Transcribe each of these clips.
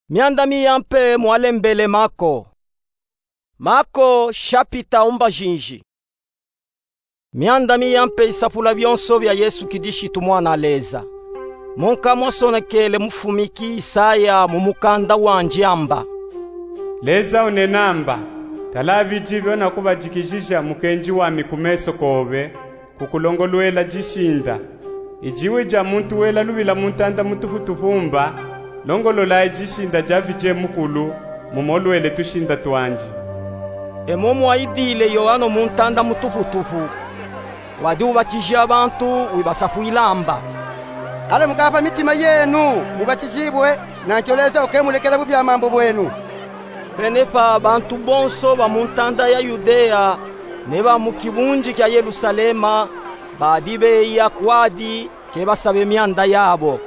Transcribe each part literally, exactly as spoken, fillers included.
Mianda miyampe mwalembele Mako. Mako shapita umbajinji. Mianda miyampe isapula bionso bia Yesu Kilishitu Mwana Leza. Monka mwasonekele mufumiki Isaya mu mukanda wandi amba: Leza unena amba: Tala, bidi bio nakubadikijija mukenji wami ku meso kobe, kukulongolwela dishinda. I diwu dia muntu wela lubila mu ntanda mutufutufu mba: Longololayi dishinda dia vidie mukulu, mumolwele tushinda twandi. E mo mwayidile Yoano mu ntanda mutufutufu, wadi ubatija bantu wibasafwila amba: Ala mukapa mitima yenu, mubatijibwe, nanki Leza uke mulekela bubi a mambu bwenu. Penepa bantu bonso ba mu ntanda ya Yudeya ne ba mu kibundi kia Yelusalema badi beya kwadi ke basabe mianda yabo.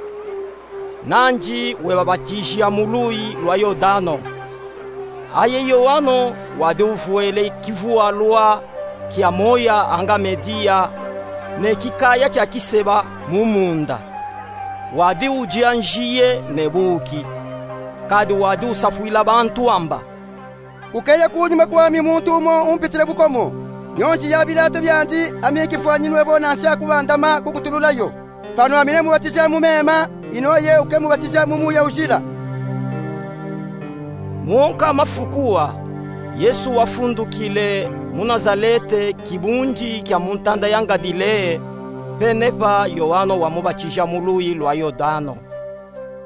Nandi webabatijia mu luyi lwa Yodano. Aye Yoano wadi uvwele kivualwa kia moya anga mediya, ne kikaya kia kiseba mu munda. Wadi udia nziye ne buki, kadi wadi usafwila bantu amba: Kukeya kunyuma kwami muntu umo umpitile bukomo. Nyonzi ya bilato biandi ami nkifwanyinwe bo nansia kubandama kukutululayo. Pano ami nemubatija mu mema, inoye uke mubatija mu Muya Ujila. Monka mafuku a, Yesu wafundukile mu Nazalete, kibundi kia mu ntanda ya Ngadileya, penepa Yoano wamubatija mu luyi lwa Yodano.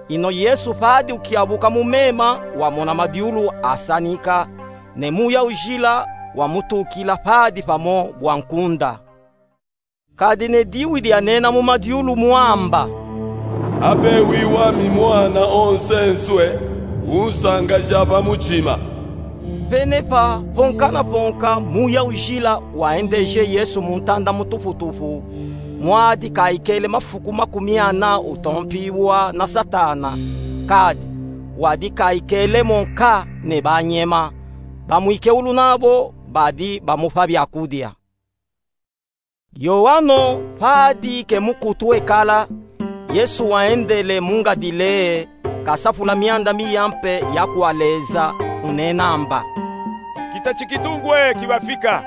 Ino Yesu padi ukiabuka mu mema, wamona madiulu asanika, ne Muya Ujila wamutukila padi pamo bwa nkunda. Kadi ne diwu dianena mu madiulu mwamba: Abe wi wami Mwana onsenswe, unsangaja pa mutima. Penepa, ponka na ponka, Muya Ujila waendeje Yesu mu ntanda mutufutufu, mwadi kaikele mafuku makumi ana utompiwa na Satana, kadi wadi kaikele mo nka ne banyema, bamwikeulu nabo badi bamupa biakudia. Yoano padi ke mukutu ekala, Yesu waendele mu Ngadileya, kasapula mianda miyampe ya kwa Leza, unena amba: Kita tikitu ngwe kibafika,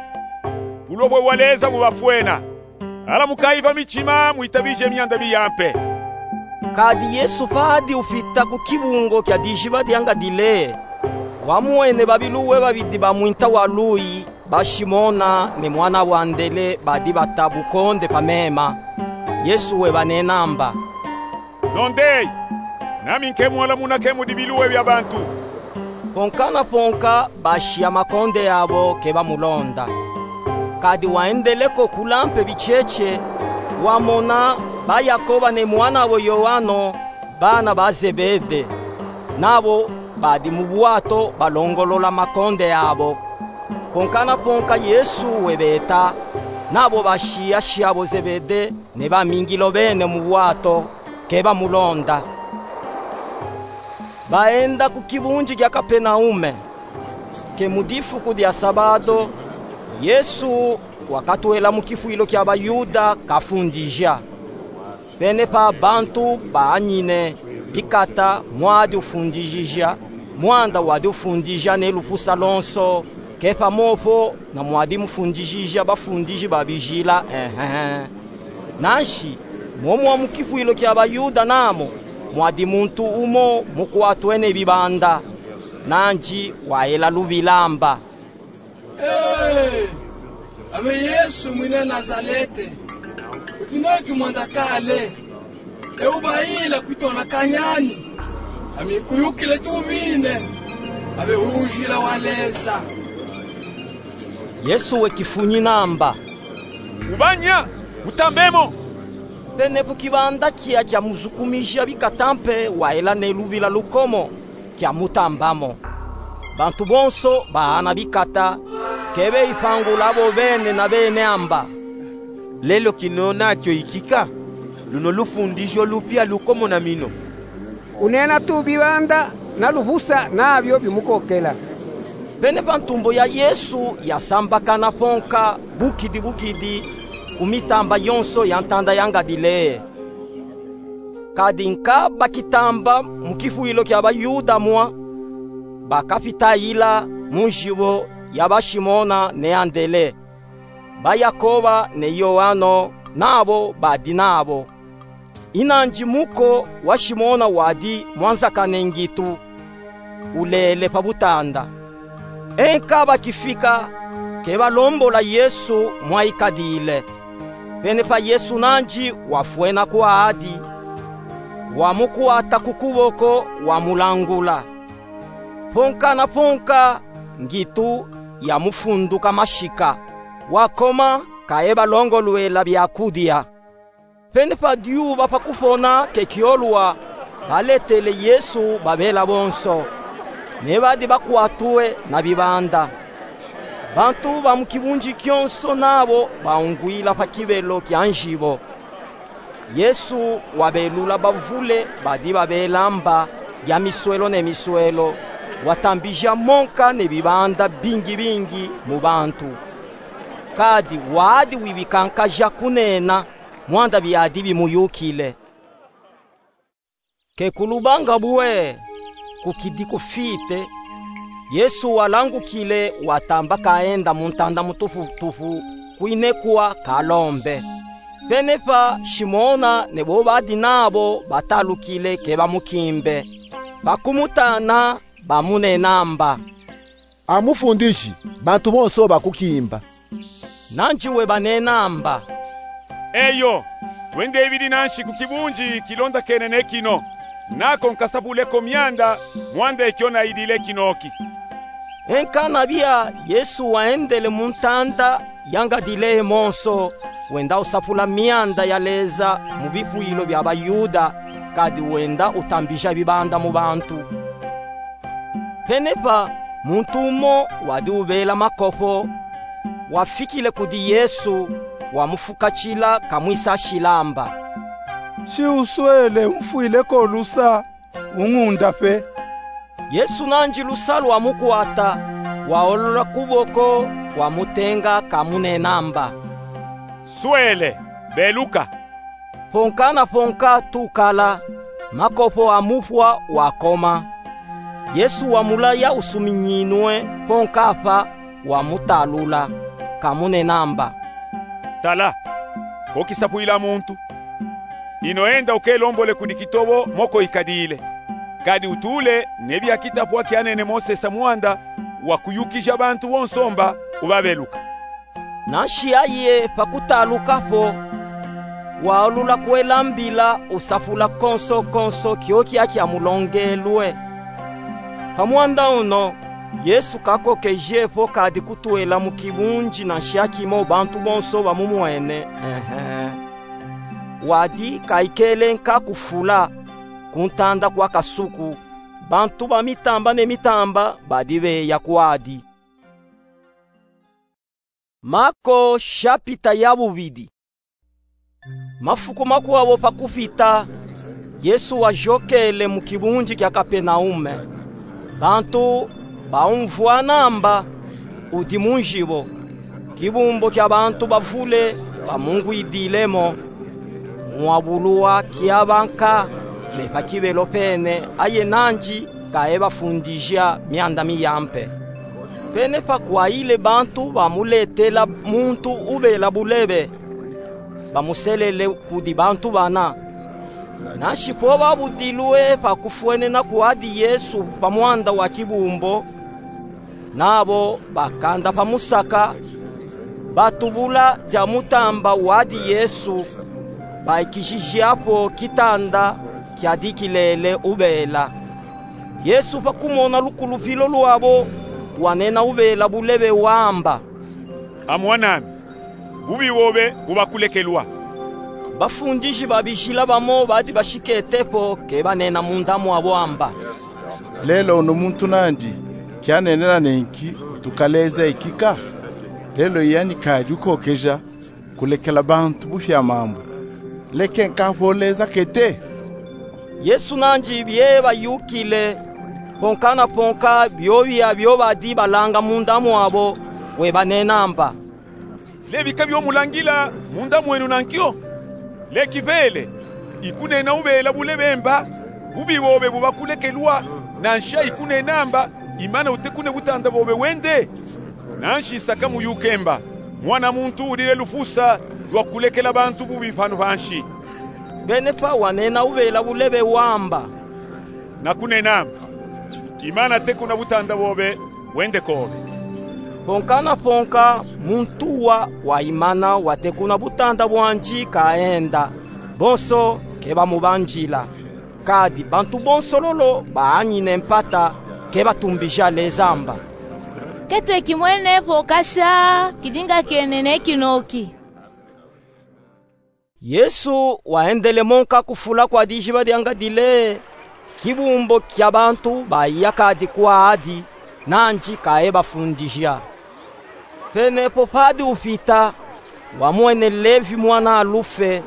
bulobwe bwa Leza bubafwena. Ala mukayi pa mitima, mwitabije mianda miyampe. Kadi Yesu padi ufita ku kibungo kia diziba dia Ngadileya, wamwene babiluwe babidi ba mwinta wa luyi, ba Simona ne mwana wa Andele, badi bata bukonde pa mema. Yesu webanena amba: Londeyi, nami nke mwala munake mudi biluwe bia bantu. Ponka na ponka, basiya makonde abo ke bamulonda. Kadi waendele ko kula mpe bicheche, wamona ba Yakoba ne mwana wo Yoano, bana ba Zebede, nabo badi mu bwato balongolola makonde abo. Ponka na ponka Yesu webeta, nabo basiya siabo Zebede ne bamingilo bene mu bwato, ke bamulonda. Baenda ku kibundi kia Kapenaume. Ke mu difuku dia Sabado, Yesu wakatwela mu kifwilo kia Bayuda kafundija. Penepa bantu baanyine bikata mwadi ufundijija, mwanda wadi ufundija ne lupusa lonso, ke pamopo na mwadi mufundijija bafundiji ba bijila, ehe. Nansi, momo mu kifwilo kia Bayuda namo, mwadi muntu umo mukwatwe ne bibanda, nandi wayela lubila amba: Ee, abe Yesu mwina Nazalete, utunoti mwanda kale, e ubayila kwitona kanyani, ami nkuyukile tubine, abe ujila wa Leza. Yesu wekifunyina amba: Ubanya, utambemo. Penepo kibanda kia kia muzukumija bikata mpe wayela ne lubila lukomo, kia mutambamo. Bantu bonso baana bikata, ke beyipangula bo bene na bene amba: Lelo kina natio ikika, luno lufundijo lupia lukomo na mino. Unena tu bibanda na lupusa nabio bimukokela. Penepa ntumbo ya Yesu yasambakana ponka bukidi bukidi ku mitamba yonso ya ntanda ya Ngadileya. Kadi nka bakitamba mu kifwilo kia ba Yuda mwa, bakafitayila mu nzibo ya ba Simona ne Andele, ba Yakoba ne Yoano nabo badi nabo. Inanji muko wa Simona wadi mwanzakane ngitu, ulele pa butanda. Enka bakifika, ke balombola Yesu mwa ikadile. Pene pa Yesu nanji wafwena kwadi, wamukwata ku kuboko, wamulangula. Ponka na ponka, ngitu yamufunduka mashika, wakoma, kaye balongolwela bya kudia. Pene pa dyuba pa kupona ke kyolwa, baletele Yesu babela bonso, ne badi bakwatwe na bibanda. Bantu ba mu kibunji kyonso nabo baungwila pa kibelo kya nzibo. Yesu wabelula bavule badi babela mba ya miswelo ne miswelo, watambija monka ne bibanda bingi bingi mu bantu. Kadi wadi wibikankaja kunena mwanda byadi bimuyukile. Ke kulubanga bwe, kukidi kufite, Yesu walangukile, watamba kaenda mu ntanda mutufutufu, kwinekwa kalombe. Pene pa Simona ne bo badi nabo batalukile ke bamukimbe. Bakumutana, bamunena mba: A Mufundiji, bantu bonso bakukimba. Nanji webanena mba: Eyo, twendebidi nanshi ku kibunji kilondakene ne kino, nako nkasapule ko myanda mwanda ekyo nayidile kinoki. Enkana bya, Yesu waendele mu ntanda ya Ngadileye monso, wenda usapula myanda yaleza mu bifwilo bya ba Yuda, kadi wenda utambija bibanda mu bantu. Pene pa, muntu umo wadi ubela makopo, wafikile kudi Yesu, wamufukatila kamwisashila mba: Shi uswele, umfwile ko lusa, ungunda pe. Yesu nanji lusa lwamukwata, waolula kuboko, wamutenga kamunena mba: Swele, beluka. Ponka na ponka tukala, makopo amufwa, wakoma. Yesu wamulaya usuminyinwe ponka pa, wamutalula, kamunena mba: Tala, ko kisapwila muntu. Ino enda ukelombole kudi kitobo moko ikadile. Kadi utule ne bya kitapwa kyanene Mosesa mwanda wa kuyukija bantu bonso mba ubabeluka. Nanshi aye pa kutaluka po, waolula kwelambila usapula konso konso kyo kya kyamulongelwe. Pa mwanda uno, Yesu kakokeje po kadi kutwela mu kibunji nanshi akimo bantu bonso bamumwene, ehe. Wadi kaikele nka kufula, ku ntanda kwa kasuku, bantu ba mitamba ne mitamba badi beya kwadi. Mako shapita ya bubidi. Mafuku makwabo pa kufita, Yesu wajokele mu kibunji kya Kapenaume. Bantu baumvwana mba udi mu njibo, kibumbo kya bantu bavule bamungwidile mo. Mwabuluwa kyaba nka, me pa kibelo pene, aye nanji kaebafundija myanda miyampe. Pene pa kwayile bantu bamuletela muntu ubela bulebe, bamuselele kudi bantu bana. Nanshi po babudilwe pa kufwenena kwadi Yesu pa mwanda wa kibumbo, nabo bakanda pa musaka, batubula dya mutamba wadi Yesu, baikishija po kitanda kyadi kilele ubela. Yesu pa kumona lukulupilo lwabo, wanena ubela bulebe wamba: Amwan'ami, bubi bobe bubakulekelwa. Bafundiji babijila bamo badi bashikete po ke banena munda mwabo amba: Lelo unu muntu nandi kyanenena nenki utukaleza ikika? Lelo yani kadi ukokeja kulekela bantu bufya mambu. Leke nka po leza kete. Yesu nandi bye bayukile, ponka na ponka byobya byo badi balanga munda mwabo, we banena amba: Lebika byo mulangila munda mwenu nankyo. Leki bele, Ikunena ubela bulebe mba, bubi bobe bubakulekelwa, nansha ikunena mba, imana utekune butanda bobe wende. Nanshi nsaka muyuke mba, Mwana muntu udi ne lufusa lwa kulekela bantu bubi panu panshi. Benepa wanena ubela bulebe wamba: Nakunena mba, imana tekuna butanda bobe, wende kobe. Ponka na ponka muntu wa, wa imana watekuna butanda bwandi kaenda, bonso kebamubandila. Kadi bantu bonso lolo baanyine mpata, kebatumbija Leza mba: Ketweki mwene po kasha, kidinga kienene kinoki. Yesu waendele monka kufula kwa dijiba dia ngadile, kibumbo kia bantu baiya kadi kwadi, nandi kaebafundija. Penepo padi upita, wamwene Levi mwana Alufe,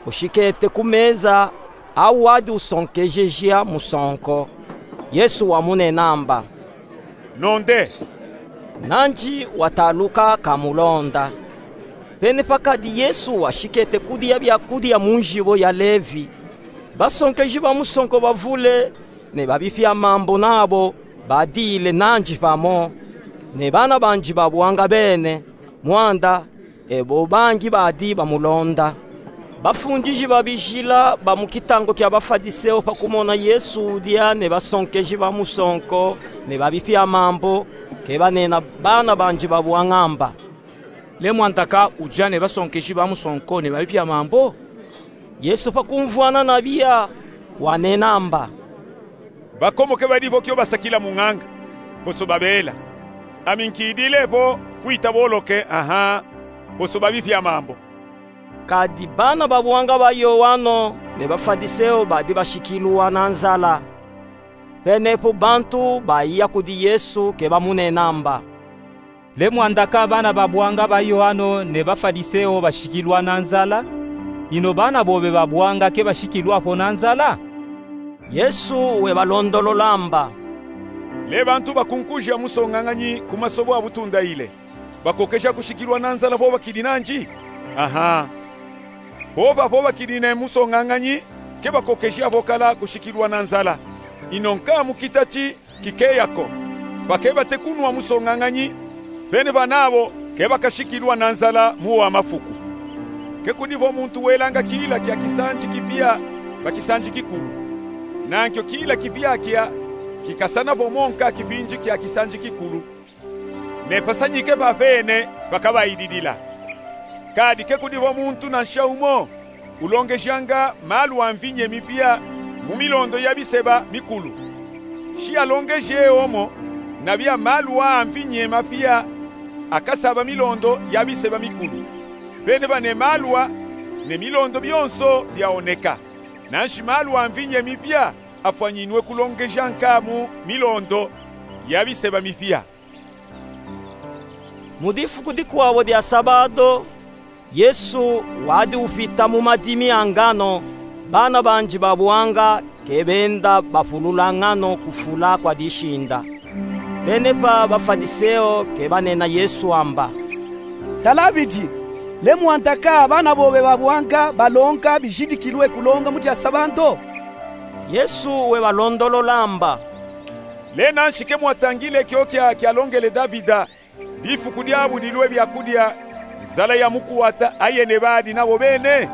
ushikete ku meza, au wadi usonkejeja musonko. Yesu wamunena mba: Nonde. Nandi wataluka kamulonda. Penepa kadi Yesu washikete kudia biakudia mu njibo ya Levi, basonkeji ba musonko bavule ne babipia mambu nabo badile nandi pamo, ne bana bandi ba buanga bene, mwanda ebo bangi badi bamulonda. Bafundiji ba bijila ba mu kitango kia Bafadiseo, pa kumona Yesu udia ne basonkeji ba musonko ne babipia mambu, kebanena bana bandi ba buanga mba: Le mwandaka udia ne basonkeji ba musonko ne babipia mambu? Yesu pa kumvwana na biya, wanena mba: Bakomoke badi vo kio basakila munganga, bonso babela. Ami nkidile vo kwita boloke, aha, bonso babipia mambu. Kadi bana ba buanga ba Yoano ne Bafadiseo badi bashikilwa na nzala. Penepo bantu baiya kudi Yesu kebamunena mba: Le mwandaka bana ba buanga ba Yoano ne Bafadiseo bashikilwa na nzala, ino bana bobe ba buanga kebashikilwa po na nzala? Yesu webalondolola mba: Le bantu bakunkuja musonganganyi ku masobo a butunda ile, bakokeja kushikilwa na nzala vo bakidi nandi? Aha. Vo pa vo bakidi ne musonganganyi, kebakokeja vo kala kushikilwa na nzala. Ino nka mu kitati kikeya ko, bakebate kunwa musonganganyi, penepa nabo kebakashikilwa na nzala mu wa mafuku. Ke kudi vo muntu welanga kila kia kisandi kipia pa kisandi kikulu. Nankio kila kipia kia kikasana vo mo nka kipindi kia kisandi kikulu, ne pasanyike papene pakabaididila. Kadi ke kudi vo muntu nansha umo ulongejanga malu a mvinye mipia mu milondo ya biseba mikulu. Shi alongeje omo, na biya malu a mvinye mapia akasaba milondo ya biseba mikulu. Penepa ne malu a ne milondo bionso biaoneka. Nanshi malu a mvinye mipia afwanyinwe kulongeja nka mu milondo ya biseba mipia. Mu difuku dikwabo dia sabado, Yesu wadi upita mu madimi a ngano, bana bandi ba buanga kebenda bapulula ngano kufula kwa dishinda. Penepa Bafadiseo kebanena Yesu amba: Tala bidi, le mwandaka bana bobe ba buanga balonga bijidikilwe kulonga mu dia sabado? Yesu webalondolola amba: Le nanshi ke mwatangile kio kia kialongele Davida, difuku diabudilwe biakudia, nzala yamukuwata aye ne badi nabo bene?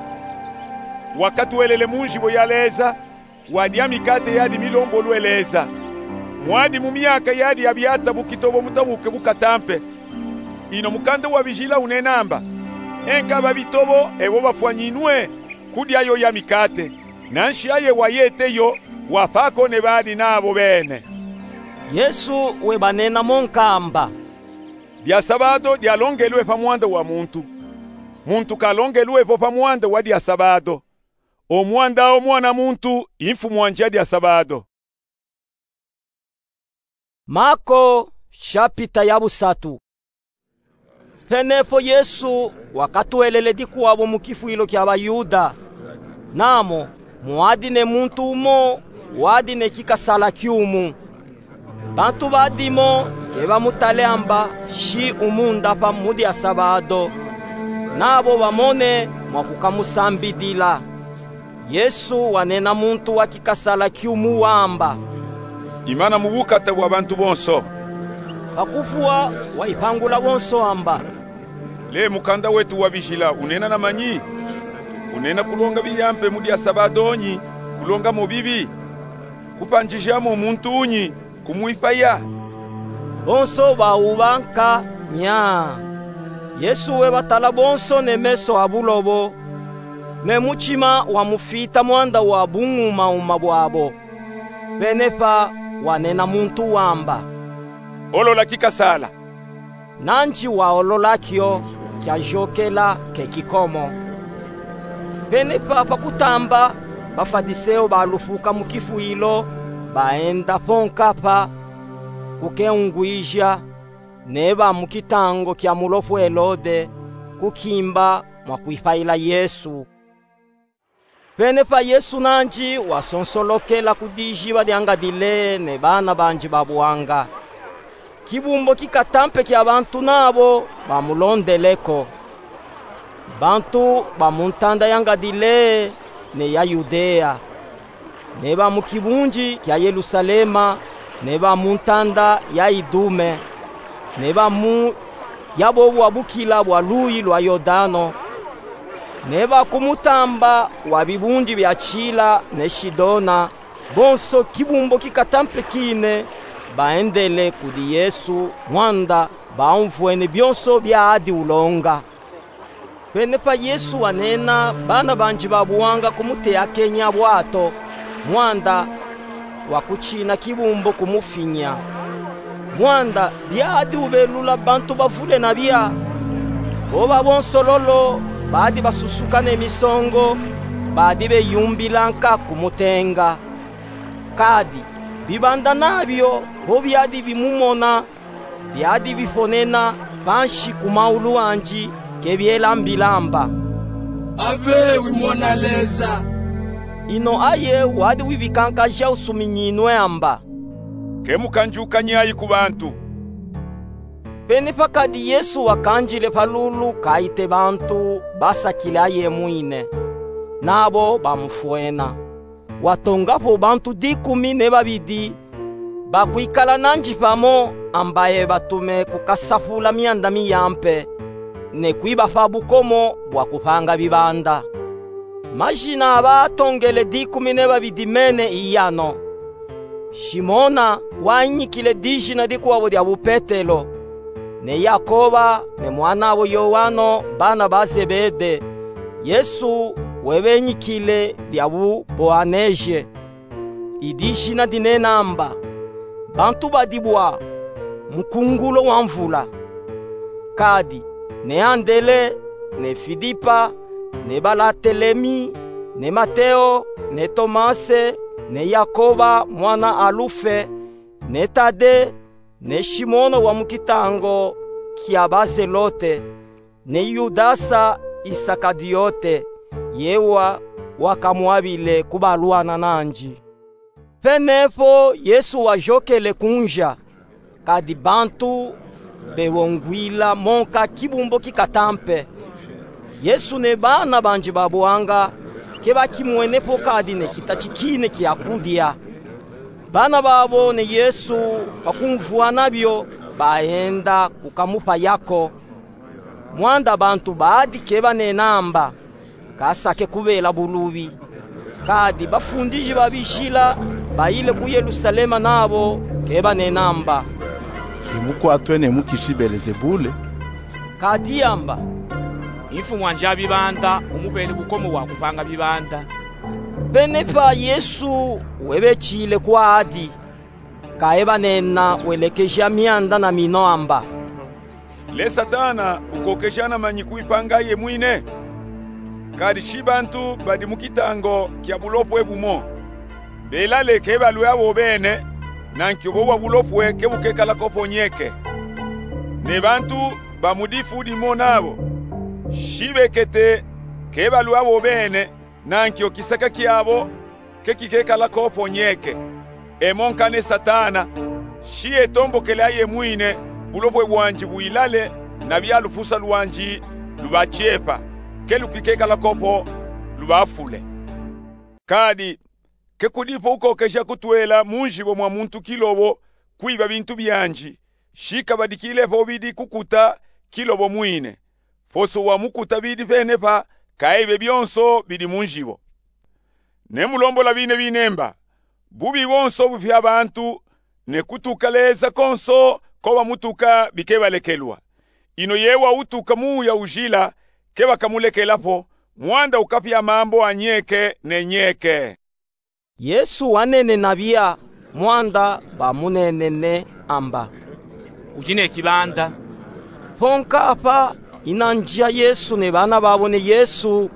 Wakatwelele mu njibo ya Leza, wadia mikate yadi milombolwe Leza. Mwadi mu miaka yadi ya biata bukitobo mutabuke bukatampe. Ino mukanda wa bijila unena amba: E nka babitobo ebo bafwanyinwe kudia yo ya mikate, nanshi aye wayete yo wapa ko ne badi nabo bene. Yesu webanena monka amba: Dia sabado dialongelwe pa mwanda wa muntu. Muntu kalongelwe vo pa mwanda wa dia sabado. O mwanda o Mwana muntu i mfumu a ndia dia sabado. Mako, shapita ya busatu. Penepo Yesu wakatwelele dikwabo mu kifwilo kia Bayuda. Namo mwadi ne muntu umo wadi ne kikasala kiumu. Bantu badimo kebamutale amba shi umundapa mu dia sabado, nabo bamone mwa kukamusambidila. Yesu wanena muntu wa kikasala kiumu wamba: Imana mu bukata bwa bantu bonso. Pakuvwa wayipangula bonso amba: Le mukanda wetu wa bijila unena na manyi? Unena kulonga biyampe mu dia Sabado nyi kulonga mo bibi? Kupanjija mo muntu nyi kumwipaya? Bonso bawubanka nyaa. Yesu webatala bonso ne meso a bulobo, ne mutima wamufita mwanda wa bungumauma bwabo. Pene pa wanena muntu wamba: Olola kikasala. Nandi waolola kio, kiajokela ke kikomo. Pene pa pakutamba, Bafadiseo balufuka mu kifwilo, baenda po nkapa, kukeungwija, ne ba mu kitango kia mulofu Elode, kukimba mwa kwipayila Yesu. Pene pa Yesu nandi wasonsolokela ku dijiba dia Ngadileya ne bana bandi ba buanga. Kibumbo kikatampe kia bantu nabo bamulondele ko. Bantu ba mu ntanda ya Ngadileya ne ya Yudeya, ne ba mu kibundi kia Yelusalema, ne ba mu ntanda ya Idume, ne ba mu ya bo bwabukila bwa luyi lwa Yodano, ne ba ku mutamba wa bibundi bia Tila ne Sidona, bonso kibumbo kikatampe kine baendele kudi Yesu, mwanda baumvwene bionso biadi ulonga. Pene pa Yesu wanena bana bandi ba buanga kumuteyakenya bwato, mwanda wakutshina kibumbo kumufinya. Mwanda biadi ubelula bantu bavule na bia. Bo babonso lolo badi basusuka ne misongo, badi beyumbila nka kumutenga. Kadi bibanda na bio, bo biadi bimumona, biadi bifonena pansi ku maulu andi, ke biela mbila amba: Abe wimona Leza. Ino aye wadi wibikankaja usuminyinwe amba: Ke mukanjuka nyayi ku bantu. Pene pa kadi Yesu wakandile pa lulu kaite bantu basakile ayemwine, nabo bamufwena. Watonga po bantu dikumi ne babidi, bakwikala nandi pamo, ambaye batume kukasapula mianda miyampe, ne kwibapa bukomo bwa kupanga bibanda. Majina a baatongele dikumi ne babidi mene i yano: Simona, wayinyikile dijina dikwabo dia bu Petelo, ne Yakoba, ne mwanabo Yoano, bana ba Zebede. Yesu webenyikile dia bu Boaneje. I dijina dinena amba: Bantu badibwa, mukungulo wa mvula. Kadi ne Andele, ne Filipa, ne Balatelemi, ne Mateo, ne Tomase, ne Yakoba mwana Alufe, ne Tade, ne Simona wa mu kitango kia Bazelote, ne Yudasa Iskariyote, yewa wakamwabile kubalwana nandi. Pene po Yesu wayokele ku nza, kadi bantu bewongwila monka kibumbo kikatampe. Yesu ne bana bandi ba buanga ke bakimwene po kadi ne kitati kine kia kudia. Bana babo ne Yesu, pa kumvwana bio, baenda kukamupaya ko. Mwanda bantu badi ke banena amba, kasake kubela bulubi. Kadi bafundiji ba bijila bayile ku Yelusalema nabo ke banena amba: Imukwatwe ne mukishi Belezebule. Kadi amba: Imfumu andi a bibanda umupele bukomo bwa kupanga bibanda. Pene pa Yesu webetile kwadi, kaye banena welekeja mianda na mino amba: Le Satana ukokeja na manyi kwipanga aye mwine? Kadi si bantu badi mu kitango kia bulopwe bumo. Belale ke balwe abo bene, nanki obo bwa bulopwe ke bukekala ko po nyeke. Ne bantu ba mu difu dimo nabo, si bekete ke balwe abo bene, nanki o kisaka kiabo ke kikekala ko po nyeke. E monka ne Satana, si etombokele aye mwine, bulopwe bwandi bwilale, na bia lupusa lwandi lubakiepa, ke lukikekala ko po lubafule. Kadi, ke kudipo ukokeja kutwela mu njibo mwa muntu kilobo kwiba bintu bianji, shikabadikile po bidi kukuta kilobo mwine. Poso wa mukuta bidi penepa kaibe byonso bidi mu njibo. Nemulombole bine binemba, bubi bonso bufya bantu, ne kutuka Leza konso ko bamutuka bikebalekelwa. Ino yewa utuka muuya ujila, kebakamulekelapo, mwanda ukapya mambo anyeke ne nyeke. Yesu wanenena biya, mwanda bamunenene amba: Ujine kibanda. Ponka apa ina nja Yesu ne bana babo ne Yesu,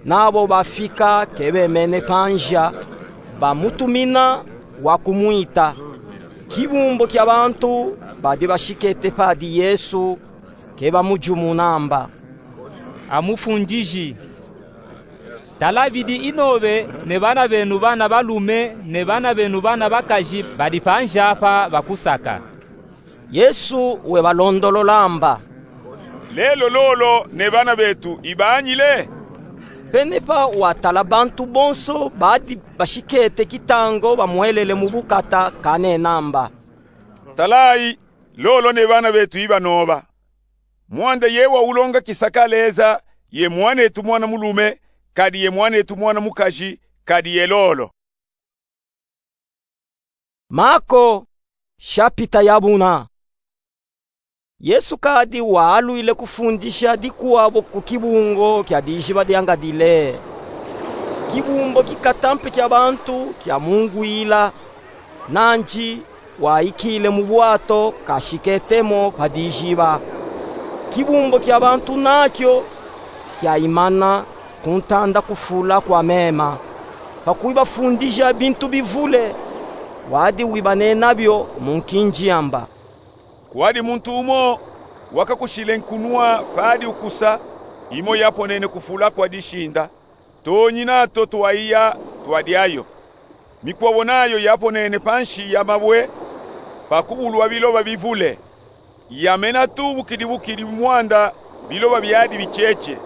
nabo bafika kebemene pa nja, bamutumina wa kumwita. Kibumbo kya bantu badi bashikete padi Yesu, kebamujumuna amba: A Mufundiji, tala bidi inobe ne bana benu bana balume ne bana benu bana bakaji badi pa nja apa bakusaka. Yesu webalondolola amba: Lelo lolo ne bana betu ibaanyile? Penepa watala bantu bonso badi bashikete kitango bamwelele mu bukata kanena amba: Talayi, lolo ne bana betu ibanoba. Mwanda yewa ulonga kisaka Leza, ye mwanetu mwana mulume, kadi ye mwanetu mwana mukaji, kadi ye lolo. Mako, shapita ya buna. Yesu kadi waalwile kufundisha dikwabo ku kibungo kya dijiba dya Ngadileye. Kibumbo kikatampe kya bantu kyamungwila, nanji waikile mu bwato kashiketemo pa dijiba. Kibumbo kya bantu nakyo kyaimana kuntanda kufula kwa mema, pa kwibafundija bintu bivule. Wadi wibanena byo mu nkinji amba: Kwadi muntu umo wakakushile nkunwa padi ukusa, imo yaponene kufula kwa dishinda, toonyina to twaiya twadyayo. Mikwabo nayo yaponene panshi ya mabwe, pa kubulwa biloba bivule. Yamena tu bukidi bukidi mwanda biloba byadi bicheche.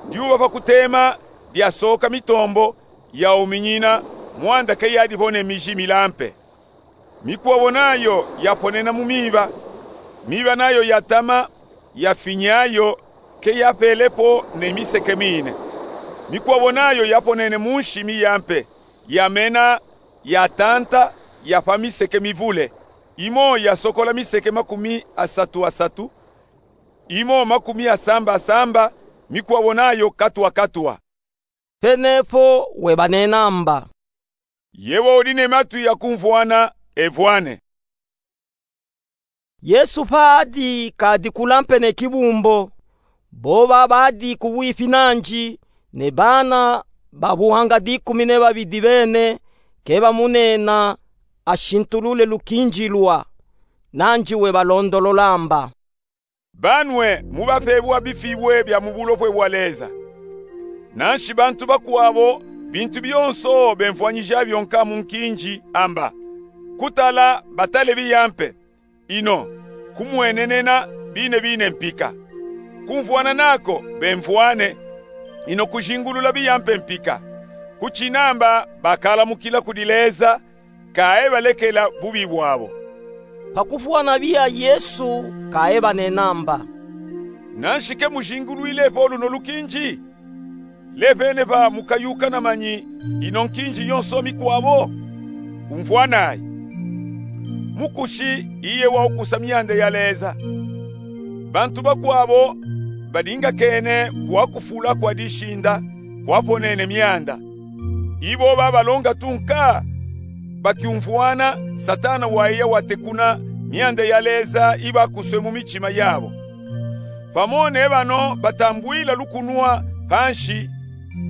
Dyuba pa kutema, dyasoka mitombo, yauminyina, mwanda ke yadipone miji milampe. Mikwabo nayo yaponena mu miba. Miba nayo yatama, yafinyayo, ke yapelepo ne miseke mine. Mikwabo nayo yaponene mu nshi miyampe, yamena, yatanta, yapa miseke mivule. Imo yasokola miseke makumi asatu asatu, imo makumi asamba asamba, mikwabo nayo katwa katwa. Penepo webanena amba: Yewe udi ne matwi ya kumvwana, evwane. Yesu padi kadi kulampe ne kibumbo, boba badi kubwipi nanji, ne bana ba buhanga dikumi ne babidi bene, kebamunena ashintulule lukinji lwa, nanji webalondolola amba: Banwe mubapebwa bifibwe bya mu bulopwe bwa Leza. Nanshi bantu bakwabo, bintu byonso bemvwanyija byonka mu nkinji amba: Kutala batale biyampe, ino kumwenenena bine bine mpika. Kumvwana nako bemvwane, ino kujingulula biyampe mpika. Kuchinamba bakalamukila kudi Leza, kaebalekela bubi bwabo. Pa kuvwana biya Yesu kaebanena amba: Nanshi ke mujingulwilepo luno lukinji? Lepene pa mukayuka na manyi ino nkinji yonso mikwabo? Umvwanayi. Mukushi iye wa ukusa myanda ya Leza. Bantu bakwabo badingakene bwa kufula kwa dishinda kwaponene myanda. Ibo babalonga tunka, bakyumvwana Satana waiya watekuna myanda ya Leza ibakuswe mu michima yabo. Pamo ne bano batambwila lukunwa panshi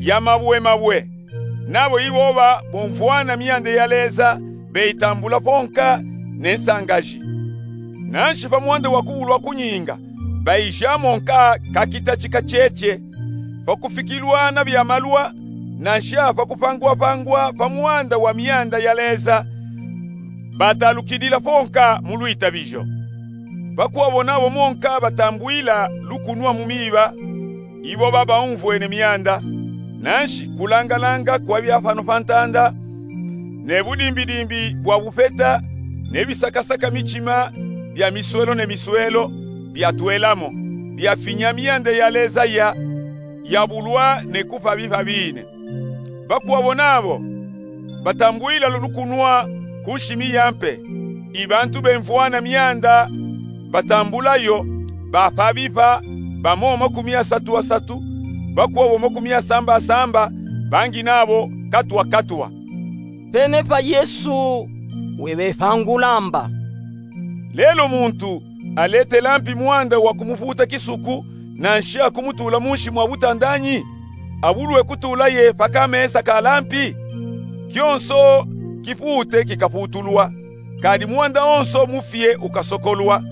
ya mabwe mabwe. Nabo iboba bomvwana myanda ya Leza, beyitambula ponka ne nsangaji. Nanshi pa mwanda wa kubulwa kunyinga, bayijamo nka kakitachi kacheche, pa kufikilwa na bya malwa, nansha pa kupangwapangwa pa mwanda wa myanda ya Leza, batalukidila ponka mu lwitabijo. Bakwabo nabo monka batambwila lukunwa mu miba, ibo babaumvwene myanda, Nanshi kulangalanga kwa bia fano fa ntanda, ne budimbidimbi bwa bupeta, ne bisakasaka mitima bia miswelo ne miswelo, biatwelamo, biafinya mianda ya leza ya, yabulwa ne kufa bifa bine. Bakwabo nabo batambwila lulu kunwa ku nshimi ya mpe. I bantu bemvwana mianda batambula yo, bafa bifa, bamo makumi asatu asatu, bakwabo makumi asamba asamba, bangi nabo katwa katwa. Pene pa Yesu webefangula amba: Lelo muntu aletela mpi mwanda wa kumufuta kisuku, nanshi akumutula munshi mwa butanda nyi? Abulwe kutula ye pa kamesa ka lampi? Kionso kifute kikafutulwa, kadi mwanda onso mufie ukasokolwa.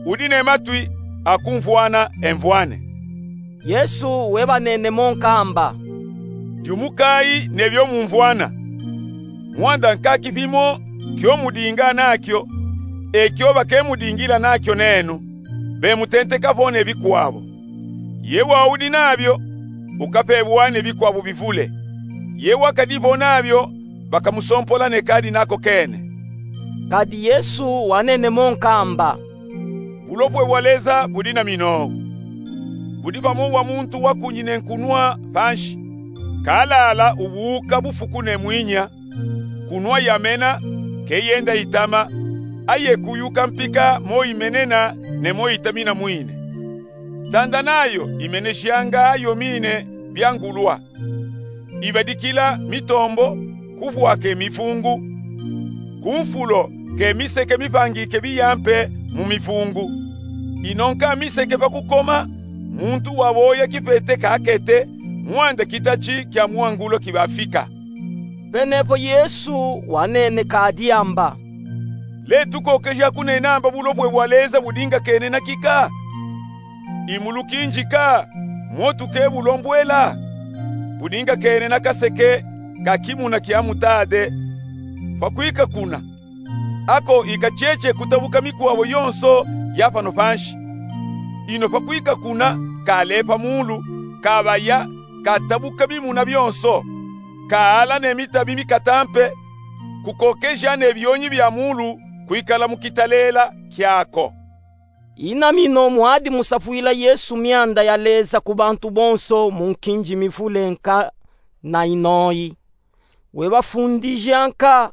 Udi ne matwi akumvwana, emvwane. Yesu webanene mo nka amba: Yumukayi ne bio mumvwana. Mwanda nka kifi mo kio mudinga nakio, e kio bakemudingila nakio nenu, bemutenteka vo ne bikwabo. Ye waudi nabio, ukapebwa ne bikwabo bivule. Ye wakadi vo nabio, bakamusompola ne kadi nako kene. Kadi Yesu wanene mo nka amba: Bulopwe bwa Leza budi na minowu. Budi pamo wa muntu wakunyi ne nkunwa panshi. Kalala ubuuka bufuku ne mwinya, kunwa yamena, ke yenda itama, aye kuyuka mpika mo imenena ne mo itamina mwine. Ntanda nayo imeneshanga yo mine bia ngulwa. Ibadikila mitombo, kuvwa ke mifungu. Ku mfulo ke miseke mipangike biya mpe mu mifungu. Inonka miseke pa kukoma, muntu waboya kipete kakete, mwanda kitachi kia mwangulo kibafika. Penepo Yesu wanene kadi amba: Letukokeja kunena amba bulopwe bwa Leza budinga kene na kika? Imulukinjika, mwotu ke bulombwela? Budinga kene na kaseke ka kimuna kia mutade. Pa kwika kuna, ako ika cheche kutabuka mikwabo yonso ya pano panshi. Ino pa kwika kuna, kalepa mulu, kabaya, katabuka bimuna byonso, kaala ne mitabi mikata mpe, kukokeja ne byonyi bya mulu kwikala mu kitalela kyako. Inamino mwadi musafwila Yesu myanda ya Leza ku bantu bonso mu nkinji mivule nka na inoyi. Webafundija nka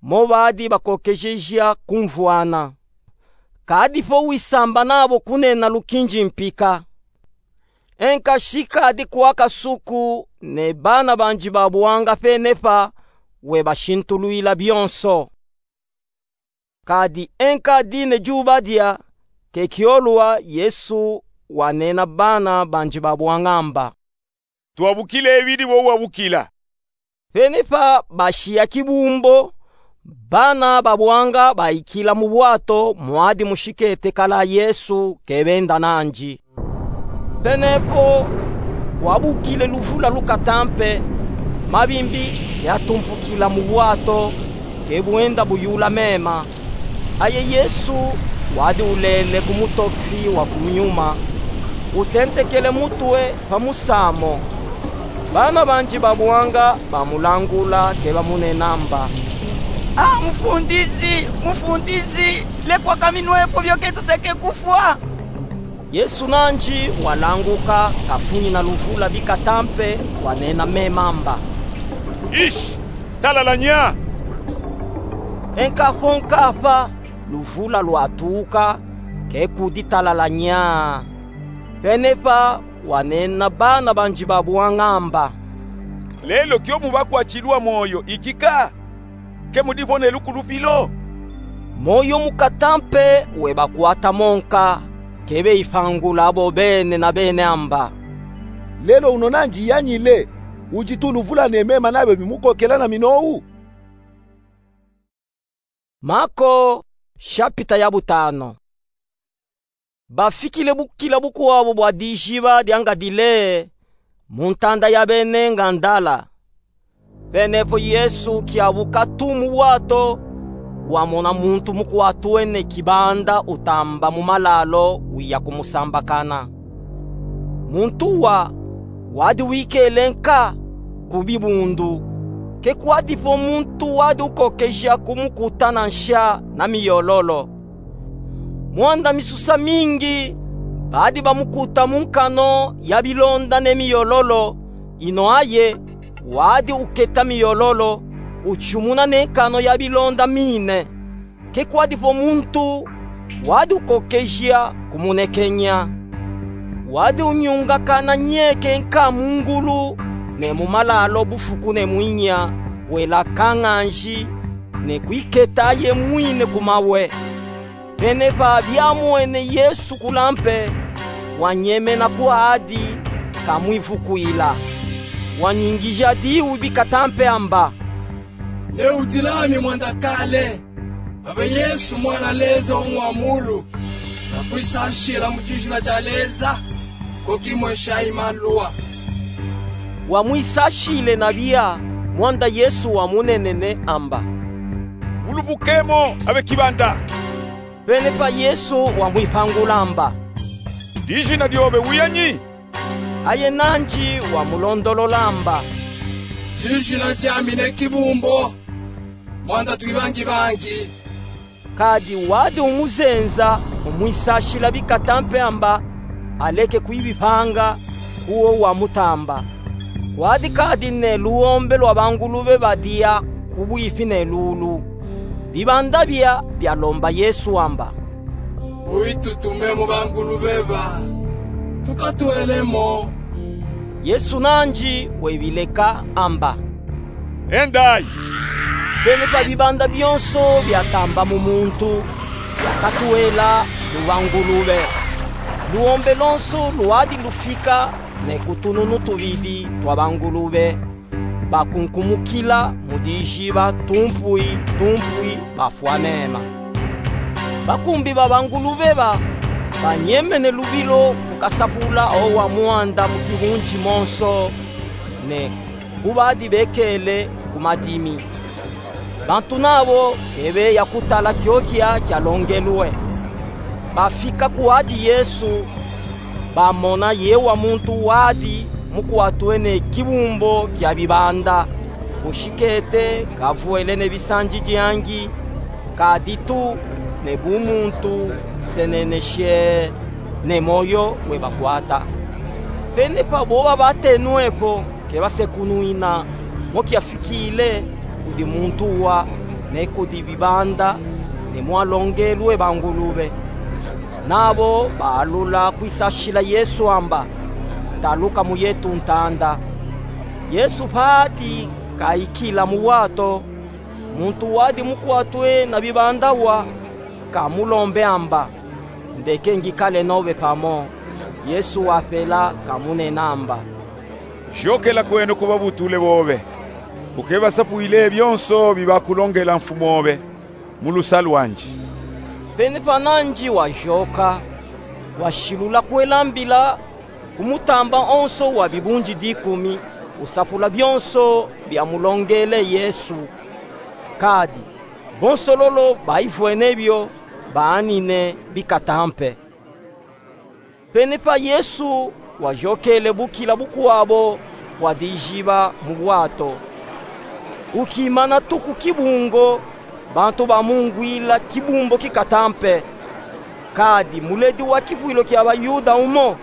mo badi bakokejeja kumvwana. Kadi po wisamba nabo kunena lukinji mpika. Enka shikadi kwa kasuku ne bana banji ba buanga penepa webashintulwila byonso. Kadi enka dine jubadya, ke kyolwa Yesu wanena bana banji ba buanga amba: Twabukile bidi bo wabukila. Penepa bashiya kibumbo, bana ba buanga bayikila mu bwato mwadi mushikete kala Yesu ke benda nanji. Penepo kwabukile luvula lukata mpe, mabimbi ke atumpukila mu bwato, ke bwenda buyula mema. Aye Yesu wadi ulele ku mutofi wa ku nyuma, utentekele mutwe pa musamo. Bana banji ba buanga bamulangula ke bamunena amba: A Mufundiji, Mufundiji, lekwa kaminwepo byo ke tuseke kufwa. Yesu nanji walanguka, kafunyina luvula bikata mpe, wanena mema amba: Ishi, talala nya! Enka po nkapa luvula lwatuka, ke kudi talala nya. Penepa wanena bana banji ba buanga amba: Lelo kyo mubakwatilwa mwoyo ikika? Ke mudi po ne lukulupilo? Mwoyo mukata mpe webakwata mo nka, ke beyipangula bo bene na bene amba: Lelo uno nanji yanyile, udi tu luvula ne mema nabyo bimukokela na minowu? Mako, shapita ya butano. Bafikile bukila bukwabo bwa dijiba dya Ngadileye, mu ntanda ya bene Ngandala. Penepo Yesu kyabuka tu mu bwato, wamona muntu mukwatwene kibanda utamba mu malalo wiya kumusambakana. Muntu wa wadi wikele nka, ku bibundu. Ke kwadipo muntu wadi ukokeja kumukuta na nsha na miyololo. Mwanda misusa mingi badi bamukuta mu nkano ya bilonda ne miyololo, ino aye wadi uketa miyololo, ucumuna ne nkano ya bilonda mine. Ke kwadipo muntu wadi ukokeja kumunekenya. Wadi unyungakana nyeke nka mu ngulu ne mu malalo bufuku ne mwinya, wela kanganji, ne kwiketa aye mwine ku mawe. Penepa biamwene Yesu kula mpe, wanyemena kwadi, kamwivukwila. Wanyingija diwu bikata mpe amba: Ne udila ami mwanda kale, abe Yesu mwana Leza wa mwa mulu, na kwisashila mu dijina dia Leza, ko kimwesha i maluwa. Wamwisashile na bia, mwanda Yesu wamunenene amba: Wulubuke mo, abe kibanda. Penepa Yesu wamwipangula amba: Dijina diobe wiyanyi? Aye nanji wamulondolola amba: Dijina diami ne Kibumbo, mwanda twibangibangi. Kadi wadi umuzenza, umwisashila bikata mpe amba aleke kwibipanga, kuwo wamutamba. Kwadi kadi ne luombe lwa bangulube badia kubwipi ne lulu. Bibanda bia bialomba Yesu amba: Uyitutume mu bangulube ba, tukatwele mo. Yesu nanji webileka amba: Endayi. Penepa bibanda bionso biatamba mu muntu, biakatwela mu bangulube. Luombe lonso lwadi lufika ne ku tununu tubidi twa bangulube, bakunkumukila mu dijiba tumpui tumpui bafwa mema. Bakumbi ba bangulube ba banyemene lubilo ku kasapula o wa mwanda mu kibunji monso, ne ku badi bekele ku madimi. Bantu nabo ke beya kutala kiokia kialongelwe. Bafika kwadi Yesu, bamona ye wa muntu wadi mukwatwe ne kibumbo kia bibanda, bushikete kavwele ne bisanjidiangi, kadi tu ne bumuntu, seneneshe, ne moyo webakwata. Penepa boba batenwepo ke basekunwina mo kiafikile kudi muntu wa, ne kudi bibanda, ne mwalongelwe bangulube. Nabo baalula kwisashila Yesu amba: Taluka mu yetu ntanda. Yesu pati kayikila mu bwato, muntu wadi mukwatwe na bibanda wa kamulombe amba: Ndeke ngikale nobe pamo. Yesu wapela kamunena amba: Jokela kweno ku babutule bobe, ukebasapwile byonso bibakulongela mfumobe mu lusa lwanji. Penepa nanji wajoka, washilula kwelambila ku mutamba onso wa bibunji dikumi, usapula byonso byamulongele Yesu. Kadi bonso lolo bayivwene byo, baanine bikata mpe. Penepa Yesu wajokele bukila bukwabo bwa dijiba mu bwato. Ukimana tu ku kibungo, bantu bamungwila kibumbo kikata mpe. Kadi muledi wa kivwilo kia Bayuda umo,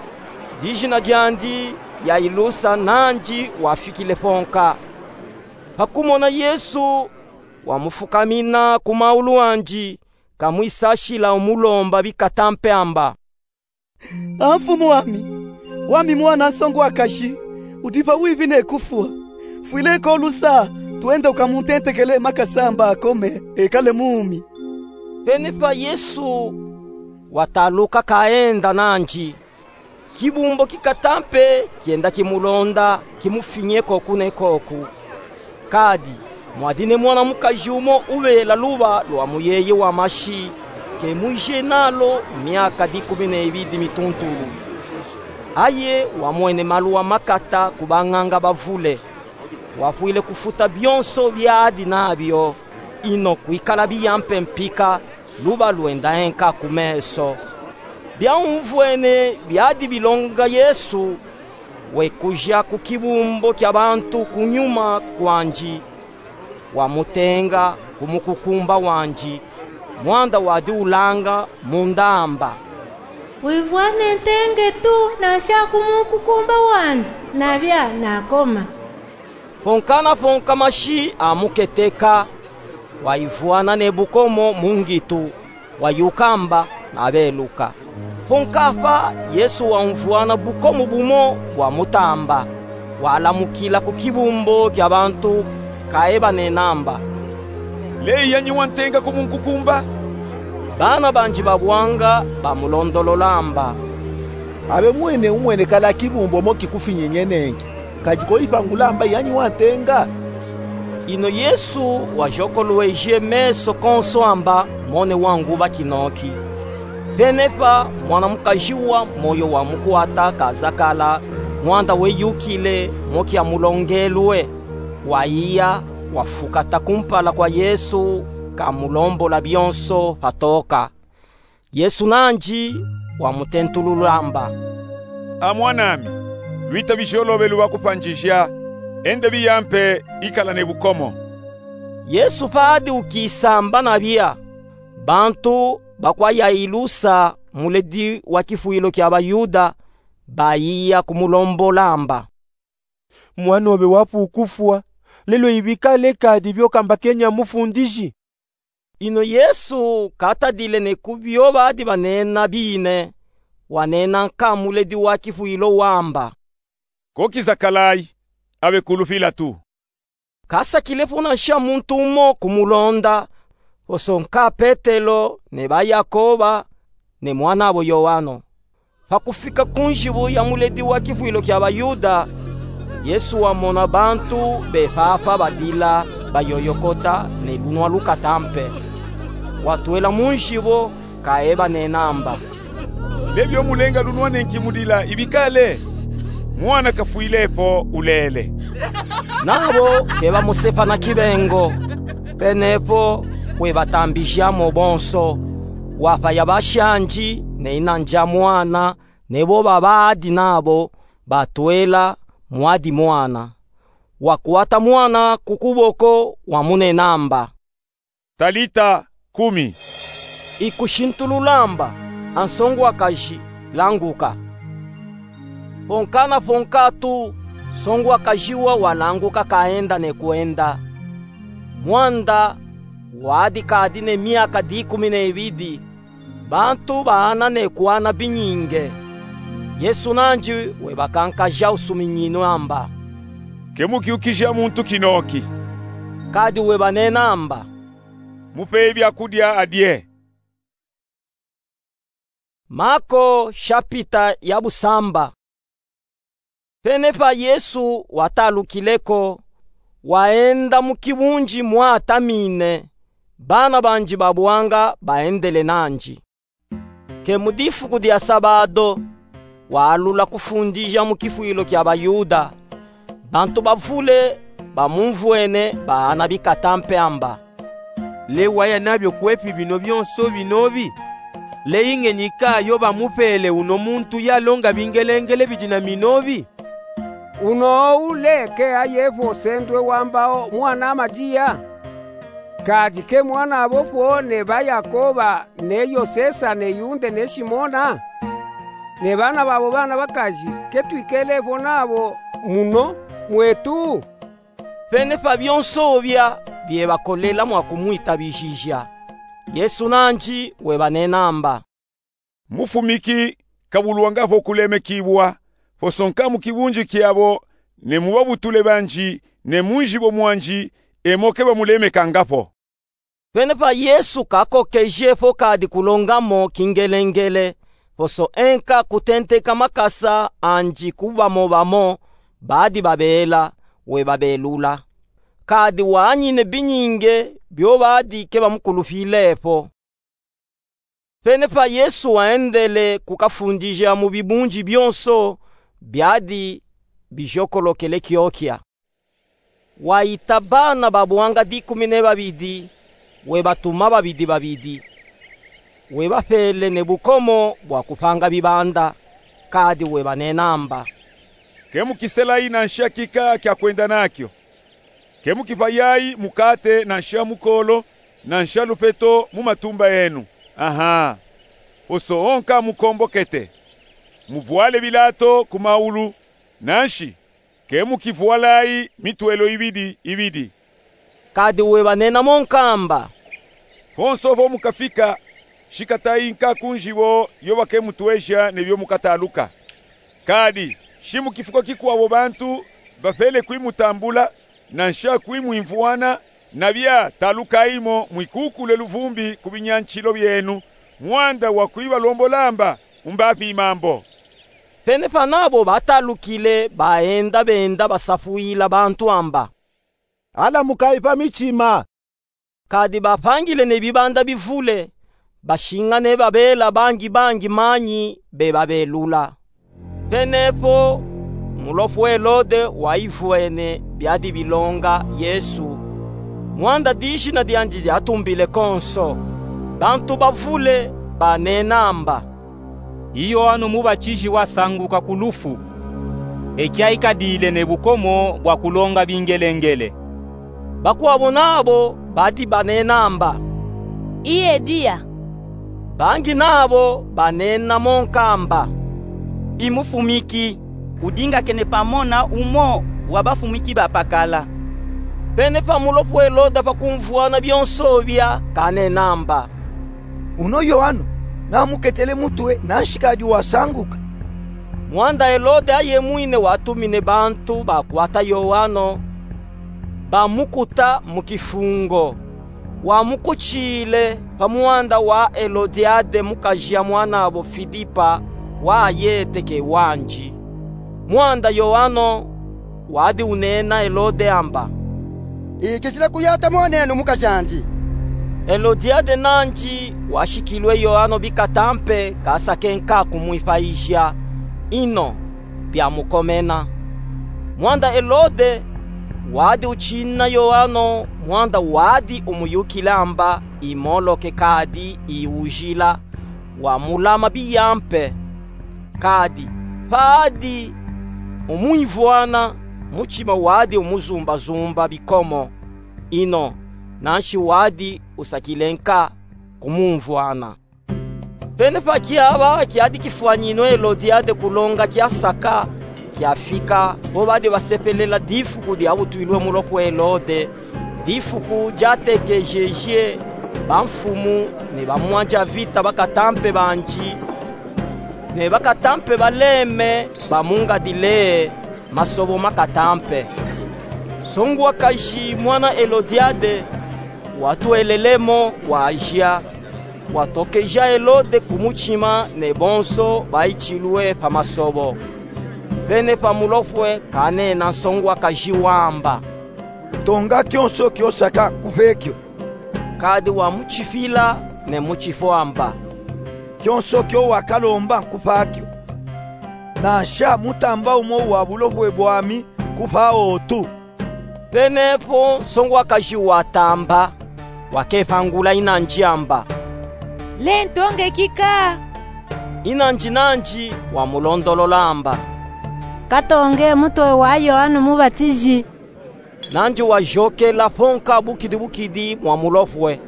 dijina diandi Yailusa, nanji wafikile ponka. Pa kumona Yesu, wamufukamina ku maulu andi, kamwisashila umulomba bikata mpe amba: A Mfumu ami, wami mwana nsongwakashi, udi pa wibi ne kufwa. Fwile ko lusa, twenda ukamuntentekele makasa amba akome, ekale mumi. Penepa Yesu wataluka kaenda nandi. Kibumbo kikata mpe kienda kimulonda, kimufinye koku ne koku. Kadi mwadi ne mwana mukaji umo ubela luba lwa muyeye wa mashi, ke mwije nalo myaka dikumi ne ibidi mituntulu. Aye wamwene maluwa makata ku banganga bavule. Wapwile kufuta byonso byadi nabyo, ino kwikala biya mpe mpika, luba lwenda enka ku meso. Byaumvwene byadi bilonga Yesu, wekuja ku kibumbo kia bantu kunyuma kwandi, wamutenga ku mukukumba wandi, mwanda wadi ulanga munda amba: Wivwane ntenge tu, nasha ku mukukumba wandi, nabia nakoma. Ponka naponka mashi amuketeka, wayivwana ne bukomo mu ngitu, wayuka amba, nabeluka. Ponka apa Yesu wamvwana bukomo bumo bwa mutamba, walamukila ku kibumbo kia bantu, kaebanena amba: Leyi yanyi wantenga ku munkukumba? Bana bandi ba bwanga bamulondolola amba: Abe mwene umwenekala kibumbo mo kikufinyenyenengi, kadi koyipangula amba yanyi wantenga? Ino Yesu wajokolweje meso konso amba mone wanguba kinoki. Penepa mwana mukaji wa moyo wamukwata kazakala, mwanda weyukile mo kiamulongelwe, wayiya, wafukata kumpala kwa Yesu, kamulombola bionso patoka. Yesu nandi wamutentulula amba: A mwanami, lwita bijolo be lubakupandija, enda biya mpe, ikala ne bukomo. Yesu padi ukisamba nabia, bantu bakwa Yailusa, muledi wa kifwilo kia Bayuda, bayiya kumulombola amba: Mwan'obe wapukufwa, lelo ibikale kadi biokamba kenya mufundiji. Ino Yesu katadile ne ku bio badi banena bine, wanena nka muledi wa kifwilo wamba: Ko kizakalayi, abe kulupila tu. Kasakile po nansha muntu umo kumulonda, poso nka Petelo, ne ba Yakoba, ne mwan'abo Yoano. Pakufika ku nzibu ya muledi wa kifwilo kia Bayuda, Yesu wamona bantu be papa badila bayoyokota ne lunwa lukata mpe. Watwela mu nzibo, kaebanena amba: Lebio mulenga lunwa nenki mudila ibikale? Mwana kafwile po, ulele. Nabo kebamusepa na kibengo. Penepo webatambijamo bonso, wapaya bashandi ne ina ndia mwana, ne bo babadi nabo batwela mwadi mwana. Wakwata mwana ku kuboko, wamunena amba: Talita kumi. Ikushintulula amba: A nsongwakaji, languka. Ponka na ponka tu, nsongwakaji wa walanguka, kaenda ne kwenda. Mwanda wadi kadi ne miaka dikumi ne ibidi, bantu baana ne kwana binyinge. Yesu nandi webakankaja usuminyinu amba: Ke mukiukija muntu kinoki. Kadi webanena amba: Mupeyi byakudia adie. Mako, shapita ya busamba. Penepa Yesu watalukile ko, waenda mu kibunji mwatamine, bana bandi ba bwanga baendele nandi. Ke mu difuku dia sabado, waalula kufundija mu kifwilo kia Bayuda. Bantu bavule bamumvwene baana bikata mpe amba: Le waya nabio kwepi bino bionso binobi? Le ingenyi kayo bamupele uno muntu yalonga bingelengele bidi na minobi? Uno ou le ke aye vo sendwe wamba o mwana Madiya? Kadi ke mwan'abo vo ne ba Yakoba, ne Yosesa, ne Yunde, ne Simona? Ne bana babo bana bakaji, ke twikele vo nabo muno mwetu? Penepa bionso bia biebakolela mwa kumwitabijija, Yesu nandi webanena amba: Mufumiki kabulwanga vo kulemekibwa, poso nka mu kibunji kiabo, ne mu babutule bandi, ne mu nzibo mwandi, e mo ke bamulemekanga vo. Penepa Yesu kakokeje vo kadi kulonga mo kingelengele, poso enka kutenteka makasa andi ku bamo bamo badi babela, webabelula. Kadi wanyine binyinge bio badi ke bamukulupile vo. Penepa Yesu waendele kukafundija mu bibunji bionso biadi bijokolokele kiokia. Waita bana ba bwanga dikumi ne babidi, webatuma babidi babidi. Webapele ne bukomo bwa kupanga bibanda, kadi webanena amba: Ke mukiselayi nansha kika kya kwenda nakyo. Ke mukivayayi mukate nansha mukolo, nansha lupeto mu matumba enu. Aha. Oso onka mukombokete. Muvwale bilato ku maulu, nanshi ke mukivwalayi mitwelo ibidi ibidi. Kadi webanena mo nkamba: Ponso po mukafika, shikatayi nka ku nzibo yo bakemutweja ne byo mukataluka. Kadi shi mukifuko kikwabo bantu bapele kwimutambula, nansha kwimwimvwana, nabya talukayi mo mwikukule luvumbi ku binyanshilo byenu, mwanda wa kwibalombola amba, umbapima mbo. Pene panabo batalukile, baenda benda basafwila bantu amba: Alamukayi pa michima. Kadi bapangile ne bibanda bivule, bashingane babela bangi bangi manyi bebabelula. Penepo mulopwe Elode wayivwene byadi bilonga Yesu, mwanda dijina dyandi dyatumbile konso. Bantu bavule banena amba: I Yoano Mubatiji wasanguka ku lufu, ekya ikadile ne bukomo bwa kulonga bingelengele. Bakwabo nabo badi banena amba: I Eliya. Bangi nabo banena mo nkamba: I mufumiki, udingakene pamo na umo wa bafumiki bapakala. Pene pa mulopwe Elode pakumvwana byonso bya, kanena amba: Uno Yoano namuketele mutwe, nanshi kadi wasanguka. Mwanda Elode ayemwine watumine bantu bakwata Yoano, bamukuta mu kifungo. Wamukutshile pa mwanda wa Elodiade, mukaji ya mwanabo Filipa, wa ayete ke wanji. Mwanda Yoano wadi unena Elode amba: Ikishila kuyata monenu mukajandi. Elodiade nanji washikilwe Yoano bikatampe, kasake nka kumwipayija, ino byamukomena. Mwanda Elode wadi utshina Yoano, mwanda wadi umuyukila amba imoloke kadi iwujila, wamulama biyampe. Kadi padi umwimvwana, muchima wadi umuzumbazumba bikomo, ino nanshi wadi usakile nka kumumvwana. Pene pa kyaba kyadi kifwanyinu Elodiade kulonga kyasaka, kyafika po badi basepelela difuku dyabutwilwe mulopwe Elode, difuku dyatekejeje bamfumu ne bamwanja vita bakatampe banji, ne bakatampe baleme ba mu ngadi le masobo makatampe. Nsongwakaji mwana Elodiade watwelele mo, waja, watokeja Elode ku muchima ne bonso bayitshilwe pa masobo. Pene pa mulopwe kanena nsongwakaji wamba: Tonga kyonso kyosaka, nkupe kyo. Kadi wamuchifila ne muchifwamba: Kyonso kyo wakalomba nkupa kyo, nansha mutamba umo wa bulopwe bwami nkupa otu. Penepo nsongwakaji watamba, wakepangula inanji amba: Lentongeki ka. Inanji nanji wamulondolola amba: Katonge mutwe wa Yoano Mubatiji. Nanji wajokela ponka bukidi bukidi mwa mulopwe,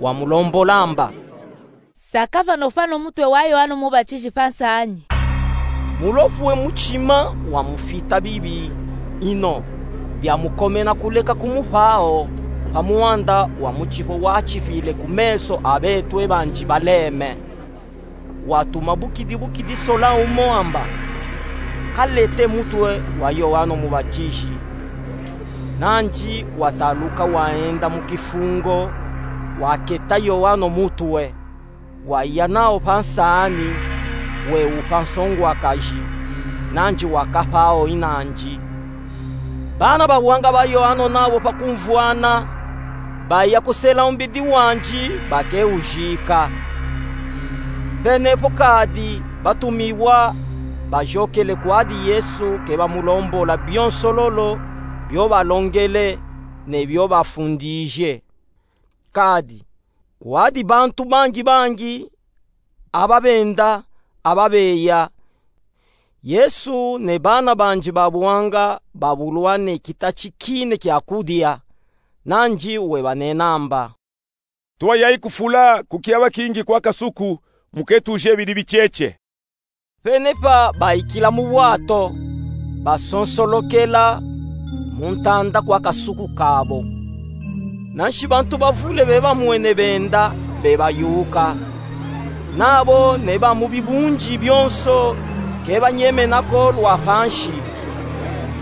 wamulombola amba: Saka vano fwano mutwe wa Yoano Mubatiji pa nsanyi. Mulopwe muchima wamufita bibi, ino byamukomena kuleka kumupawo pa mwanda wa muchifo wachifile ku meso a betwe banji baleme. Watuma bukidi bukidi sola umo amba: Kalete mutwe wa Yoano Mubatiji. Nanji wataluka waenda mu kifungo, waketa Yoano mutwe, waya nawo pa nsanyi, wewupa nsongwakaji, nanji wakapawo inanji. Bana bawanga ba Yoano nabo pakumvwana, baya kusela umbidi wanji bakewujika. Penepo kadi batumiwa bajokele kwadi Yesu kebamulombola byonsololo byo balongele ne byo bafundije. Kadi kwadi bantu bangi bangi, aba benda, aba beya, Yesu ne bana bandi ba buanga babulwa ne kitachi kine kia kudia, nandi webanena amba: Tuayayi kufula ku kiaba kingi kwa kasuku, muketuje bidi bitietie. Pene pa bayikila mu bwato, basonsolokela mu ntanda kwa kasuku kabo. Nanshi bantu bavule bebamwene benda, bebayuka. Nabo ne ba mu bibundi bionso kebanyemena ko lwa panshi,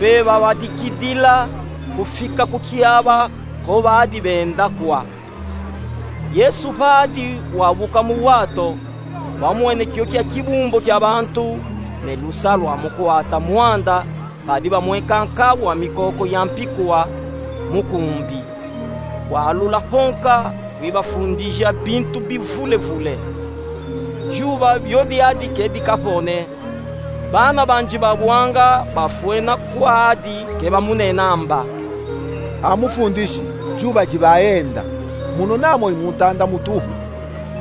bebabadikidila kufika ku kiaba ko badi benda kwa. Yesu padi wabuka mu bwato, wamwene kio kia kibumbo kia bantu, ne lusa lwamukwata mwanda, padi bamweka nkabu wa mikoko ya mpikwa mu kumbi. Walula mponka, wibafundija bintu bivulevule. Dyuba byo diadi kedika po ne, bana bandi ba buanga bafwena kwadi, kebamunena amba: A Mufundishi, dyuba dibayenda. Mununa mo i mu ntanda mutuhu.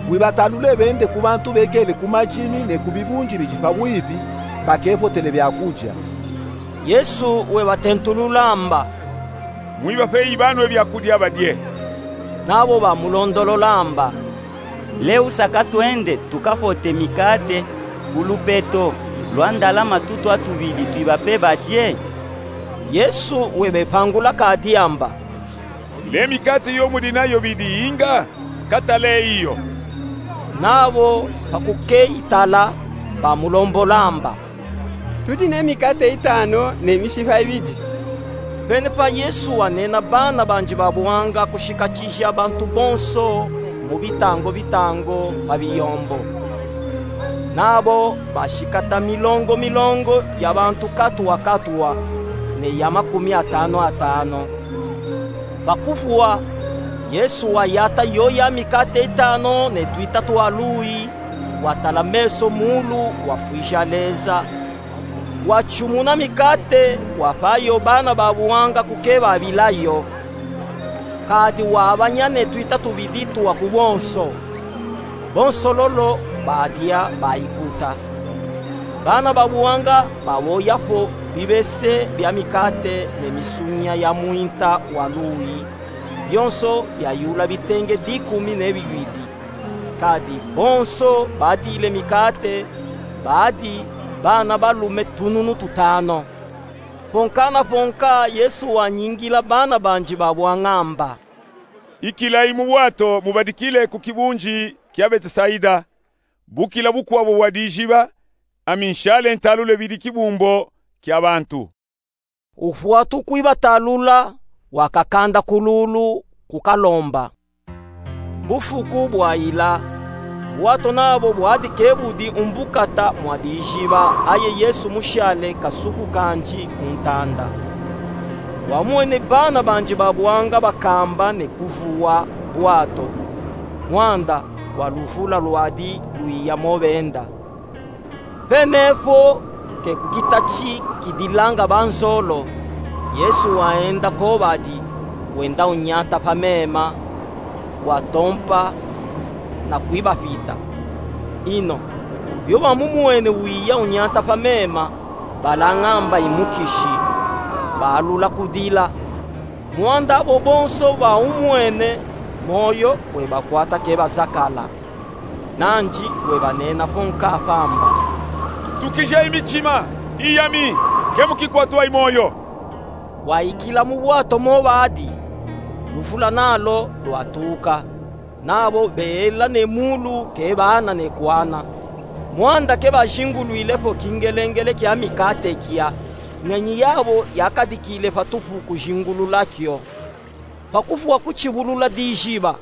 Wibatalule bende ku bantu bekele ku madimi ne ku bibundi bidi pa bwibi, bakepotele byakudia. Yesu webatentulula amba: Mwibapeyi banwe byakudia badye. Nabo bamulondolola amba: Leusa ka twende tukapote mikate ku lupeto lwa ndalama tutu atubidi, twibape badye? Yesu webepangula kadi amba: Le mikate yo mudi nayo bidi inga? Kataleyi yo. Nabo pa kukeyitala, bamulombola amba: Tudi ne mikate itanu ne mishipa ibidi. Pene pa Yesu wanena bana bandi ba buanga kushikatija bantu bonso mu bitango bitango pa biyombo. Nabo bashikata milongo milongo ya bantu katwa katwa, ne ya makumi atanu atanu. Pa kuvwa, Yesu wayata yoya mikate itanu ne twita twa luyi, watala meso mulu, wafwija leza, watyumuna mikate, wapa yo bana ba buanga kukebabila yo. Kadi wabanya ne twita tubidi twa ku bonso. Bonso lolo badya, bayikuta. Bana ba buanga baboya po bibese bya mikate ne misunya ya mwinta wa luyi, byonso byayula bitenge dikumi ne bibidi. Kadi bonso badile mikate, badi bana balume tununu tutanu. Ponka na ponka Yesu wanyingila bana bandi ba buanga amba: Ikilayi mu bwato mubadikile ku kibundi kya Betesaida. Bukila bukwabo bwa diziba, ami nshale ntalule bidi kibumbo kya bantu. Ufwatu kwibatalula, wakakanda ku lulu kukalomba. Bufuku bwayila, bwato nabo bwadi kebudi umbukata mwa diziba, aye Yesu mushale kasuku kandi ku ntanda. Wamwene bana bandi ba buanga bakamba ne kuvuwa bwato, mwanda wa luvula lwadi lwiya mo benda. Pene po ke ku kitati kidilanga banzolo, Yesu waenda ko badi, wenda unyata pa mema, watompa na kwibapita. Ino byo bamumwene wiya unyata pa mema, balanga amba i mukishi, baalula kudila. Mwanda abo bonso baumwene, moyo webakwata kebazakala. Nandi webanena ponka pamba: Tukijayi mitima, iyami, ke mukikwatwayi moyo. Waikila mu bwato mo badi, luvula nalo lwatuka, nabo beela ne mulu kebaana ne kwana. Mwanda kebazingulwile po kingelengele kya mikate kya, ngenyi yabo yakadikile patupu kuzingulula kyo. Pa kuvuwa ku kibulula diziba,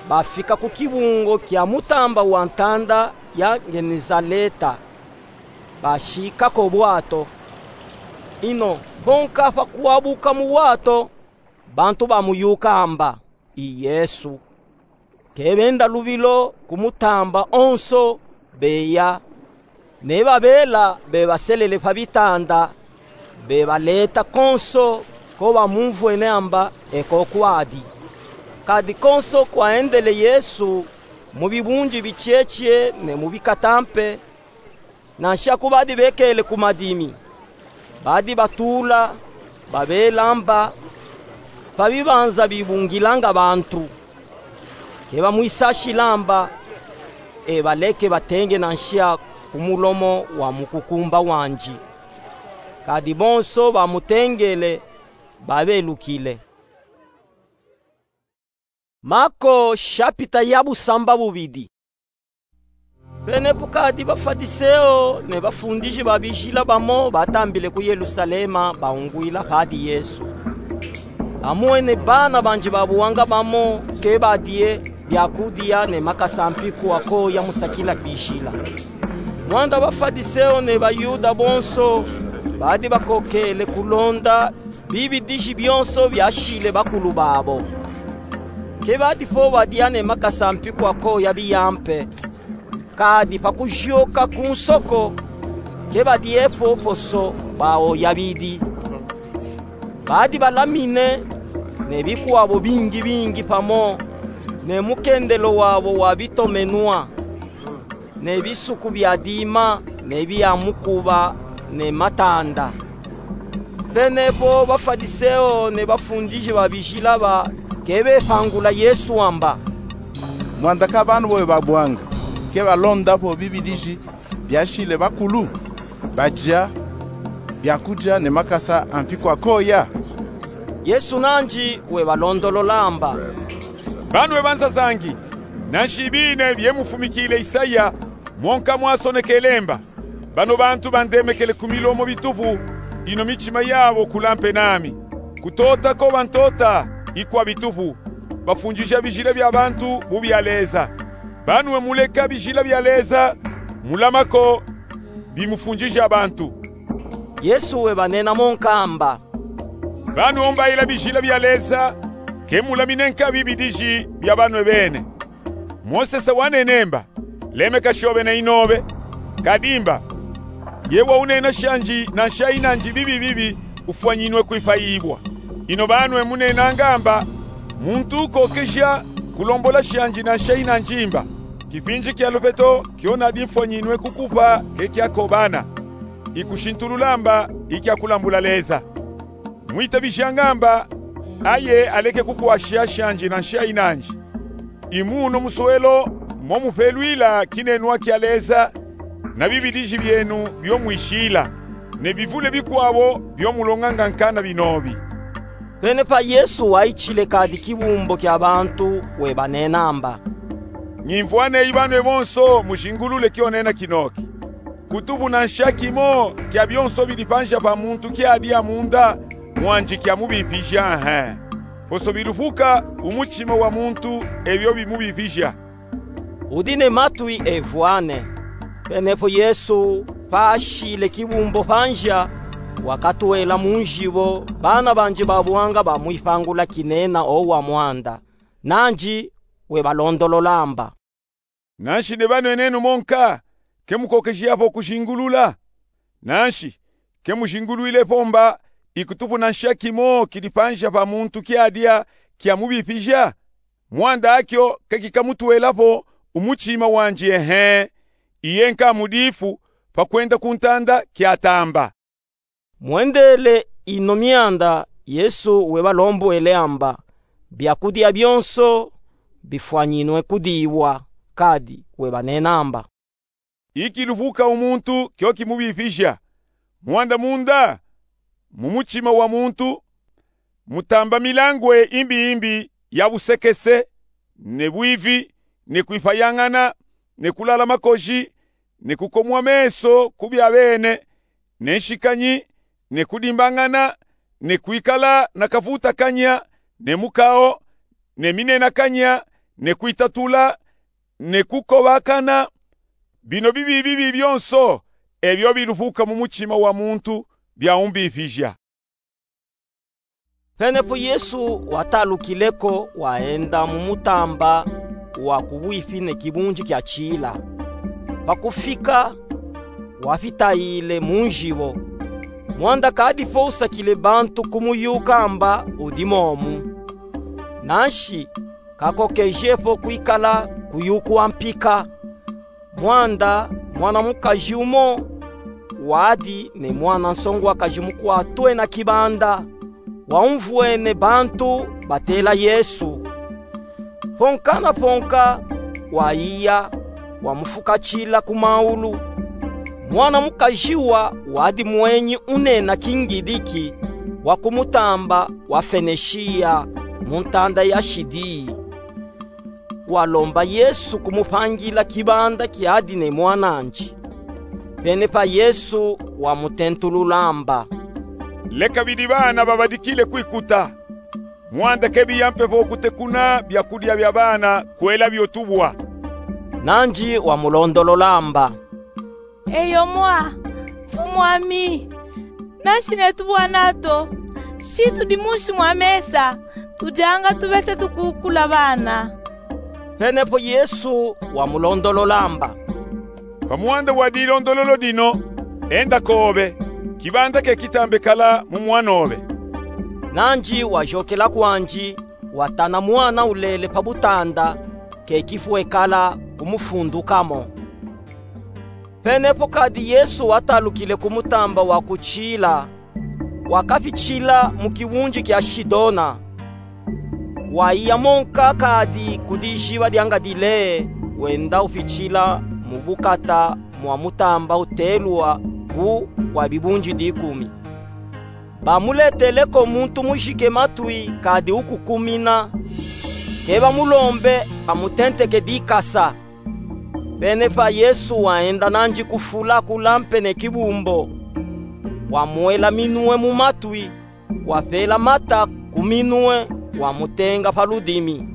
bafika ku kibungo kya mutamba wa ntanda ya Ngenezaleta, bashika ko bwato. Ino ponka pa kwabuka mu bwato, bantu bamuyuka amba i Yesu. Kebenda lubilo ku mutamba onso, beya, ne babela bebaselele pa bitanda, bebaleta konso ko bamumvwene amba e ko kwadi. Kadi konso kwaendele Yesu, mu bibundi bityetye ne mu bikatampe, Nansha ku badi bekele ku madimi, badi batuula, babelamba pa bibanza bibungilanga bantu. Ke bamwisashilamba, e baleke batenge nansha ku mulomo wa mukukumba wandi. Kadi bonso bamutengele, babelukile. Mako shapita ya busamba bubidi. Penepo kadi Bafadiseo ne bafundiji ba bijila bamo batambile ku Yelusalema, baungwila padi Yesu. Bamwene bana bandi ba buwanga bamo ke badie byakudia ne makasa mpiku akoya mu sakila bijila. Mwanda Bafadiseo ne Bayuda bonso badi bakokele kulonda bibidiji byonso byashile bakulu babo. Ke badi po badia ne makasa mpiku akoya biya mpe, kadi pa kuzyoka ku nsoko, ke badie po poso baoya bidi. Badi balamine ne bikwabo bingi bingi pamo ne mukendelo wabo wa bitomenwa, ne bisuku bya dima, ne bya mukuba, ne matanda. Penepo Bafadiseo ne bafundiji ba bijila ba ke bepangula Yesu wamba: Mwanda ka bana bobo babwanga ke balonda po bibidiji byashile bakulu, badia byakudia ne makasa a mpiku akoya? Yesu nandi webalondolola amba: Bana we banzazangi, nanshi bine bye mufumikile Isaya, mwonka mwasonekele mba: Bano bantu bandemekele ku milomo bitupu, ino mitima yabo kula mpe nami. Kutota ko bantota i kwa bitupu, bafundija bijila bya bantu bu bya Leza. Bana we muleka bijila bya Leza, mulama ko bimufundija bantu. Yesu webanena mwonka amba: Bana we umbaila bijila bya Leza, ke mulamine nka bibidiji bya bana we bene. Mosese wanene mba: Lemeka shobe na inobe. Kadi mba: Ye waunena shandi nansha inandi bibi bibi, ufwanyinwe kwipayibwa. Ino bana we munenanga mba: Muntu ukokeja kulombola shandi nansha inandi mba, kipindi kya lupeto kyo nadi mfwanyinwe kukupa ke kyakobana. Ikushintulula mba ikya kulambula Leza. Mwitabijanga mba aye aleke kukwasha shandi nansha inandi. I muno muswelo mo mupelwila kinenwa kya Leza, na bibidiji byenu byo mwishila, ne bivule bikwabo byo mulonganga nkana binobi. Penepa Yesu waichile kadi kibumbo kya bantu, webanena amba: Nyimvwa neyi bana we bonso, mujingulule kyo nena kinoki. Kutupu nansha kimo kya byonso bidi panza pa muntu kyadia munda mwandi kyamubipija, he. Poso bilupuka mu mutima wa muntu ebyo bimubipija. Udi ne matwi evwane. Penepo Yesu, pa ashile kibumbo panza, wakatwela mu nzibo, bana bandi ba buwanga bamwipangula kinena owa mwanda. Nandi webalondolola amba: Nanshi nebanenenu monka, ke mukokeji apo kujingulula? Nanshi ke mujingulwile po mba ikutupu nansha kimo kidi panza pa muntu kyadia kyamubipija? Mwanda akyo ke kikamutwela po mu mutima wandi, ehe, iye nkamudifu, pa kwenda ku ntanda kyatamba. Mwendele ino myanda, Yesu webalombwele amba: Byakudia byonso bifwanyinwe kudiibwa, kadi webanena amba: Ikilupuka mu muntu kyo kimubipija. Mwanda munda, mu mutima wa muntu, mutamba milangwe imbi imbi ya busekese, ne bwivi, ne kwipayangana, ne kulala makoji, ne kukomwa meso ku bya bene, ne nshikanyi, ne kudimbangana, ne kwikala na kavutakanya, ne mukao, ne minenakanya, ne kwitatula, ne kukobakana. Bino bibi bibi byonso ebyo bilupuka mu mutima wa muntu, byaumbipija. Penepo Yesu watalukile ko, waenda mu mutamba wa kubwipi ne kibunji kya Chila. Pa kufika, wapitayile mu nzibo. Mwanda kadi po usakile bantu kumuyuka amba udi momu. Nanshi kakokeje po kwikala kuyukwa mpika. Mwanda mwana mukaji wumo wadi ne mwana nsonguwakaji mukwatwena kibanda, waumvwene bantu batela Yesu. Ponka na ponka wayiya, wamufukatila ku maulu. Mwana mukaji wa wadi mwenyi unena kingidiki wa ku mutamba wa Fenishiya mu ntanda ya Shidiyi. Walomba Yesu kumupangila kibanda kiadi ne mwan'andi. Pene pa Yesu wamutentulula amba: Leka bidi bana babadikile kwikuta. Mwanda ke biya mpe vo kutekuna byakudia bya bana kwela byo tubwa. Nandi wamulondolola amba: Eyo mwa, mfumwami. Nanshi neyi tubwa nato, shi tudi munshi mwa mesa, tudianga tubese tukukula bana. Penepo Yesu wamulondolola amba: Pa mwanda wa dilondololo dino, enda kobe, kibanda ke kitambe kala mu mwan'obe. Nandi wajokela kwandi, watana mwana ulele pa butanda, ke kifwe kala kumufunduka mo. Penepo kadi Yesu watalukile ku mutamba wa ku Tila, wakafitila mu kiwunji kya Shidona. Wayiya monka kadi ku dijiba dya Ngadileya, wenda ufitila mu bukata mwa mutamba utelwa Bu wa Bibunji Dikumi. Bamuleteleko muntu mujike matwi kadi ukukumina, ke bamulombe amutenteke dikasa. Penepa Yesu waenda nandi kufula kulampe ne kibumbo, wamwela minwe mu matwi, wapela mata ku minwe, wamutenga pa ludimi.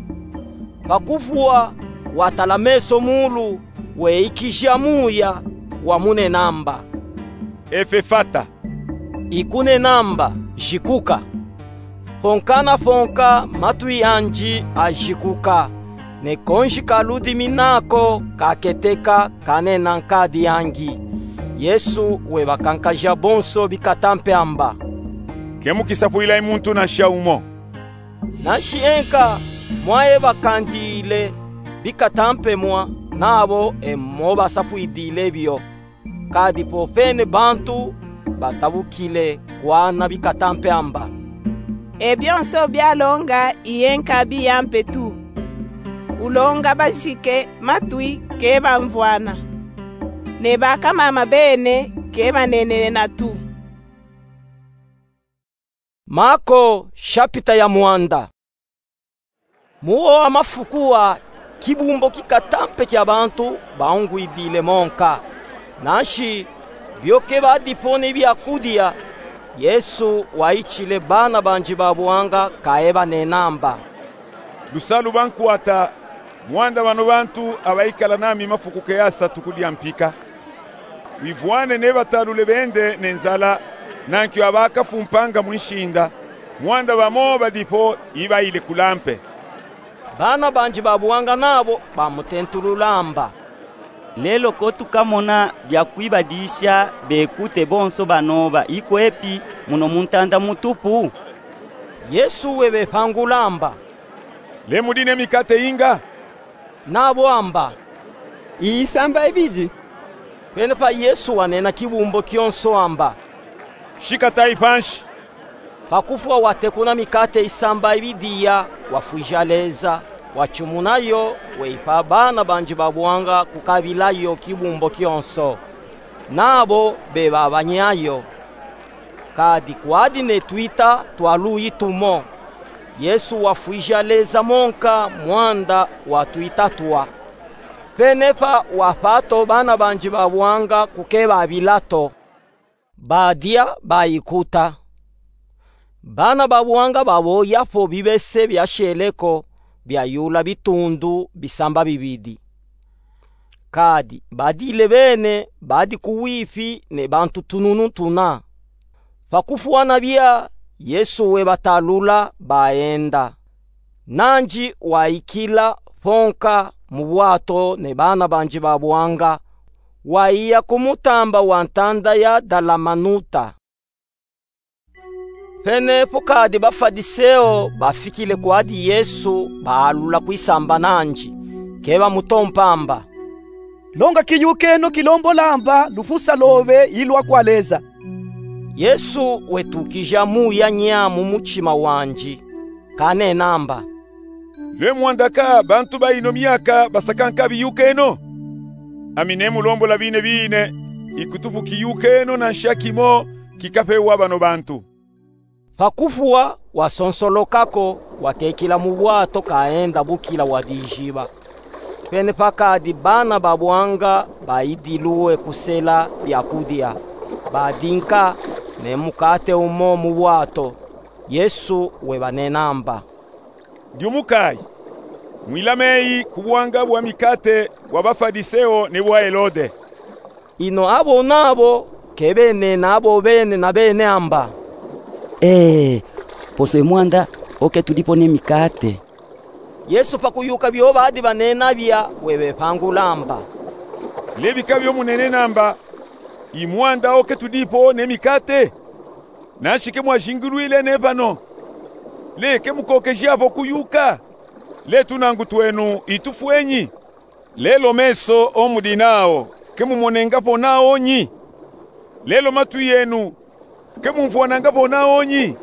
Pa kuvwa, watala meso muulu, weikija muya, wamunena amba: Efefata, ikunena amba: Jikuka. Ponka na ponka matwi andi ajikuka, ne konji ka ludimi nako kaketeka, kanena nkadi angi. Yesu webakankaja bonso bikatampe amba: Ke mukisapwilayi muntu nasha umo. Nanshi enka mwayebakandile bikatampe mwa, nabo e mobasapwidile byo. Kadi popene bantu batabukile kwana bikatampe amba: E byonso byalonga iyenka biyampe tu. Ulonga bajike matwi ke bamvwana, ne bakamama bene ke banenena tu. Mako, shapita ya mwanda. Mu wo wa mafuku wa, kibumbo kikatampe kya bantu baungwidile monka. Nanshi, byo ke badipo ne byakudia, Yesu waitile bana bandi ba buanga kaye banena amba: Lusalu bankwata, mwanda bano bantu abaikala nami mafuku ke asatu ku dyampika. Wivwane nebatalule bende ne nzala, nankyo abakafumpanga mwi nshinda, mwanda bamo badipo ibaile kulampe. Bana bandi ba buanga nabo bamutentulula amba: Lelo ko tukamona bya kwibadisha bekute bonso banoba ikwepi muno mu ntanda mutupu? Yesu webepangula amba: Le mudi ne mikate inga? Nabo amba: Isamba ibidi. Penepa Yesu wanena kibumbo kyonso amba: Shikatayi panshi. Pa kufwa watekuna mikate isamba ibidi iya, wafwija leza, wachumuna yo, weipa bana bandi ba buanga kukabila yo kibumbo kyonso. Nabo bebabanya yo. Kadi kwadi ne twita twa luyi tumo. Yesu wafwija leza monka mwanda wa twita twa. Penepa wapa to bana bandi ba buanga kukebabila to. Badya, bayikuta. Bana ba buanga baboya po bibese byashele ko, byayula bitundu bisamba bibidi. Kadi badile bene badi ku wifi ne bantu tununu tuna. Pa kufwana bya, Yesu webatalula, baenda. Nandi waikila ponka mu bwato ne bana bandi ba buanga, waiya ku mutamba wa ntanda ya Dalamanuta. Penepo kadi Bafadiseo bafikile kwadi Yesu, baalula kwisamba nandi, ke bamutompa amba: Longa kiyuka eno kilombola amba lufusa lobe ilwa kwa Leza. Yesu wetukija muya nya mu mutima wandi, kanena amba: Lwe mwandaka bantu ba ino miaka basaka nka biyuka eno? Ami nemulombola biine biine, ikutufu kiyuka eno na nshaki mo kikapewa bano bantu. Pa kufwa, wasonsoloka ko, wakekila mu bwato kaenda bukila wadijiba. Pene pakadi bana ba bwanga baidilwe kusela byakudia, badinka ne mukate umo mu bwato. Yesu webanena amba: Ndiumukayi, mwilame eyi ku bwanga bwa mikate bwa Bafadiseo ne bwa Helode. Ino abo nabo kebenena abo bene na bene amba: Ee, poso e mwanda oke tudipo ne mikate. Yesu pa kuyuka byo badi banena bya, webepangula amba: Lebika byo munenena amba, i mwanda oke tudipo ne mikate? Nanshi ke mwajingulwile ne pano? Le ke mukokejapo kuyuka? Le tunangu twenu itufwenyi? Lelo meso o mudi nawo ke mumonengapo nawo nyi? Lelo matwi yenu ke mumvwanangapo nawo nyi?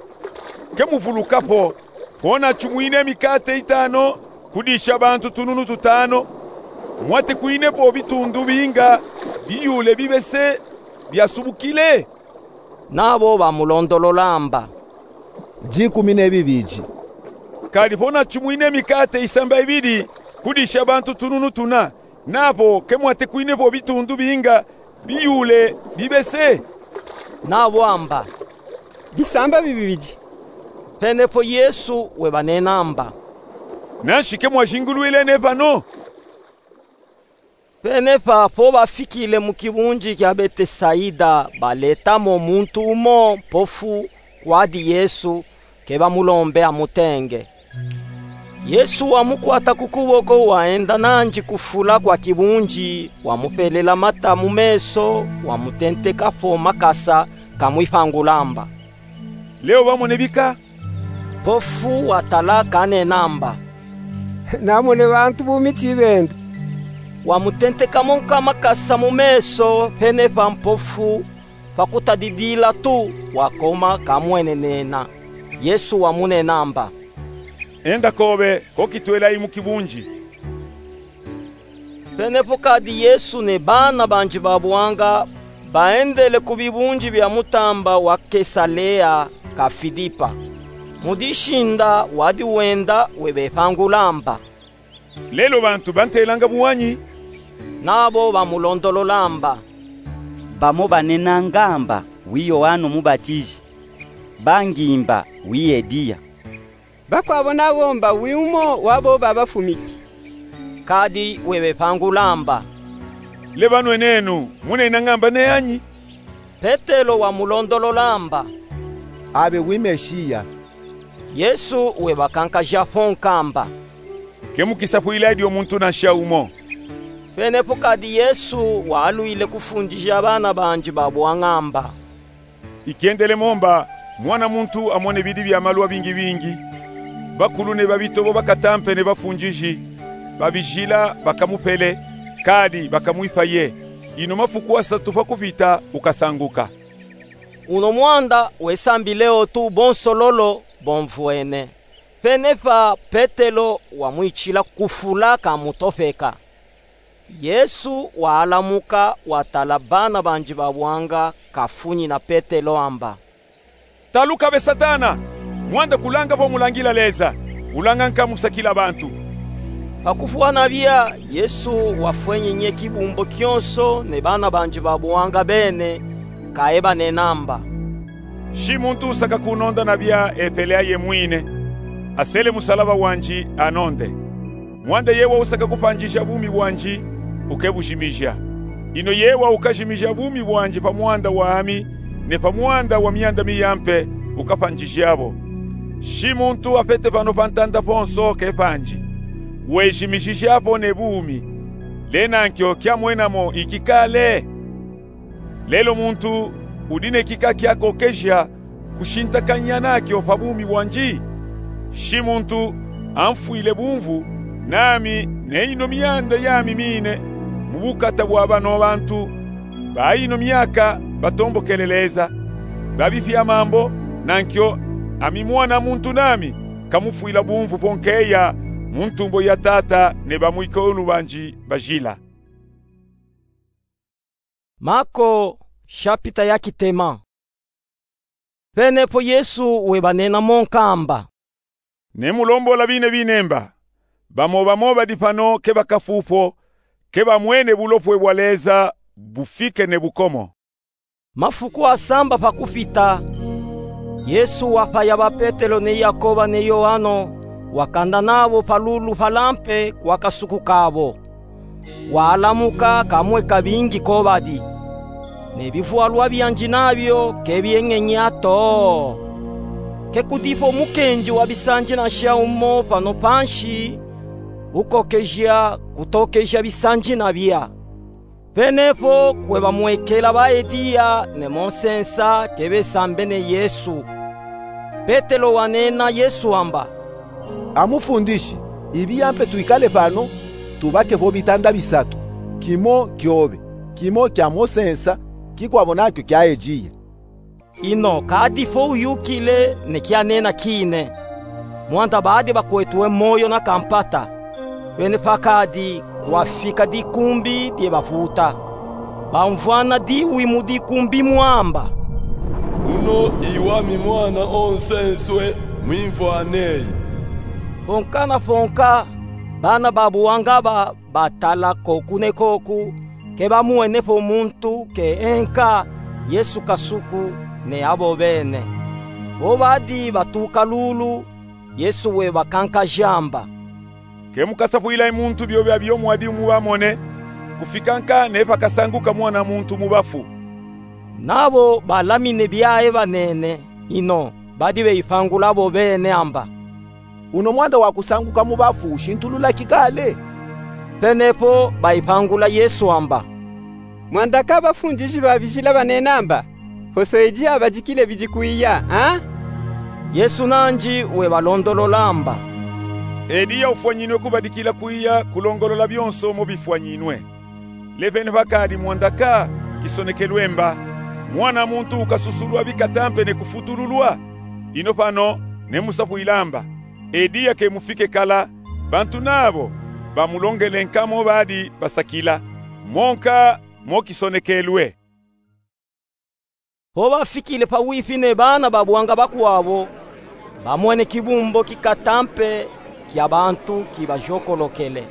Ke muvulukapo, po nachumwine mikate itano kudisha bantu tununu tutano, mwatekwinepo bitundu binga biyule bibese byasubukile? Nabo bamulondolola amba: Dikumi ne bibidi. Kadi po nachumwine mikate isamba ibidi kudisha bantu tununu tuna, napo ke mwatekwinepo bitundu binga biyule bibese? Nabo amba: Bisamba bibidi. Penepo Yesu webanena amba: Nanshi ke mwajingulwile ne pano? Penepa po bafikile mu kibundi kya Betesaida, baletamo muntu umo mpofu kwadi Yesu, ke bamulombe amutenge. Yesu wamukwata ku kuboko, waenda nandi kufula kwa kibundi, wamupelela mata mu meso, wamutentekapo makasa, kamwipangula amba: Leo bamone bika? Mpofu watala kanena amba: Namone bantu bu miti benda. Wamutentekamo nka makasa mu meso, penepa mpofu, pa kutadidila tu, wakoma kamwenenena. Yesu wamunena amba: Enda kobe, kokitwelayi mu kibundi. Penepo kadi Yesu ne bana bandi ba buanga baendele ku bibundi bya mutamba wa Kesalea ka Filipa. Mu dishinda wadi wenda webepangula amba: Lelo bantu bantelanga bu wanyi? Nabo bamulondolola amba: Bamo banenanga amba wi Yoano Mubatiji, bangimba wi Eliya. Bakwabo nabo mba wi umo wabo babafumiki. Kadi webepangula amba: Le banwenenu, munenanga amba ne anyi? Petelo wamulondolola amba: Abe wi Meshiya. Yesu webakankajapo nka amba: Ke mukisapwila dio muntu nansha umo. Penepo kadi Yesu walwile kufundija bana bandi ba buanga amba: Ikendelemo mba Mwana muntu amone bidi bya malu abingibingi, bakulu ne babitobo bakatampe ne bafundiji, babijila bakamupele, kadi bakamwipaye, ino mafuku asatu pa kupita ukasanguka. Uno mwanda wesambileo tu bonso lolo bomvwene. Penepa Petelo wamwitshila kufula kamutopeka. Yesu walamuka, watala bana bandi ba buanga, kafunyina Petelo amba: Taluka be Satana, mwanda kulanga bo mulangila Leza, ulanga nka musakila bantu. Pa kufwana bia, Yesu wafwenyenye kibumbo kionso ne bana bandi ba buanga bene, kaebanena amba: Nshi muntu usaka kunonda na bia epele aye mwine, asele musalaba wandi anonde. Mwanda yewa usaka kupandjija bumi bwandi, ukebujimija. Ino yewa ukajimija bumi bwandi pa mwanda wami, ne pa mwanda wa mianda miyampe, ukapandjija bo. Nshi muntu apete pano pa ntanda ponso kepandi, wejimijija po ne bumi, le nankyo kyamwena mo ikikale? Lelo muntu udi ne kika kyakokeja kushintakanya nakyo pa bumi bwandi? Nshi muntu amfwile bumvu, nami ne ino mianda yami mine, mu bukata bwa bano bantu ba ino myaka batombokele Leza, ba bifya mambo, nankyo ami Mwana muntu nami kamufwila bumvu po nkeya mu ntumbo ya Tata ne bamwikulu banji bajila. Mako, shapita ya kitema. Penepo Yesu webanena mo nkamba: Ne mulombola bine binemba. Bamo bamo badi pano ke bakafupo, ke bamwene bulopwe bwa Leza bufike ne bukomo. Mafuku asamba pa kufita, Yesu wapaya ba Petelo ne Yakoba ne Yoano, wakanda nabo pa lulu pa lampe kwa kasuku kabo. Walamuka kamweka bingi ko badi. Ne bivwalwa byanji nabyo ke byenyenya to. Ke kudipo mukenji wa bisanjina sha umo pano panshi, ukokeja kutokeja bisanjina bya. Penepo kwe bamwekela ba Eliya ne mo nsensa ke besambene Yesu. Petelo wanena Yesu wamba: A Mufundishi, ibiya mpe twikale pano, tubake vo bitanda bisatu, kimo kyobe, kimo kya mo nsensa, kikwabo nakyo kya Eliya. Ino kadi fo uyukile ne kyanena kine, mwanda badi bakwetwe moyo na kampata. Penepa kadi kwafika dikumbi dye baputa. Bamvwana diwi mu dikumbi mwamba: Uno i wami Mwana o nsenswe, mwimvwaneyi. Ponka na ponka, bana ba buwanga ba batala koku ne koku, ke bamwene po muntu ke enka Yesu kasuku ne abo bene. Bo badi batuka lulu, Yesu webakankaja amba: Ke mukasapwilayi muntu byobe abyo mwadi mubamone, kufika nka ne pakasanguka Mwana muntu mu bafu. Nabo balamine byaye banene, ino badi beyipangula bo bene amba: Uno mwanda wa kusanguka mu bafu ushintulula kikale? Penepo bayipangula Yesu amba: Mwanda ka bafundishi ba bijila banena amba, poso edi abadikile bidi kwiya, a? Yesu nandi webalondolola amba: Eliya ufwanyinwe kubadikila kwiya kulongolola byonso mo bifwanyinwe. Le penepa kadi mwanda ka kisonekelwe mba, Mwana muntu ukasusulwa bikata mpe ne kufutululwa? Ino pano ne musapwila amba: Eliya ke mufike kala, bantu nabo bamulongele nka mo badi basakila, mo nka mo kisonekelwe. Bo bafikile pawipi ne bana ba buwanga bakwabo, bamwene kibumbo kikata mpe kya bantu kibajokolokele.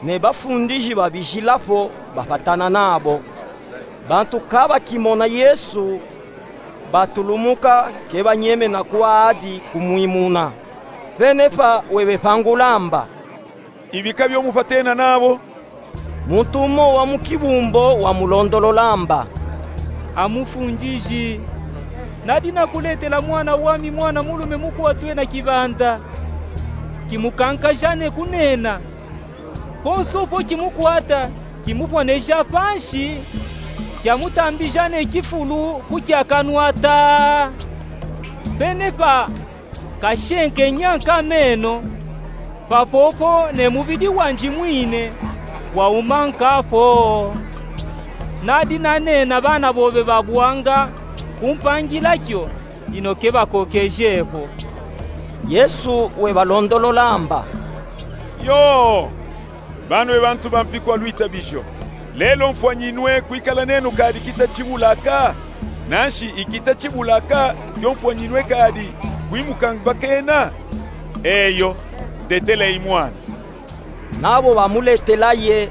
Ne bafundishi ba bijila po bapatana nabo. Bantu ka bakimona Yesu, batulumuka ke banyemena kwandi kumwimuna. Penepa webepangula amba: Ibika byo mupatena nabo? Muntu umo wa mu kibumbo wamulondolola amba: A Mufundishi, nadi nakuletela mwana wami mwana mulume mukwatwe na kibanda. Kimukankaja ne kunena. Konso po kimukwata, kimupwaneja panshi, kyamutambija ne kifulu ku kya kanwa ta. Penepa kashenkenya nka meno, papopo ne mubidi wandi mwine wauma nka po. Nadi nanena bana bobe ba buwanga kumpangila kyo, ino ke bakokeje po. Yesu webalondolola amba: Yoo! Banwe bantu bampi kwa lwitabijo. Lelo mfwanyinwe kwikala nenu kadi kita chibulaka? Nanshi ikita chibulaka kyo mfwanyinwe kadi kwimukangibakena? Eyo, deteleyi mwana. Nabo bamuletelaye.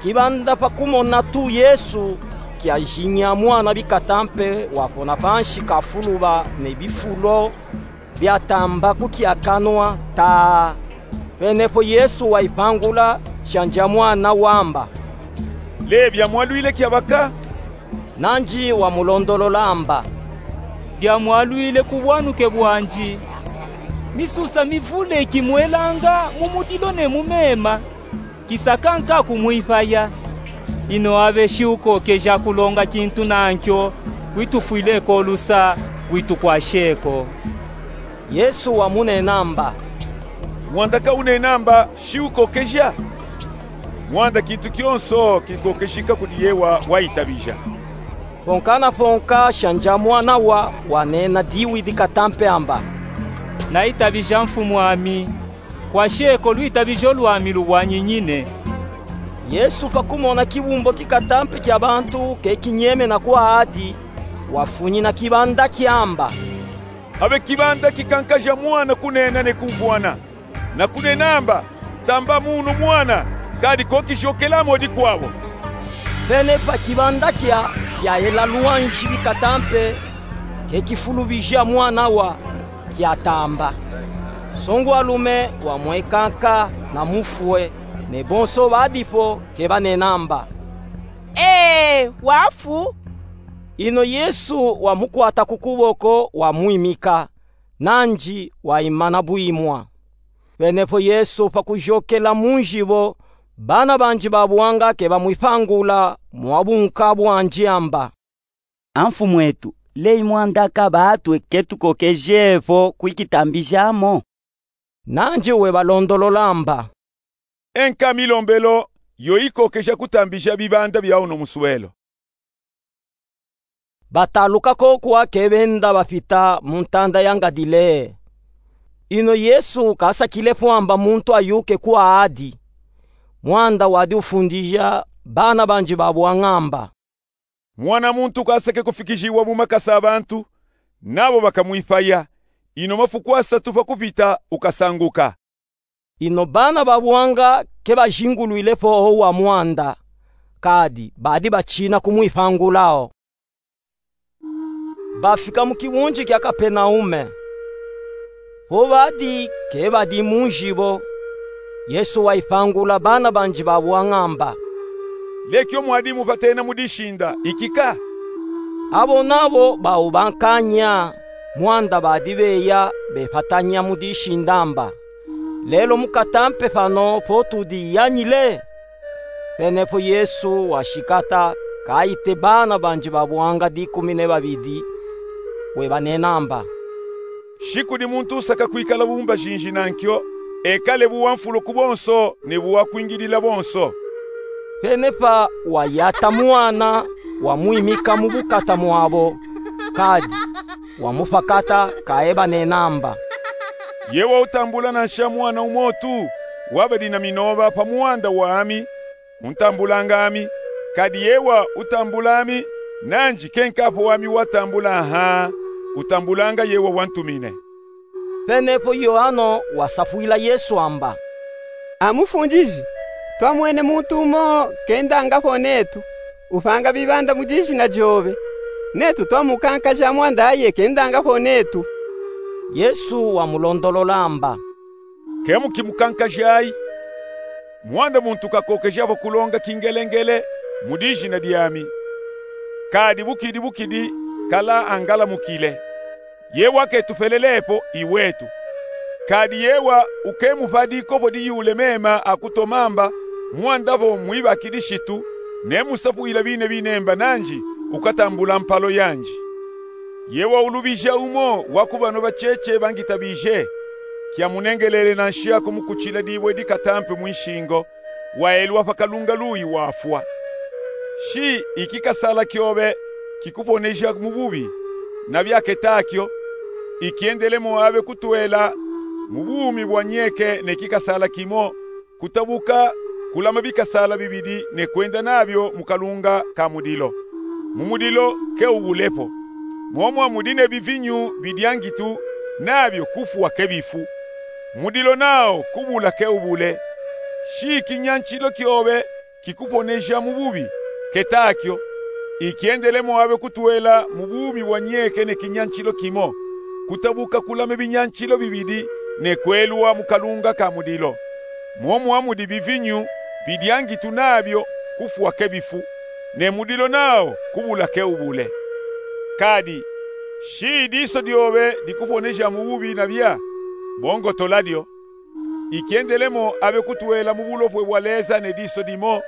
Kibanda pa kumona tu Yesu, kyajinya mwana bikata mpe wapona panshi kafuluba ne bifulo byatamba ku kya kanwa ta. Penepo Yesu wayipangula shandia mwana wamba: Le byamwalwile kyabaka? Nandi wamulondolola amba: Byamwalwile ku bwanuke bwandi. Misusa mivule kimwelanga mu mudilo ne mu mema, kisaka nka kumwipaya. Ino abe shiukokeja kulonga kintu nankyo witufwile ko lusa, witukwashe ko. Yesu wamunena amba: Wandaka unena amba shiukokeja? Mwanda kintu kionso kikokeshika kudi yewa wayitabija. Ponka na ponka sha nja mwana wa wanena diwidi katampe amba: Nayitabija mfumu ami, kwa sheko lwitabijo lwami luwanyinyine. Yesu pa kumona kibumboki katampe kia bantu ke kinyemena kwa adi, wafunyina kibanda kiamba: Abe kibanda kikankaja mwana kunena ne kumvwana, na kunena amba: Tamba munu mwana, kadi ko kijokela mo dikwabo. Pene pa kibanda kia, kiayela lwanjibi katampe, ke kifulubija mwana wa, kiatamba. Songwalume wamwekanka na mufue, ne bonso badipo ke banena amba: Ee, wafu. Ino Yesu wamukwata ku kuboko wamwimika, nanji waimana bwimwa. Pene po Yesu pa kujokela munjibo, bana banji ba bwanga ke bamwipangula mwa bunka bwanji amba: A mfumwetu, leyi mwanda ka batwe ke tukokeje po kwikitambija mo? Nanji webalondolola amba: E nka milombelo yo yikokeja kutambija bibanda bia uno muswelo. Bataluka ko kwa ke benda bapita mu ntanda ya Ngadilee. Ino Yesu kasakile po amba muntu ayuke kwa adi, mwanda wadi ufundija bana banji ba bwanga amba: Mwana muntu kasake kufikijiwa mu makasa a bantu, nabo bakamwipaya, ino mafuku asatu pa kupita ukasanguka. Ino bana ba bwanga ke bajingulwile po o wa mwanda, kadi badi bachina kumwipangula o. Bafika mu kiwunji kia Kapenaume. Po badi ke badi munjibo, Yesu waipangula bana banji ba bwanga amba: Lekio mwadi mupatena mu dishinda, iki ka? Abo nabo bau bankanya, mwanda badi beya bepatanya mu dishinda amba: Lelo mukatampe pano po tudiyanyile? Pene po Yesu washikata, kaite bana banji ba bwanga dikumi ne babidi, webanena amba: Shi kudi muntu usaka kwikala bu mbajinji nankio, ekale bu wa mfulo ku bonso ne bu wa kwingidila bonso. Pene pa wayata mwana, wamwimika mu bukata mwabo, kadi wamupakata, kaebanena amba: Yewa utambula nansha mwana umo tu wabadi na minoba pa mwanda wami, untambulanga ami, kadi yewa utambula ami, nanji ke nkapo wami watambula ha, utambulanga yewa wantumine. Pene po Yoano wasapwila Yesu amba: A Mufundiji, twamwene muntu umo kendanga po netu, upanga bibanda mu dijina diobe, netu twamukankaja mwanda aye kendanga po netu. Yesu wamulondolola amba: Ke mukimukankajayi. Mwanda muntu kakokeja po kulonga kingelengele mu dijina diami, kadi bukidi bukidi kala angalamukile. Yewa ketupelele po iwetu. Kadi yewa ukemupadi ko po diyule mema akutoma amba, mwanda po mwibakidi shitu, ne musapwila bine binemba nanji, ukatambula mpalo yanji. Yewa ulubija umo wa ku bano bacheche bangitabije, kiamunengelele nansha kumukuchila dibwe dikatampe mwinshingo, waelwa pa kalunga luyi wafwa. Shi iki kasala kiobe kikuponeja mu bubi, nabia ketakio, ikiendele mo abe kutwela mu bumi bwa nyeke ne kikasala kimo, kutabuka kulama bikasala bibidi ne kwenda nabio mu kalunga ka mudilo. Mu mudilo ke ubule po. Mo mwamudi ne bivinyu bidiangitu, nabio kufwa ke bifu. Mudilo nao kubula ke ubule. Shi kinyanchilo kiobe kikuponeja mu bubi, ketakio, ikiendele mo abe kutwela mu bumi bwa nyeke ne kinyanchilo kimo, kutabuka kulama binyanchilo bibidi ne kwelwa mu kalunga ka mudilo. Mo mwamudi bivinyu bidiangitu, nabio kufwa ke bifu, ne mudilo nao kubula ke ubule. Kadi, shi diso diobe dikuponeja mu bubi nabia, bongotola dio. Ikiendele mo abe kutwela mu bulopwe bwa leza ne diso dimo,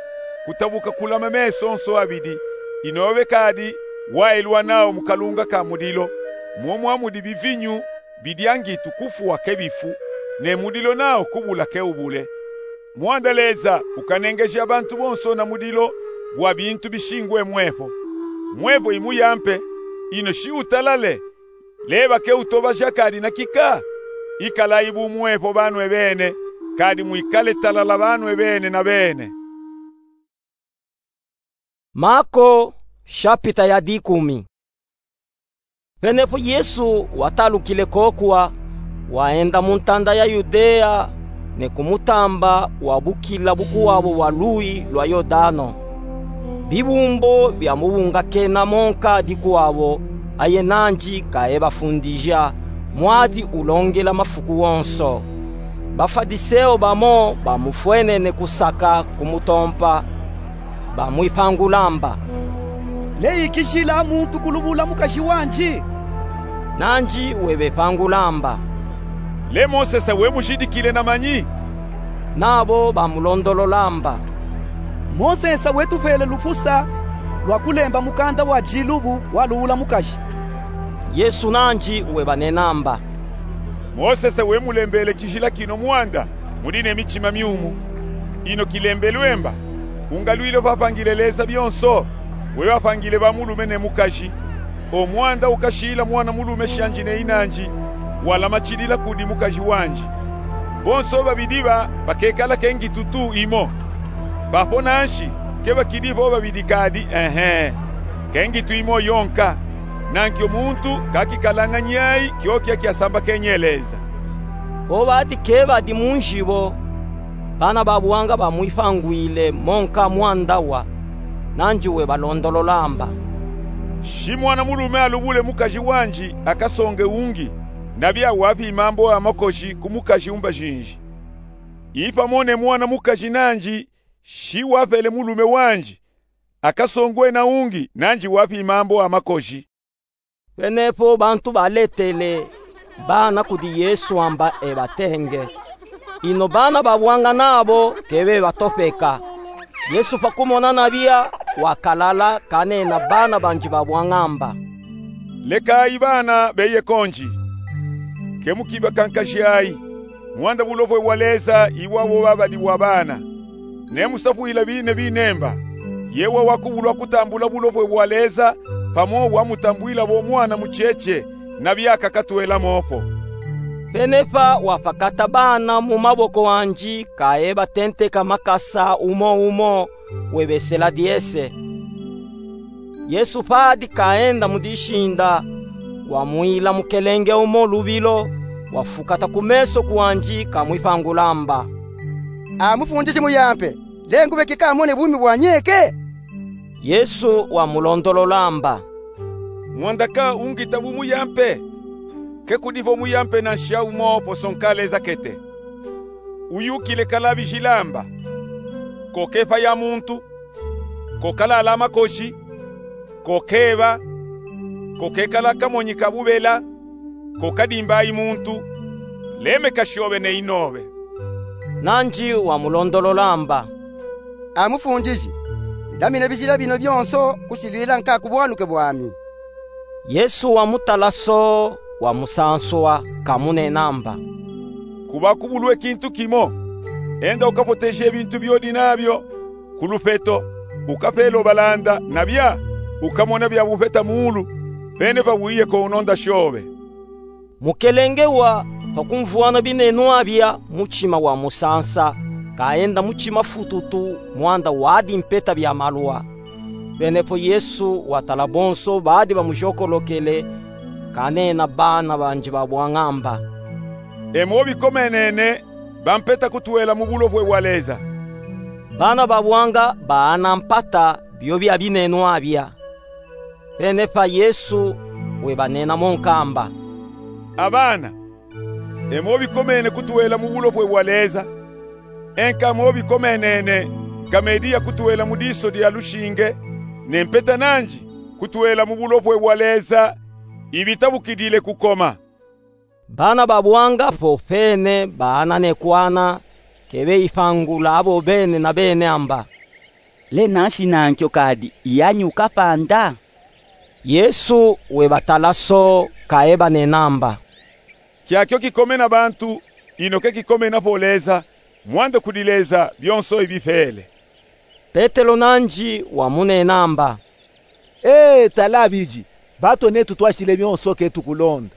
kutabuka kulama mesonso abidi, inobe kadi waelwa nao mu kalunga ka mudilo, mo mwamudi bivinyu bidiangitu kufwa ke bifu, ne mudilo nao kubula ke ubule. Mwanda Leza ukanengeja bantu bonso na mulilo bwa bintu bishingwe mwepo. Mwepo imuyampe, ino shiutalale, leba keutobaja kadi na kika? Ikalayi bumwepo banwe bene, kadi mwikale talala banwe bene na bene. Mako, shapita ya dikumi. Penepo Yesu watalukile kokuwa, waenda mu ntanda ya Yudea, ne ku mutamba wabukila bukuwabo bwa luyi lwa Yodano. Bibumbo bia mubunga kena monka dikuwabo, aye nanji kaebafundija, mwadi ulongela mafuku wonso. Bafadiseo bamo bamufwenene kusaka kumutompa, bamwipangula mba: Leyikijila muntu kulubula mukaji wanji? Nanji webepangula mba: Le Mosesa wemujidikile na manyi? Nabo bamulondolola mba: Mosesa wetupele lufusa lwa kulemba mukanda wa dilubu wa lubula mukaji. Yesu nanji webanena mba: Mosesa wemulembele kijila kino mwanda mudi ne mitima miumu. Ino kilembelwe mba: Ku ngalwilo papangile Leza bionso, webapangile bamulume ne mukaji. O mwanda ukashila mwana mulume shanji ne inanji, walamatidila kudi mukaji wanji. Bonso babidi ba bakekala kengitu tu imo. Bapo nanshi, kebakidi vo babidi kadi, ehe, kengitu imo yonka. Nankio muntu kakikalanga nyayi kiokio kiasambakenye Leza. Vo badi kebadi mu njibo, bana ba buanga bamwipangwile monka mwanda wa, nanji webalondolola mba: Shi mwana mulume alubule mukaji wanji, akasonge ungi, nabia wapi mambu a makoji ku mukaji umbajinji. Ipamo ne mwana mukaji nanji, shi wapele mulume wanji, akasongwe na ungi, nanji wapi mambu a makoji. Penepo bantu baletele bana kudi Yesu amba ebatenge. Ino bana ba buanga nabo kebebatopeka. Yesu pakumona nabia, wakalala kanena bana banji ba buanga amba: Lekayi bana beye konji. Kemukibakankajayi, mwanda bulopwe bwa Leza iwabo babadi bwa bana. Nemusapwila bine binemba: Yewa wakubulwa kutambula bulopwe bwa Leza, pamo wamutambwila bo mwana mucheche, nabia kakatwela mopo. Penepa wapakata bana mu maboko anji, kaebatenteka makasa umo umo, webesela diese. Yesu padi kaenda mu dishinda, wamwila mukelenge umo lubilo, wafukata ku meso kwanji, kamwipangula amba: A Mufundiji muyampe, le ngube kika amone bumi bwa nyeke? Yesu wamulondolola amba: Mwanda ka ungita bumuyampe? Kekudi vo muyampe nansha umo poso nkaleza kete. Uyukile kalabijila amba: Kokepa ya muntu, kokalala makoji, kokeba, kokekala kamonyi ka bubela, kokadimbayi muntu, lemeka shobe ne inobe. Nanji wamulondolola amba: A Mufundiji, ndamina bijila bino bionso kusilwila nka ku bwanuke bwami. Yesu wamutala so, wamusanswa, kamunena amba: Kubakubulwe kintu kimo. Enda ukapoteje bintu biodi nabio ku lupeto, ukapele obalanda, nabia ukamona bia bupeta muulu, penepa wiye ko unonda shobe. Mukelenge wa pakumvwana binenwa bia, muchima wamusansa, kaenda muchima fututu, mwanda wadi mpeta bia malwa. Penepo Yesu watala bonso badi bamujokolokele, kanena bana banji ba bwanga amba: E mo bikomenene, bampeta kutwela mu bulopwe bwa Leza. Bana ba bwanga baana mpata bio bia binenwa bia. Penepa Yesu webanena monka amba: A bana, e mo bikomene kutwela mu bulopwe bwa Leza. Enka mo bikomenene, nkamediya kutwela mu diso dia lushinge, ne mpeta nanji kutwela mu bulopwe bwa Leza, ibitabukidile kukoma. Bana ba bwanga popene baana ne kwana, kebeyipangula abo bene na bene amba: Le nanshi nankyo kadi iyanyi ukapanda? Yesu webatala so, kaebanena amba: Kiakyo kikomena bantu, ino ke kikomenapo Leza. Mwanda kudileza bionso ibifele. Petelo nandi wamunenamba: Ee, tala bidi, batu netu twashile bionso ke tukulonda.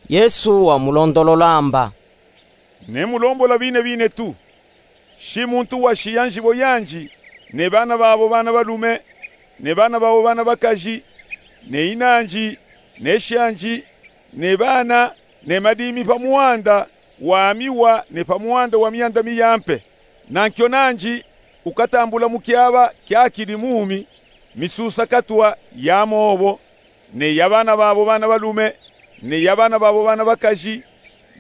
Yesu wamulondololamba: Nemulombola bine bine tu. Shi muntu washiya nzibo yandi, ne bana babo bana balume, ne bana babo bana bakazi, ne inandi, ne shandi, ne bana, ne madimi pa mwanda wa miwa ne pa mwanda wa mianda miyampe, nankio nandi ukatambula mu kiaba kiakidi mumi misusa katwa ya mobo, ne ya bana babo bana balume, ne ya bana babo bana bakazi,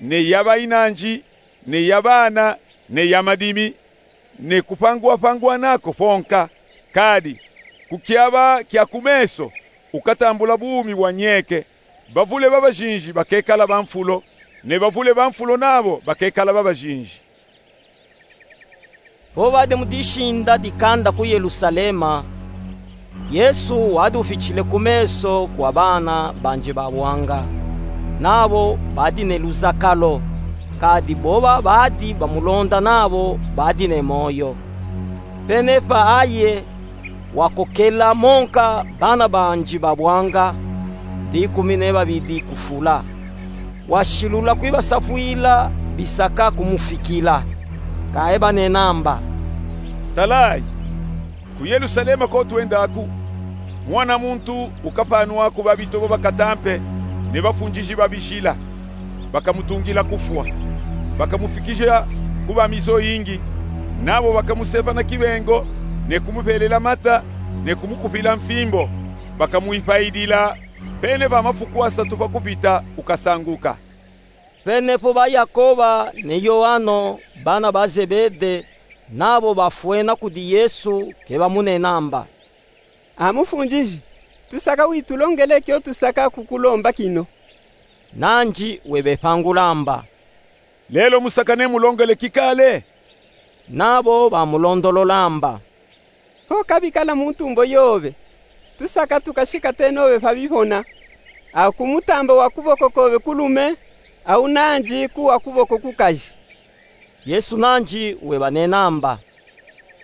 ne ya bainandi, ne ya bana, ne ya madimi, ne kupangwapangwana ko ponka. Kadi ku kiaba kia ku meso ukatambula bumi bwa nyeke. Bavule ba bajinji bakekala ba mfulo, ne bavule ba mfulo nabo bakekala ba bajinji. Vo badi mu dishinda dikanda ku Yelusalema, Yesu wadi ufitile ku meso kwa bana bandi ba bwanga, nabo badi ne luzakalo, kadi boba badi bamulonda nabo badi ne moyo. Pene pa aye, wakokela monka bana bandi ba bwanga dikumi ne babidi ku fula. Washilula kwi basafwila bisaka kumufikila, kaye banenamba: Talayi, ku Yelusalema ko twendaku, Mwana muntu ukapanwaku ba bitobo bakatampe ne bafundiji ba bijila. Bakamutungila kufwa, bakamufikija ku ba mizo yingi, nabo bakamuseva na kibengo, ne kumubelela mata, ne kumukupila mfimbo. Bakamwipayidila, pene pa mafuku asatu pa kupita ukasanguka. Pene po ba Yakoba ne Yoano, bana ba Zebede, nabo bafwena kudi Yesu ke bamunenamba: A Mufundiji, tusaka witulongele kio tusaka kukulomba kino. Nandi webepangulamba: Lelo musaka nemulongele kikale? Nabo bamulondololamba: Vo kabikala mu ntumbo yobe, tusaka tukashikate nobe pa bipona, a ku mutamba wa kuboko kobe kulume, au nandi ku wa kuboko kukaji. Yesu nandi webanenamba: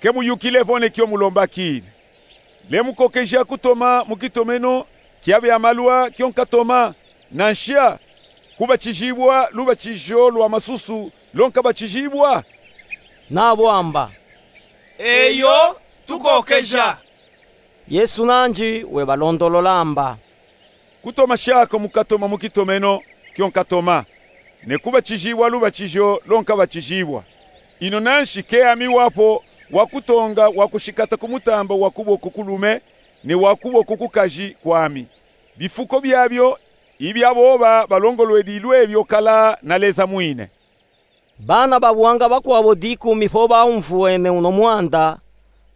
Ke muyukile vo ne kio mulombakini. Lemukokeja kutoma mu kitomeno kia bia malwa kio nkatoma, nansha kubatijibwa lubatijo lwa masusu lo nkabatijibwa? Nabo amba: Eyo, tukokeja. Yesu nandi webalondololamba: Kutoma shako mukatoma mu kitomeno kio nkatoma, ne kubatijibwa lubatijo lo nkabatijibwa. Ino nanshi ke ami wapo wa kutonga wa kushikata ku mutamba wa kuboko kulume ne wa kuboko kukaji kwami. Bifuko biabio ibia boba balongolwedilwe bio kala na Leza mwine. Bana ba buanga bakwabo dikumi po baumvwene uno mwanda,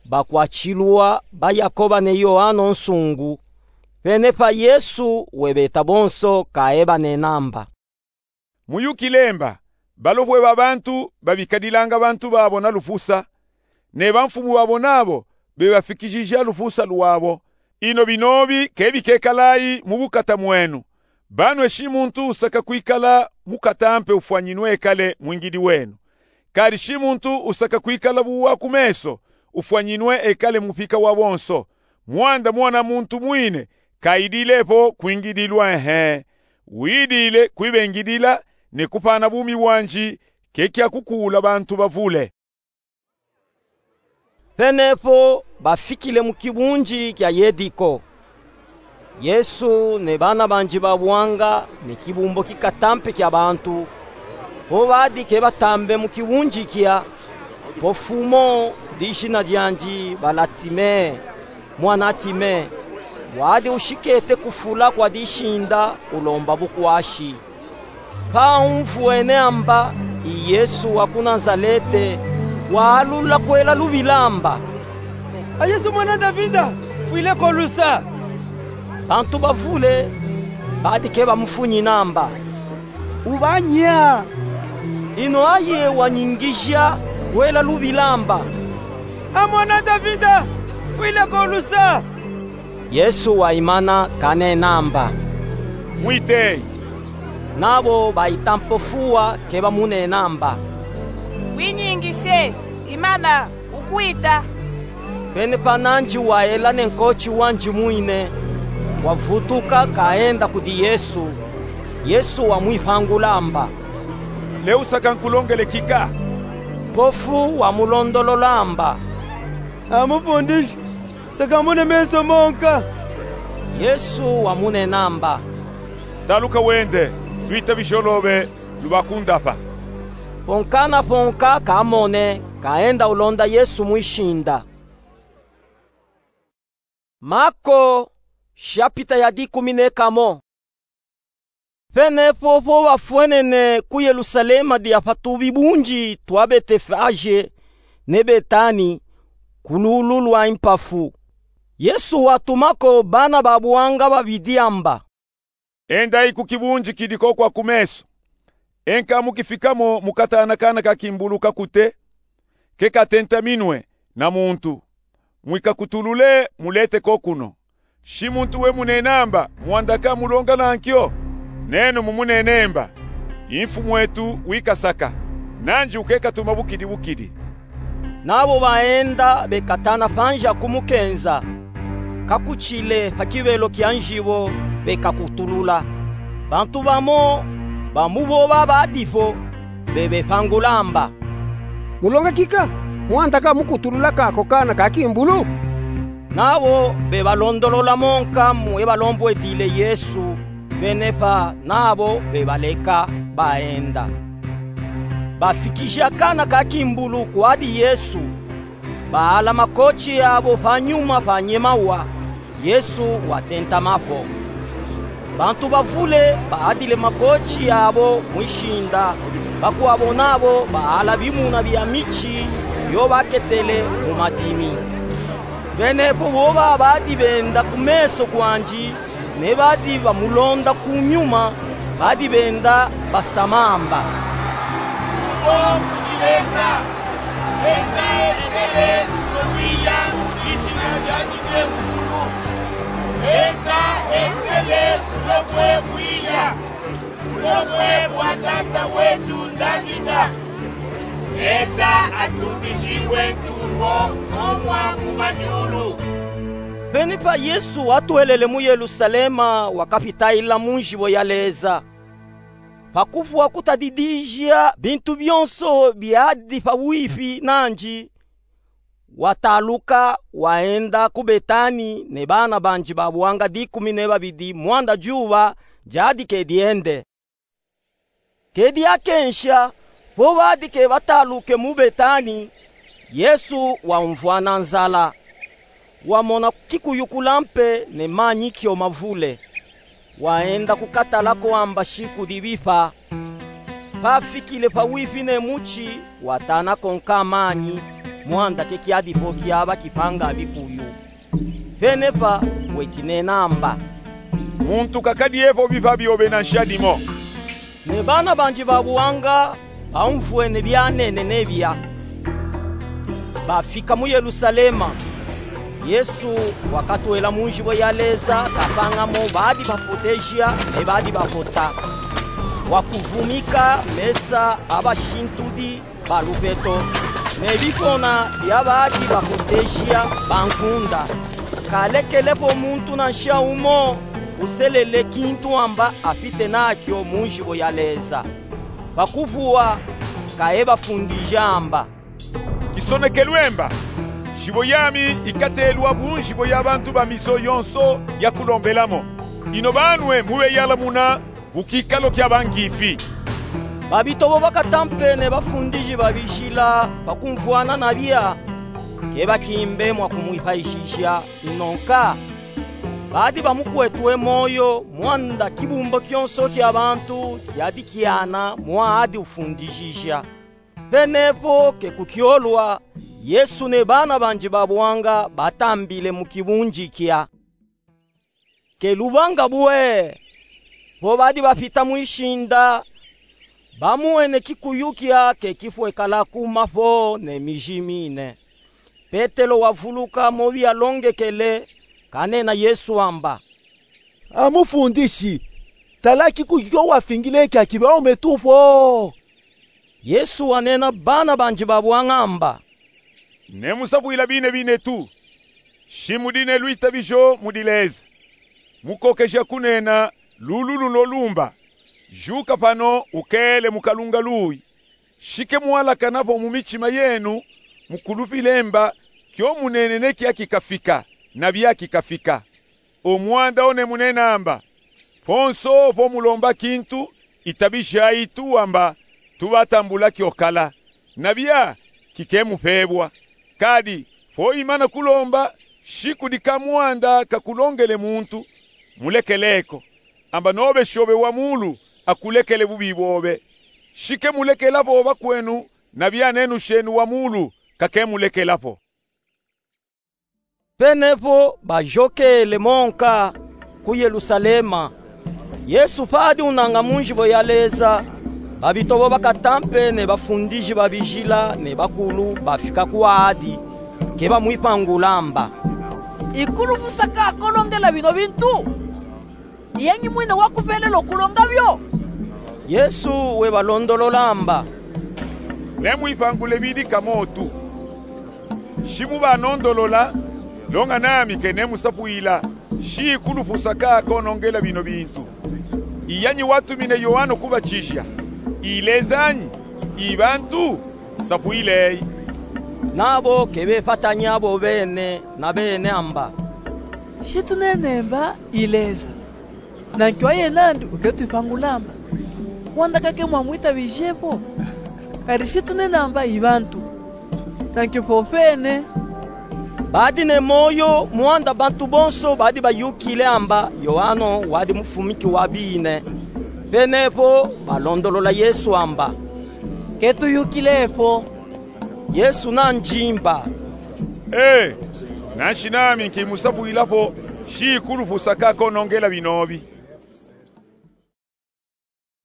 bakwachilwa ba Yakoba ne Yoano nsungu, pene pa Yesu webeta bonso kaye banenamba: Muyukile mba, balopwe ba bantu babikadilanga bantu babo na lupusa, ne bamfumu babo nabo bebafikijija lupusa lwabo. Ino binobi ke bikekalayi mu bukata mwenu. Banwe shi muntu usaka kwikala mukatampe ufwanyinwe ekale mwingidi wenu. Kadi shi muntu usaka kwikala bu wa ku meso ufwanyinwe ekale mupika wa bonso. Mwanda Mwana muntu mwine kayidile po kwingidilwa, ehe, widile kwibengidila ne kupana bumi bwandi ke kia kukuula bantu bavule. Pene po bafikile mu kibunji kia Yediko. Yesu ne bana bandi ba buanga ne kibumbo kikatampe kia bantu, po badi ke batambe mu kibunji kia, po fumo dijina diandi Balatime, mwana Time, wadi ushikete ku fula kwa dishinda ulomba bukwashi. Pa umvwene amba i Yesu wa ku Nazalete, waalula kwela lubila amba: A Yesu mwana Davida, fwile ko lusa! Bantu bavule badi ke bamufunyina amba: Ubanya! Ino aye wanyingija kwela lubila amba: A mwana Davida, fwile ko lusa! Yesu waimana kanena amba: Mwiteyi. Nabo baita mpo fuwa ke bamunena amba: Winyingise, imana, wukwita. Venepa nanji wayela ne nkoti wanji mwine, wavutuka kaenda kudi Yesu. Yesu wamwipangula amba: Lewusaka nkulongele kika? Mpofu wamulondolola amba: A Mufundisi, saka mune meso monka. Yesu wamunena amba: Taluka wende, lwita bijolove, lubakundapa. Ponka na ponka kamone, kaenda ulonda Yesu mwishinda. Mako, shapita ya dikumi ne kamo. Venepo vo vafwenene ku Yelusalema dia pa tubibunji twa Betefaje ne Betani, ku lulu lwa Impafu, Yesu watumako bana ba buanga babidi amba: Endayi ku kibunji kidi ko kwa kumeso. Enka mukifikamo mukatana kana ka kimbulu kakute, ke katentaminwe na muntu. Mwikakutulule, mulete ko kuno. Shi muntu we munenamba, mwandaka mulonga nankyo, nenu mumunenemba: Imfumu etu wikasaka, nanji wukekatuma bukidi bukidi. Nabo baenda bekatana panji a kumukenza, kakuchile pa kibelo kia njibo, bekakutulula. Bantu bamo ba mu bo babadi po, bebepangula amba: Mulonga kika, mwandaka mukutulula kako kana ka kimbulu? Nabo bebalondolola monka mwe balombwedile Yesu, venepa nabo bebaleka baenda. Bafikija kana ka kimbulu kwadi Yesu, baala makoti abo panyuma panyemawa, Yesu watentamapo. Bantu bavule baadile makoti abo mwishinda, bakwabo nabo baala bimuna bia michi yo baketele mu madimi. Venepo bo babadi benda kumeso kwandi, ne badi bamulonda kunyuma, badi benda basama amba: Tulo kudi Lesa, Lesa esele tulo bwiya mu dijina diandi diekulu. Lesa esele tulo bwe bwiya, tulo bwe bwa tata wetu Davida. Lesa atumbijibwe ntumbo omwa mu majulu. Venepa Yesu watwelele mu Yelusalema, wakapitayila mu njibo ya Lesa. Pa kuvwa kutadidija bintu byonso byadi pabwifi nandi, wataluka, waenda ku Betani ne bana bandi ba buanga dikumi ne babidi mwanda juba diadi ke diende. Ke diakensha, po badi ke bataluke mu Betani, Yesu wamvwana nzala. Wamona kikuyukula mpe ne manyi kyo mavule. Waenda kukatala ko amba shi kudi bipa. Pafikile pabwifi ne muti, watana ko nka manyi, mwanda ke kiadi po kiaba kipanga bikuyu. Venepa wekinena amba: Muntu kakadiye po bipa byobe nansha dimo. Ne bana bandi ba buanga bamvwene byanene nebia. Bafika mu Yelusalema. Yesu wakatwela mu njibo ya Lesa, kapanga mo badi bapoteja ne badi bapota. Wakuvumika mesa a bashintudi ba lupeto, ne bikona bya badi bapoteja bankunda. Kalekele po muntu nansha umo uselele kintu amba apite nakyo mu njibo ya Lesa. Pa kuvuwa, kaye bafundija amba: Kisonekelwe mba, njibo yami ikatelwa bu njibo ya bantu ba miso yonso ya kulombelamo. Ino banwe mubeyalamuna bu kikalo kya bangifi. Babitobo bakata mpe ne bafundiji ba bijila pa kumvwana na bya, ke bakimbe mwa kumwipayishisha ino nka. Badi bamukwetwe moyo mwanda kibumbo kyonso kya bantu kyadi kyana mwa adi ufundishija. Penepo ke kukyolwa, Yesu ne bana bandi ba buanga batambile mu kibunji kya. Ke lubanga bwe, po badi bapita mwishinda, bamwene kikuyu kya ke kifwekala kuma po ne miji mine. Petelo wavuluka mo byalongekele, kanena Yesu amba: A Mufundishi, tala kikuyu kyo wafingile kya kibaume tu po. Yesu wanena bana banji ba bwanga amba: Ne musapuila bine binetu, shi mudi ne lwitabijo mu dileeza. Mukokeja kunena lulu lulo lumba: Juka pano, ukele mu kalunga luwi. Shi ke mwalakana vo mu mitima yenu mu kulupilemba kyo munene ne kiaki kafika, na biaki kafika. O mwanda o ne munena amba: Ponso vo mulomba kintu, itabijayi tu amba tubatambula kyokala, na bia kike mupebwa. Kadi vo imana kulomba, shi kudi ka mwanda kakulongele muntu, mulekeleko, amba nobe shobe wa mulu akulekele bubi bobe. Shi ke mulekela vo bakwenu, na bia nenu shenu wa mulu kake mulekela vo. Penepo bajokele monka ku Yelusalema. Yesu padi unanga mu njibo ya Leza, babitobo bakatampe ne bafundiji ba bijila ne bakulu bafika kwadi, ke bamwipangula amba: Ikulupusa ka kolongela bino bintu? Iyanyi mwine wakupelela okulonga byo? Yesu webalondolola amba: Ne mwipangule bidi kamotu. Shi mubanondolola, longa nami ke ne musapuila, shi ikulupusa ka konongela bino bintu. Iyanyi watumine Yoano kubatija? I Leza nyi? I bantu? Sapuileyi. Nabo ke bepatanya bo bene na bene amba: Shi tunene amba i Leza, nanki wa yena andi uketwipangula amba, mwanda kake mwamwitabije po. Kadi shi tunene amba i bantu, nanki popene. Badi ne moyo mwanda bantu bonso badi bayukile amba Yoano wadi mufumiki wa bine. Penepo balondolola Yesu amba: Ketuyukile po. Yesu nanjimba: Ee, nanshi nami nkimusapuila po, shi ikulupusa ka konongela binobi.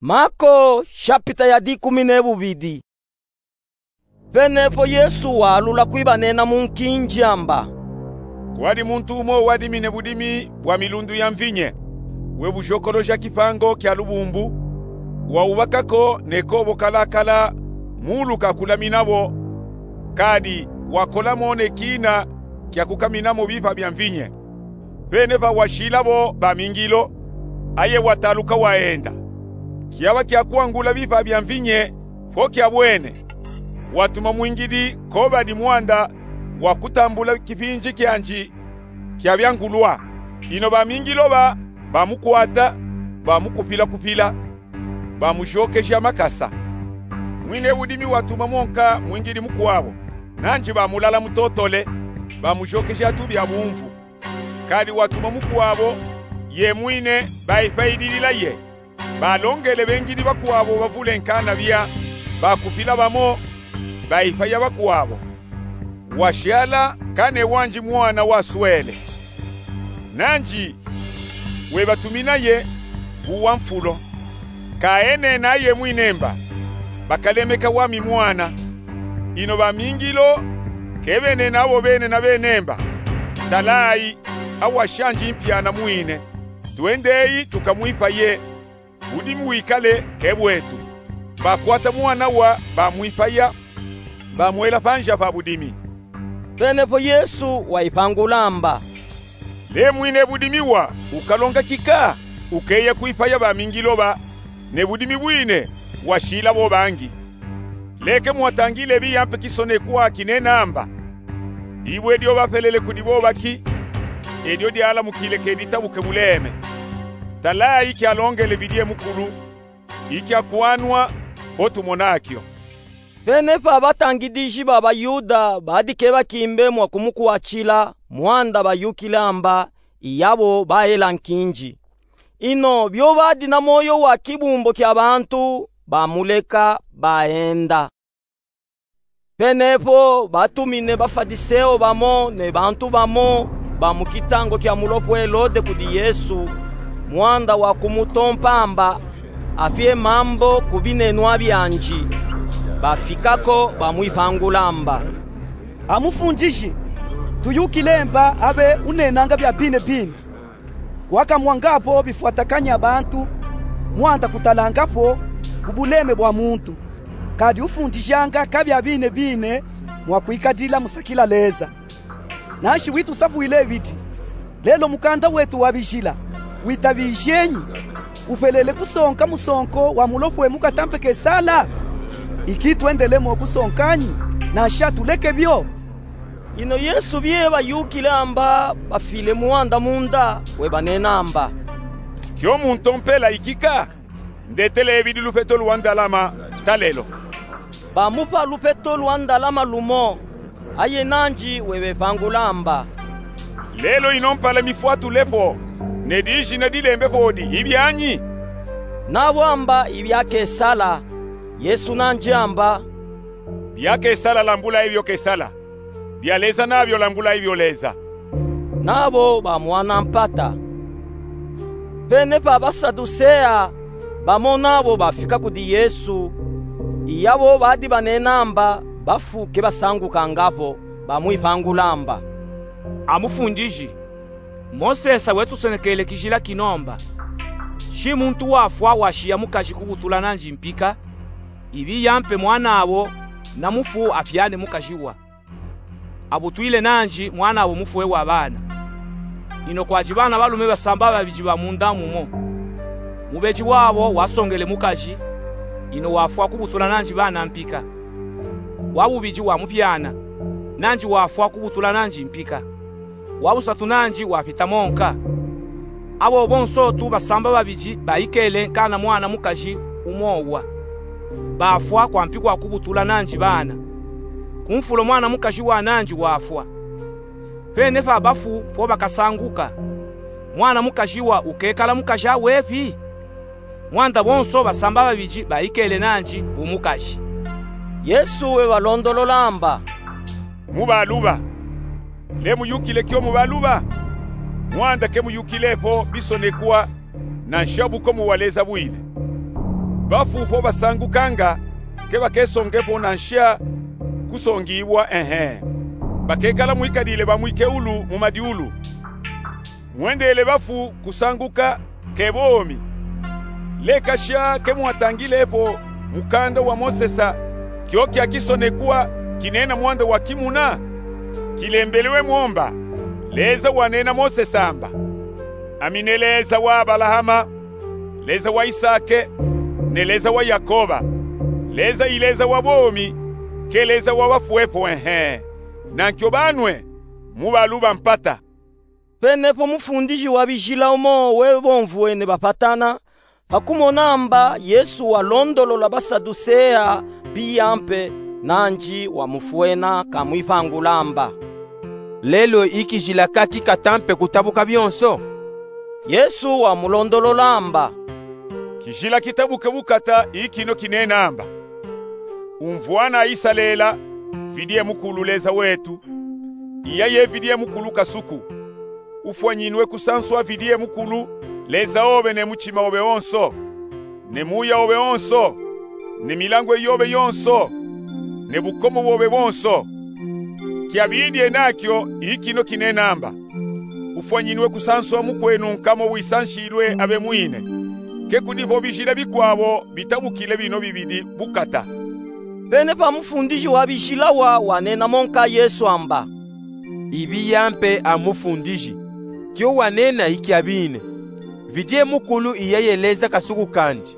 Mako, shapita ya dikumi ne bubidi. Penepo Yesu walula kwibanena mu nkinji amba: Kwadi muntu umo wadimine budimi bwa milundu ya mvinye, webujokoloja kipango kya lubumbu, wawubakako ne kobo kalakala mulu ka kulaminabo, kadi wakolamo ne kina kya kukaminamo bipa bya mvinye. Penepa washilabo bamingilo, aye wataluka waenda. Kyaba kya kwangula bipa bya mvinye po kyabwene, watuma mwingidi ko badi mwanda wa kutambula kipinji kyanji kya byangulwa. Ino bamingilo ba bamukwata, bamukupila-kupila, bamujokeja makasa. Mwine budimi watuma mwonka mwingidi mukwabo, nanji bamulala mutotole, bamujokeja tubya bumvu. Kadi watuma mukwabo, ye mwine baipayidilila ye. Balongele bengidi bakwabo bavule nkana bya, bakupila bamo, baipaya bakwabo. Washala kane wanji mwana waswele. Nanji webatumina ye ku wa mfulo. Kaenena ye mwine mba, bakalemeka wami mwana. Ino bamingilo ke benena abo bene na bene mba: Talayi, awashanji mpya na mwine. Twendeyi tukamwipaye, budimi wikale ke bwetu. Bakwata mwana wa, bamwipaya, bamwela panza pa budimi. Penepo Yesu waipangula amba: Le mwine budimi wa ukalonga kika ukeya kwipaya bamingilo ba, ne budimi bwine washilabo bangi. Leke mwatangile biyampe kisonekwa kinena amba: Dibwe dyo bapelele kudi bobaki, edyo dyalamukile ke ditabuke buleme. Talayi kyalongele bidye mukulu, ikya kwanwa, po tumona kyo. Penepa batangidiji ba baYuda badi ke bakimbe mwa kumukwatila, mwanda bayukile amba iyabo baela nkinji. Ino byo badi na moyo wa kibumbo kya bantu, bamuleka baenda. Penepo batumine Bafadiseo bamo ne bantu bamo ba mu kitango kya mulopo Helode kudi Yesu, mwanda wa kumutompa amba apye mambo ku binenwa byanji. Bafikako bamwipangula amba: A Mufundiji, tuyukile mba abe unenanga bya bine bine, kwakamwangapo bifwatakanya bantu, mwanda kutalangapo ku buleme bwa muntu. kadi ufundijanga kabia bine bine mwa kwikadila musakila Leza. Nanshi witusavwile vidi, lelo mukanda wetu wa bijila witabijenyi? Upelele kusonka musonko wa mulofwe mu katampe kesala? Iki twendelemo kusonkanyi, nanshi atuleke vyo. Ino Yesu bie bayukile amba bafile mwanda munda, webanena amba: Kio muntompela ikika? Ndetele vidi lufeto lwa ndalama talelo. Bamupa lufeto lwa ndalama lumo, aye nanji webevangula amba: Lelo ino mpala mifwatulepo, ne dijina dilembepo odi ibianyi? Nabo amba: Ibia Kesala. Yesu nanji amba: Bia Kesala lambula ebio Kesala, bia Leza nabio lambula ebio Leza. Nabo bamwana mpata. Pene pa Basadusea, bamo nabo bafika kudi Yesu, iyabo badi banena amba bafu kebasangukanga vo, bamwivangula amba: A Mufundiji, Mosesa wetusonekele kijila kino amba: Shi muntu wafwa washiya mukaji kubutula nanji mpika, ibiya mpe mwanavo, na mufu apiane mukaji wa, abutwile nanji mwanavo mufwe wa bana. Ino kwadi bana balume basamba babidi ba munda mumo. Mubeji wavo wasongele mukaji, ino wafwa kubutula nanji bana mpika. Wa bubidi wamupiana, nanji wafwa kubutula nanji mpika. Wa busatu nanji wapita monka. Avo bonso tu basamba babidi baikele nkana mwana mukaji umo wa, bafwa kwampi kwa kubutula nanji bana. Ku mfulo mwana mukaji wa nanji wafwa. Pene pa bafu po bakasanguka, mwana mukaji wa ukekala mukaji awepi? Mwanda bonso basamba babidi baikele nanji bu mukaji. Yesu webalondolola amba: Mubaluba. Le muyukile kio mubaluba? Mwanda kemuyukile po bisonekwa, nansha bukomo bwa Leza bwile. Bafu po basangukanga, kebakesongepo nansha kusongibwa, ehe, bakekala mwikadile bamwikeulu mu madiulu. Mwendele bafu kusanguka, ke bomi. Leka sha kemwatangilepo mukanda wa Mosesa kio kia kisonekwa kinena mwanda wa kimuna? Kilembelwe mo amba: Leza wanena Mosesa amba: Ami ne Leza wa Abalahama, Leza wa Isake, ne Leza wa Yakoba. Leza i Leza wa bomi, ke Leza wa bafwepo, ehe, nankio banwe, mubaluba mpata. Pene po mufundiji wa bijila umo webomvwene bapatana, pa kumona amba Yesu walondolola Basadusea biya mpe, nanji wamufwena kamwivangula amba: Lelo i kijila kaki katampe kutabuka bionso? Yesu wamulondolola amba: Kijila kitabuka bukata i kino kinena amba: Umvwana Isalela, vidie mukulu Leza wetu, iya ye vidie mukulu kasuku. Ufwanyinwe kusanswa vidie mukulu Leza obe ne mutima obe onso, ne muya obe onso, ne milangwe yobe yonso, ne bukomo bobe bonso. Kiabidie nakio i kino kinena amba: Ufwanyinwe kusanswa mukwenu nkamo wisanshilwe abe mwine. Ke kudi vo bijila bikwavo bitabukile bino bibidi bukata. Pene pa mufundiji wa bijila wa wanena monka Yesu amba: Ibiya mpe a Mufundiji, kio wanena i kiabine. Vidie mukulu iya ye Leza kasuku kandi,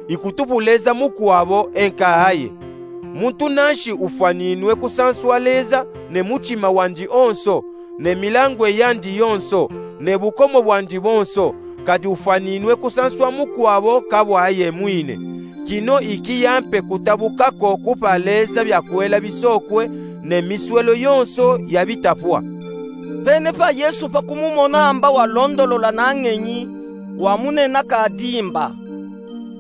i kutupu Leza mukwavo e nkaaye. Muntu nanshi ufwaninwe kusanswa Leza ne mutima wandi onso, ne milangwe yandi yonso, ne bukomo bwandi bonso, kadi ufwaninwe kusanswa mukwavo kabwaye mwine. Kino i kiya mpe kutabuka ko kupa Leza byakwela bisokwe ne miswelo yonso ya bitapwa. Pene pa Yesu pa kumumona amba walondolola na ngenyi, wamunena kadi amba: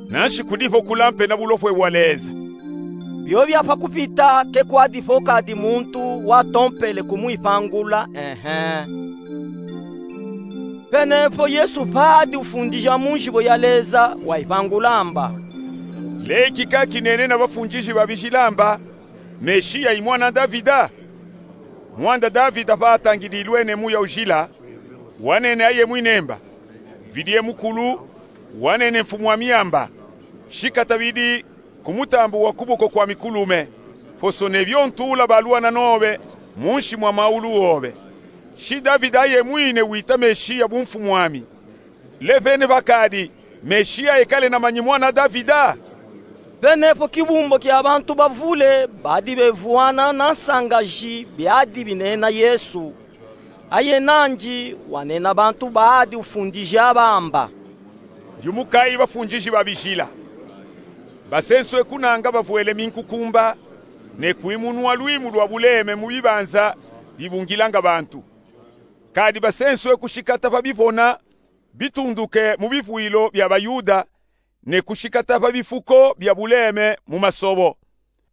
Nanshi kudi vo kula mpe na bulofwe bwa Leza. Bio bya pa kupita ke kwadi vo kadi muntu watompele kumwipangula, ehe. Pene po Yesu padi ufundija mu njibo ya Leza, waipangula amba: Leki ka kinene na bafundiji ba bijila amba: Meshiya i mwana Davida? Mwanda Davida pa atangidilwe ne Muya Ujila, wanene aye mwine amba: Vidie mukulu, wanene Mfumu ami amba: Shika tabidi ku mutambu wa kuboko kwami kulume, foso nebio ntuula baluana nobe munsi mwa maulu obe. Si Davida yemwine wita Mesiya bu mfumu'ami? Le vene bakadi Mesiya ekale namanyi mwana Davida? Venepo kibumbo kia bantu bavule badi bevuana na nsangazi biadi binena Yesu. Aye nandi wanena bantu baadi ufundija bamba: Ndiumukayi bafundishi ba bizila, basenswe kunanga bavwele minkukumba, ne kwimunwa lwimu lwa buleme mu bibanza bibungilanga bantu. Kadi basenswe kushikata pa bipona bitunduke mu bivwilo bia baYuda, ne kushikata pa bifuko bia buleme mu masobo.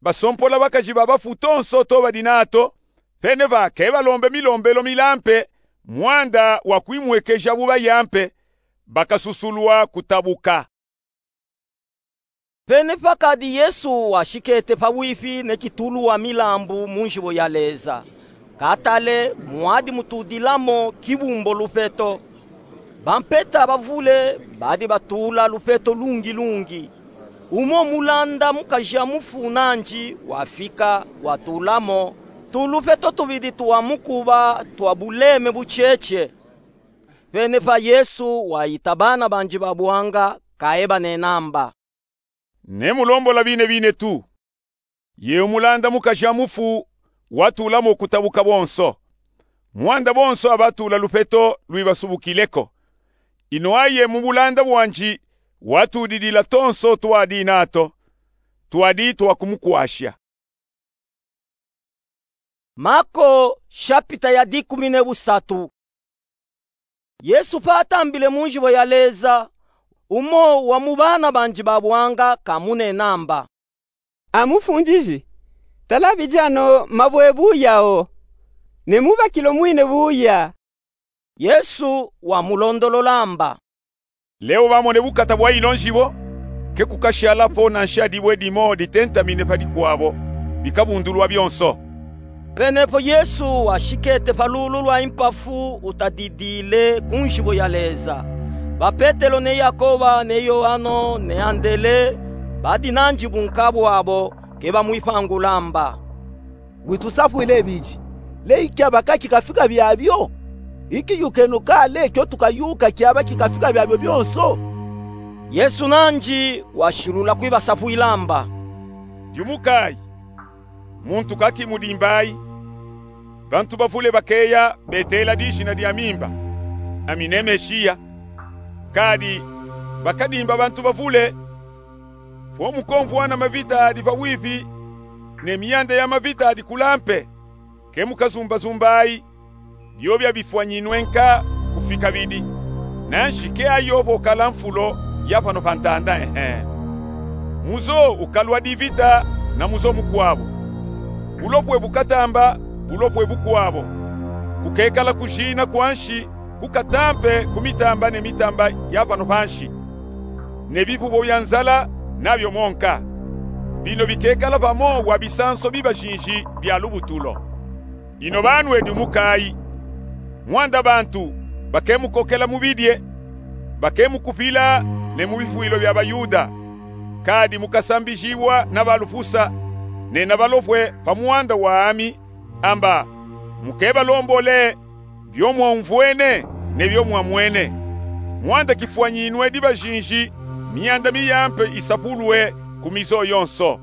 Basompola bakazi ba bafu tonso to badi nato, venepa ke balombe milombelo milampe, mwanda wa kwimwekeja bu bayampe, bakasusulwa kutabuka. Venepa kadi Yesu washikete pabwipi ne kitulu wa milambu mu nzibo ya Leza. Katale mwadi mutudilamo kibumbo lupeto. Bampeta bavule badi batula lupeto lungilungi. Umo mulanda mukaja mufu nandi wafika, watulamo tulupeto tubidi twa mukuba twa buleme bucece. Venepa Yesu waita bana bandi ba bwanga, kaye banena mba: Nemulombola bine bine tu. Ye umulanda mukaja mufu watulamo kutabuka bonso. Mwanda bonso abatula lupeto lwibasubukile ko. Ino aye mu bulanda bwandi watudidila tonso twadi nato, twadi twa kumukwasha. Mako, shapita ya dikumi ne busatu. Yesu patambile mu nzibo ya Leza, umo wa mu bana bandi ba bwanga kamunena mba: A Mufundishi, tala bidi ano mabwe buya o, ne mubakilo mwine buya. Yesu wamulondolola mba: Leo bamone bukata bwa ino nzibo, ke kukashalapo na nshadibwe dimo ditentamine padi kwabo, bikabundulwa bionso. Venepo Yesu washikete pa lulu lwa impafu utadidile ku nzibo ya Leza. Ba Petelo ne Yakoba ne Yoano ne Andele badi nandi bu nkabwabo, ke bamwipangula mba: Witusapwile bidi, le ikiaba ka kikafika biabio? Ikiyukenu ka le kio tukayuka kiaba kikafika biabio bionso? Yesu nandi washilula kwibasapwila mba: Ndiumukayi, muntu ka kimudimbayi. Bantu bavule bakeya betela dizina diami mba: Ami ne Mesiya. Kadi bakadimba bantu bavule. Fo mukomvwana mavita adi pabwipi, ne mianda ya mavita adi kulampe, ke mukazumbazumbayi, biobia bifwanyinwe nka kufika bidi. Nanshi ke ayo vo kala nfulo ya pano pa ntanda, ehe. Muzo ukalwa divita na muzo mukwabo. Bulopwe bukatamba bulopwe bukwabo. Kukekala kujina kwa nshi kukatampe ku mitamba ne mitamba ya pano pa nshi, ne bipubo bia nzala nabio mo nka. Bino bikekala pamo wa bisanso biba zinzi bia lubutulo. Ino banwe ndiumukayi. Mwanda bantu bakemukokela mu bidie, bakemukupila ne mu bifwilo bia baYuda. Kadi mukasambijibwa na balufusa, ne na balopwe pa mwanda wami, amba mukebalombole bio mwaumvwene ne bio mwamwene. Mwanda kifwanyinwe diba zinzi, mianda miyampe isapulwe ku mizo yonso.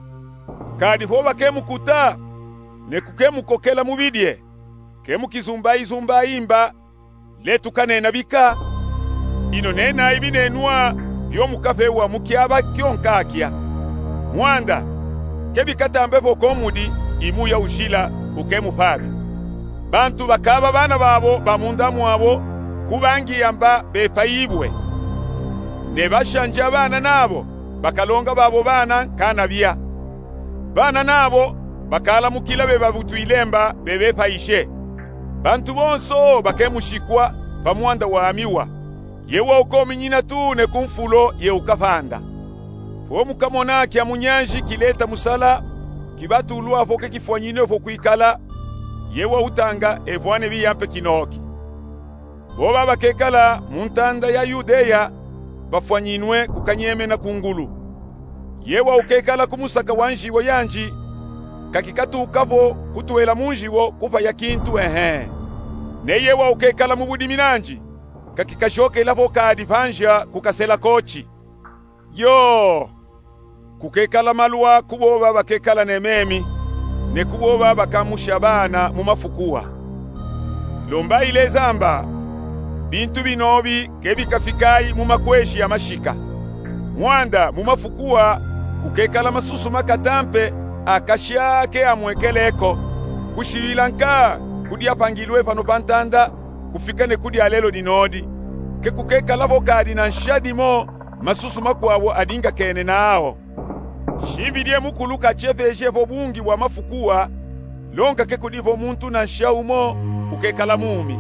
Kadi fo bakemukuta ne kukemukokela mu bidie, kemukizumbayizumbayi mba, letukanena bika. Ino nenayi binenwa bio mukapewa mu kiaba kio nka kia. Mwanda, ke bikatambe vo ko mudi imuya ujila ukemupabi. Bantu bakaba bana babo ba munda mwabo ku bangi amba bepayibwe. Ne bashanja bana nabo bakalonga babo bana nkanabia. Bana nabo bakalamukila bebabutwile mba bebepayishe. Bantu bonso bakemushikwa pa mwanda wami wa: Ye waukominyina tu ne ku nfulo ye ukapanda. Fo mukamona kia munyanzi kileta musala, kibatulwa fo ke kifwanyinwe fo kwikala, ye wautanga evwane biyampe kinoki. Bo babakekala mu ntanda ya Yudeya bafwanyinwe kukanyemena ku ngulu. Ye wawukekala ku musaka wa nziwo yandi, kakikatuka vo kutwela mu nziwo kupaya kintu, ehe. Ne ye wawukekala mu budimi nandi, kakikazokela vo kadi pa nzia kukasela koti. Yoo! Kukekala malwa ku booba bakekala ne memi, ne ku booba bakamusha baana mu mafuku a. Lombayi Leza amba, bintu binobi ke bikafikayi mu makwezi amashika. Mwanda mu mafuku a kukekala masusu makatampe akasha ke amwekele ko, kushilwila nka ku dyapangilwe pano pa ntanda kufika ne ku dya lelo dinodi. Ke kukekala vo kadi na nsha dimo masusu makwawo adingakene nawo. Shimbi dye mukulu kachepeje vo bungi bwa mafuku a, longa ke kudi vo muntu na nsha umo ukekala mumi.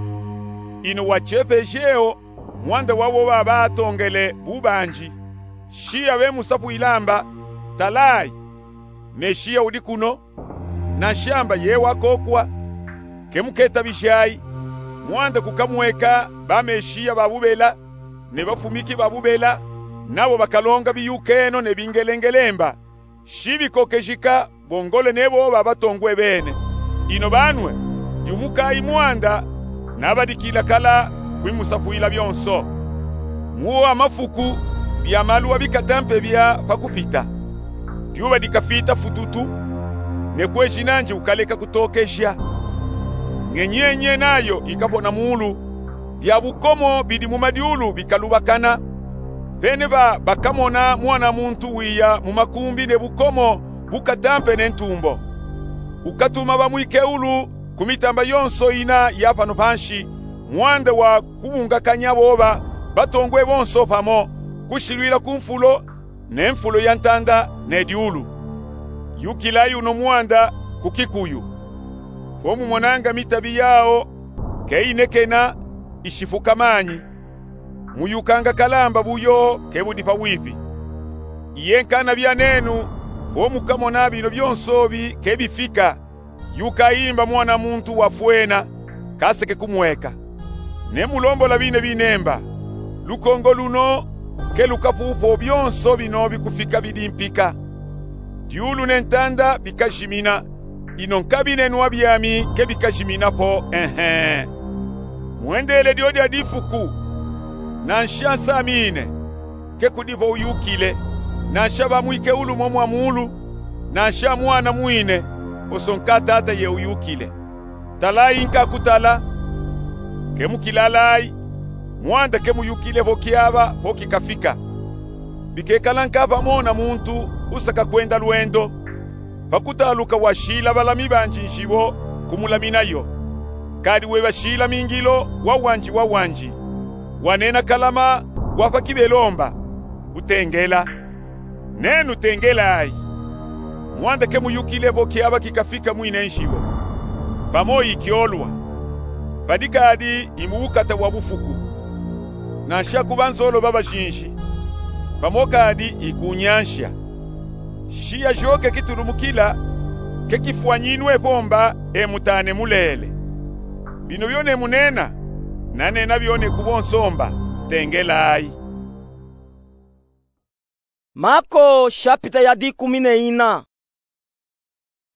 Ino wachepeje o mwanda wa booba batongele bubanji. Shiya bemusapwila amba, talayi, Meshiya udi kuno, na nshamba ye wakokwa. Ke muketabijayi, mwanda kukamweka ba Meshiya ba bubela, ne bafumiki ba bubela, nabo bakalonga biyukeno ne bingelengele mba, shibikokejika bongole ne booba batongwe bene. Ino banwe, dumukayi mwanda, nabadikila kala kwimusapwila byonso. Mu wo amafuku, bya malwa bikatampe bya pa kupita. Dyuba dikafita fututu, ne kwezi nandi ukaleka kutokeja. Ngenyenye nayo ikapona mulu, bya bukomo bidi mu madyulu bikalubakana. Bene ba bakamona Mwana muntu wiya mu makumbi ne bukomo bukatampe ne ntumbo. Ukatuma bamwike ulu ku mitamba yonso ina ya pano pa nsi, mwanda wa kubungakanya booba batongwe bonso pamo, kushilwila ku mfulo, ne mfulo ya ntanda ne dyulu. Yukilayi uno mwanda ku kikuyu. Vo mumonanga mitabi yawo ke inekena, ishifuka manyi, muyukanga kalamba buyo ke budi pa wipi. Iye nkanabya nenu, vo mukamona bino byonso bi ke bifika, yukayi mba Mwana muntu wafwena, kaseke kumweka. Ne mulombola bine bine mba, lukongo luno ke lukapupo byonso bino bikufika bidi mpika. Dyulu ne ntanda bikajimina, ino nkabi ne nwa byami ke bikajimina po, ehe. Mwendele dyodya difuku, na nsha nsamine, ke kudi vo uyukile, na nsha bamwike ulu mo mwa mulu, na nsha mwana mwine, oso nka tata ye uyukile. Talayi nkakutala, ke mukilalayi, mwanda ke muyukile vo kyaba vo kikafika. Bikekala nka pamo na muntu usaka kwenda lwendo, pa kutaluka washila balami banji nzibo kumulaminayo. Kadi weba shila mingilo wawandi wawandi, wanena kalama wa pa kibelo mba, utengela. Nenu tengelayi. Mwanda ke muyukile vo kyaba kikafika mwine nzibo. Pamo ikyolwa, padi kadi i mu bukata bwa bufuku, na nsha ku banzolo ba bajinji, pamo kadi i ku nyansha. Shiya jo ke kitulumukila, ke kifwanyinwe po mba, e mutane mulele. Bino byo ne munena, nanena byo ne ku bonso mba, tengelayi. Mako shapita ya dikumi ne ina.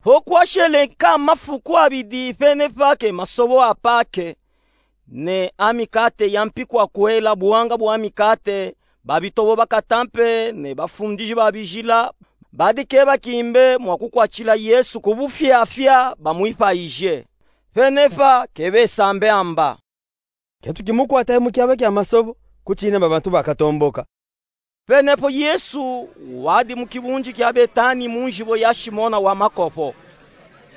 Vo kwashele nka mafuku abidi pene pake masobo a Pake, ne a mikate ya mpiku akwela buwanga bwa mikate, babitobo bakatampe ne bafundiji ba bijila badikeba kimbe mwa kukwatila Yesu ku bufyafya bamwipayije. Pene pa ke besambe amba: Ke tukimukwata mu kyaba kya masobo, kucine mba bantu bakatomboka. Pene po Yesu wadi mu kibunji kya Betani mu nzibo ya Simona wa makopo.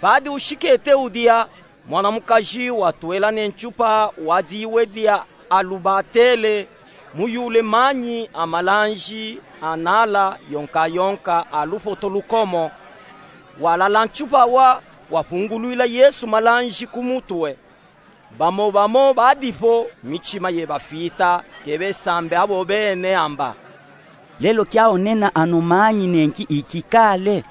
Padi ushikete udya, mwana mukaji watwela ne ncupa wa diwe dya alubatele muyule manyi a malanji anala yonkayonka a lupoto lukomo. Walala ncupa wa, wapungulwila Yesu malanji ku mutwe. Bamo bamo badi po, micima yebafita, ke besambe abo bene amba: Lelo kyaonena ano manyi nenki ikikale?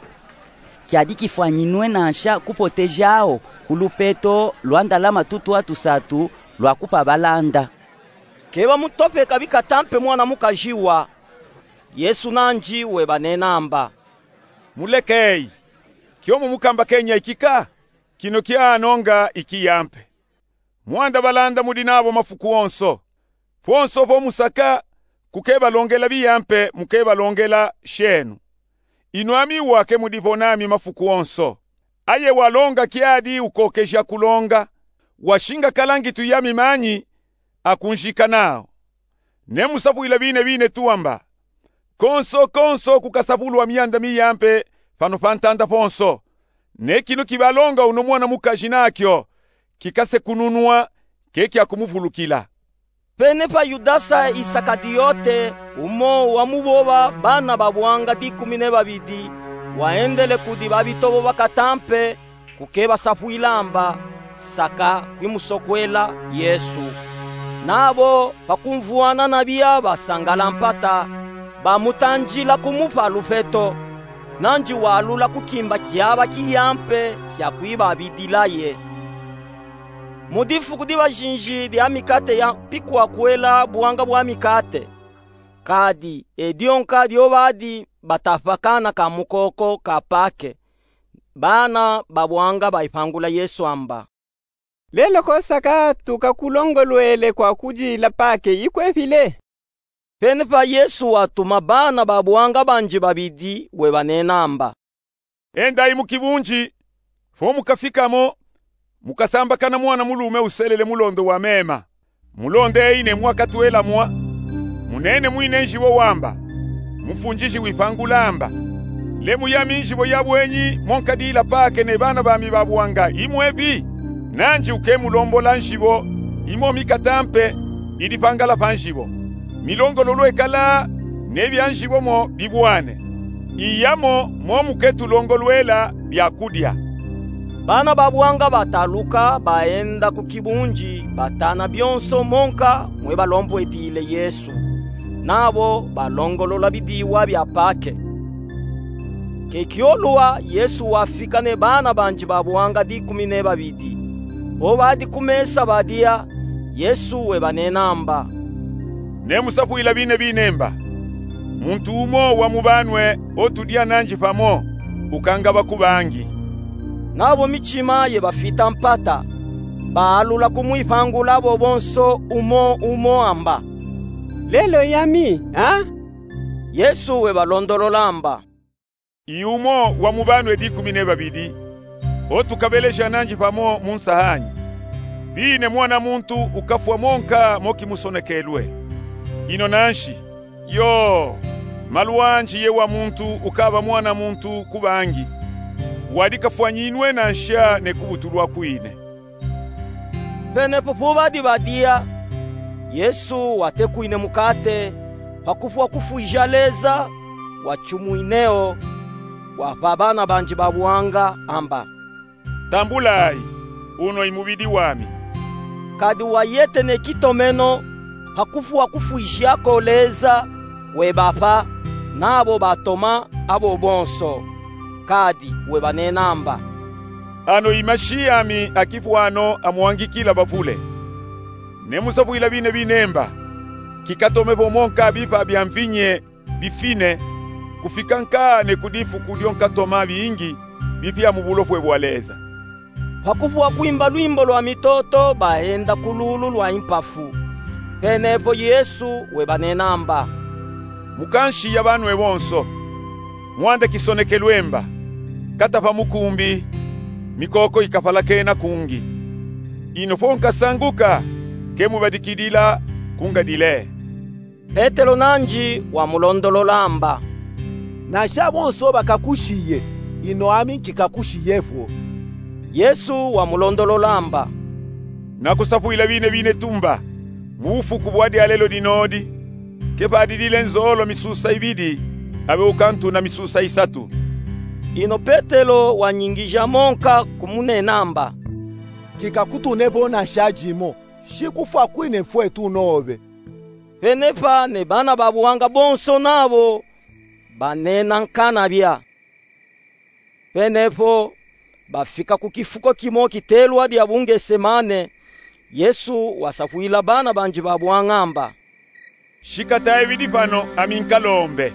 Kyadi kifwanyinwe nansha kupoteja awo ku lupeto lwa ndalama tutwa tusatu lwa kupa balanda. Ke bamutopeka bikatampe mwana mukaji wa, Yesu nandi webanenamba: Mulekeyi. Kiomo mukambakenya ikika? Kino kianonga ikiyampe. Mwanda balanda mudi nabo mafuku onso. Ponso po musaka, kukebalongela biyampe mukebalongela shenu. Inu ami wa kemudi po nami mafuku onso. Aye walonga kiadi ukokeja kulonga, washinga kalangitu yami manyi akunjika nao. Nemusapwila bine bine tuwamba: Konso konso kukasapulwa mianda miyampe pano pantanda ponso. Ne kinu kibalonga uno mwana mukaji nakio, kikasekununwa, kekiakumuvulukila. Penepa Yudasa Isakaliote, umo wamuboba bana babuanga dikumi nebabidi, waendele kudi babitobo bakatampe, kukebasapwila amba, saka kwimusokwela Yesu. Nabo pakumvwana nabia basangala mpata, bamutandila kumupa lupeto, nandi walula kukimba kiaba kiyampe kiakwibabidilaye. Mu difuku dibajinji dia mikate ya mpikwakwela buanga bwa mikate, kadi edionka diobadi batapa kana ka mukoko ka Pake, bana babuanga baipangula Yesu amba: Lelo ko saka tukakulongolwele kwakudila Pake ikwepile? Penepa Yesu watuma bana babuanga bandi babidi webanenamba: Endayi mukibunji, po mukafikamo, mukasambakana mwana mulume uselele mulondo wa mema. Mulondeyi ne mwakatwela mwa. Munene mwine njibo wamba, mufundiji wipangula amba: Lemu yami njibo yabwenyi monkadila Pake ne bana bami babuanga imwepi? Nandi ukemulombola njibo imo mikatampe idi pangala pa njibo. Milongololo ekala ne bia njibo mo bibwane. Iyamo mo muketulongolwela biakudia. Bana babuanga bataluka baenda kukibunji batana bionso monka mwebalombuedile Yesu. Nabo balongolola bidiwa bia Pake. Kekiolua Yesu wafika ne bana bandi babuanga dikumi nebabidi. Pobadi kumesa badia, Yesu webanenamba: Nemusapwila bine bine mba: Muntu umo wamubanwe otudia nandi pamo ukangaba kubangi. Nabo midima yebafita mpata, baalula kumwipangula abo bonso umo umo amba: Lelo yami, a? Yesu webalondolola amba: Iumo wamubanwe dikumi nebabidi, otukabeleja nandi pamo munsahanyi. Bine Mwana muntu ukafwa monka mokimusonekelwe. Ino nanshi, yo, malu andi ye wa muntu ukaba Mwana muntu kubangi, wadi kafwanyinwe nansha ne kubutulwa kwine. Penepo pobadi badia, Yesu watekwine mukate, pakufwa kufwija Leza, wachumwineo, wapa bana bandi babuanga amba: Tambulayi, uno i mubidi wami. Kadi wayete ne kitomeno, pakufwa kufwijako Leza, webapa, nabo batoma abo bonso. Kadi webanenamba: Ano i mashi ami akipwano amwangikila bavule. Nemusapwila bine bine mba: Kikatomepo monka bipa bia mvinye bifine, kufika nka ne ku difuku dionkatoma bingi bipya mu bulopwe bwa Leza. Pakufwa kwimba lwimbo lwa mitoto baenda ku lulu lwa impafu. Penepo Yesu webanenamba: Mukanshiya banwe bonso. Mwanda kisonekelwe mba: Katapa mukumbi, mikoko ikapalakena kungi. Ino po nkasanguka, kemubadikidila kungadile. Petelo nandi wamulondolola amba: Nansha bonso bakakushiye, ino ami nkikakushiyepo. Yesu wamulondolola amba: Nakusapwila bine bine tumba, mu bufuku bwa dyalelo dinodi, kepadidile nzolo misusa ibidi, abe ukantuna misusa isatu. Ino Petelo wanyingija monka kumunena amba: Nkikakutunepo nansha dimo, shi kufwa kwine mfwe tunobe. Penepa ne bana babuanga bonso nabo banena nkanabya. Penepo bafika ku kifuko kimo kitelwa dya Bungesemane. Yesu wasapwila bana bandi babuanga amba: Shikata ibidi pano ami nkalombe.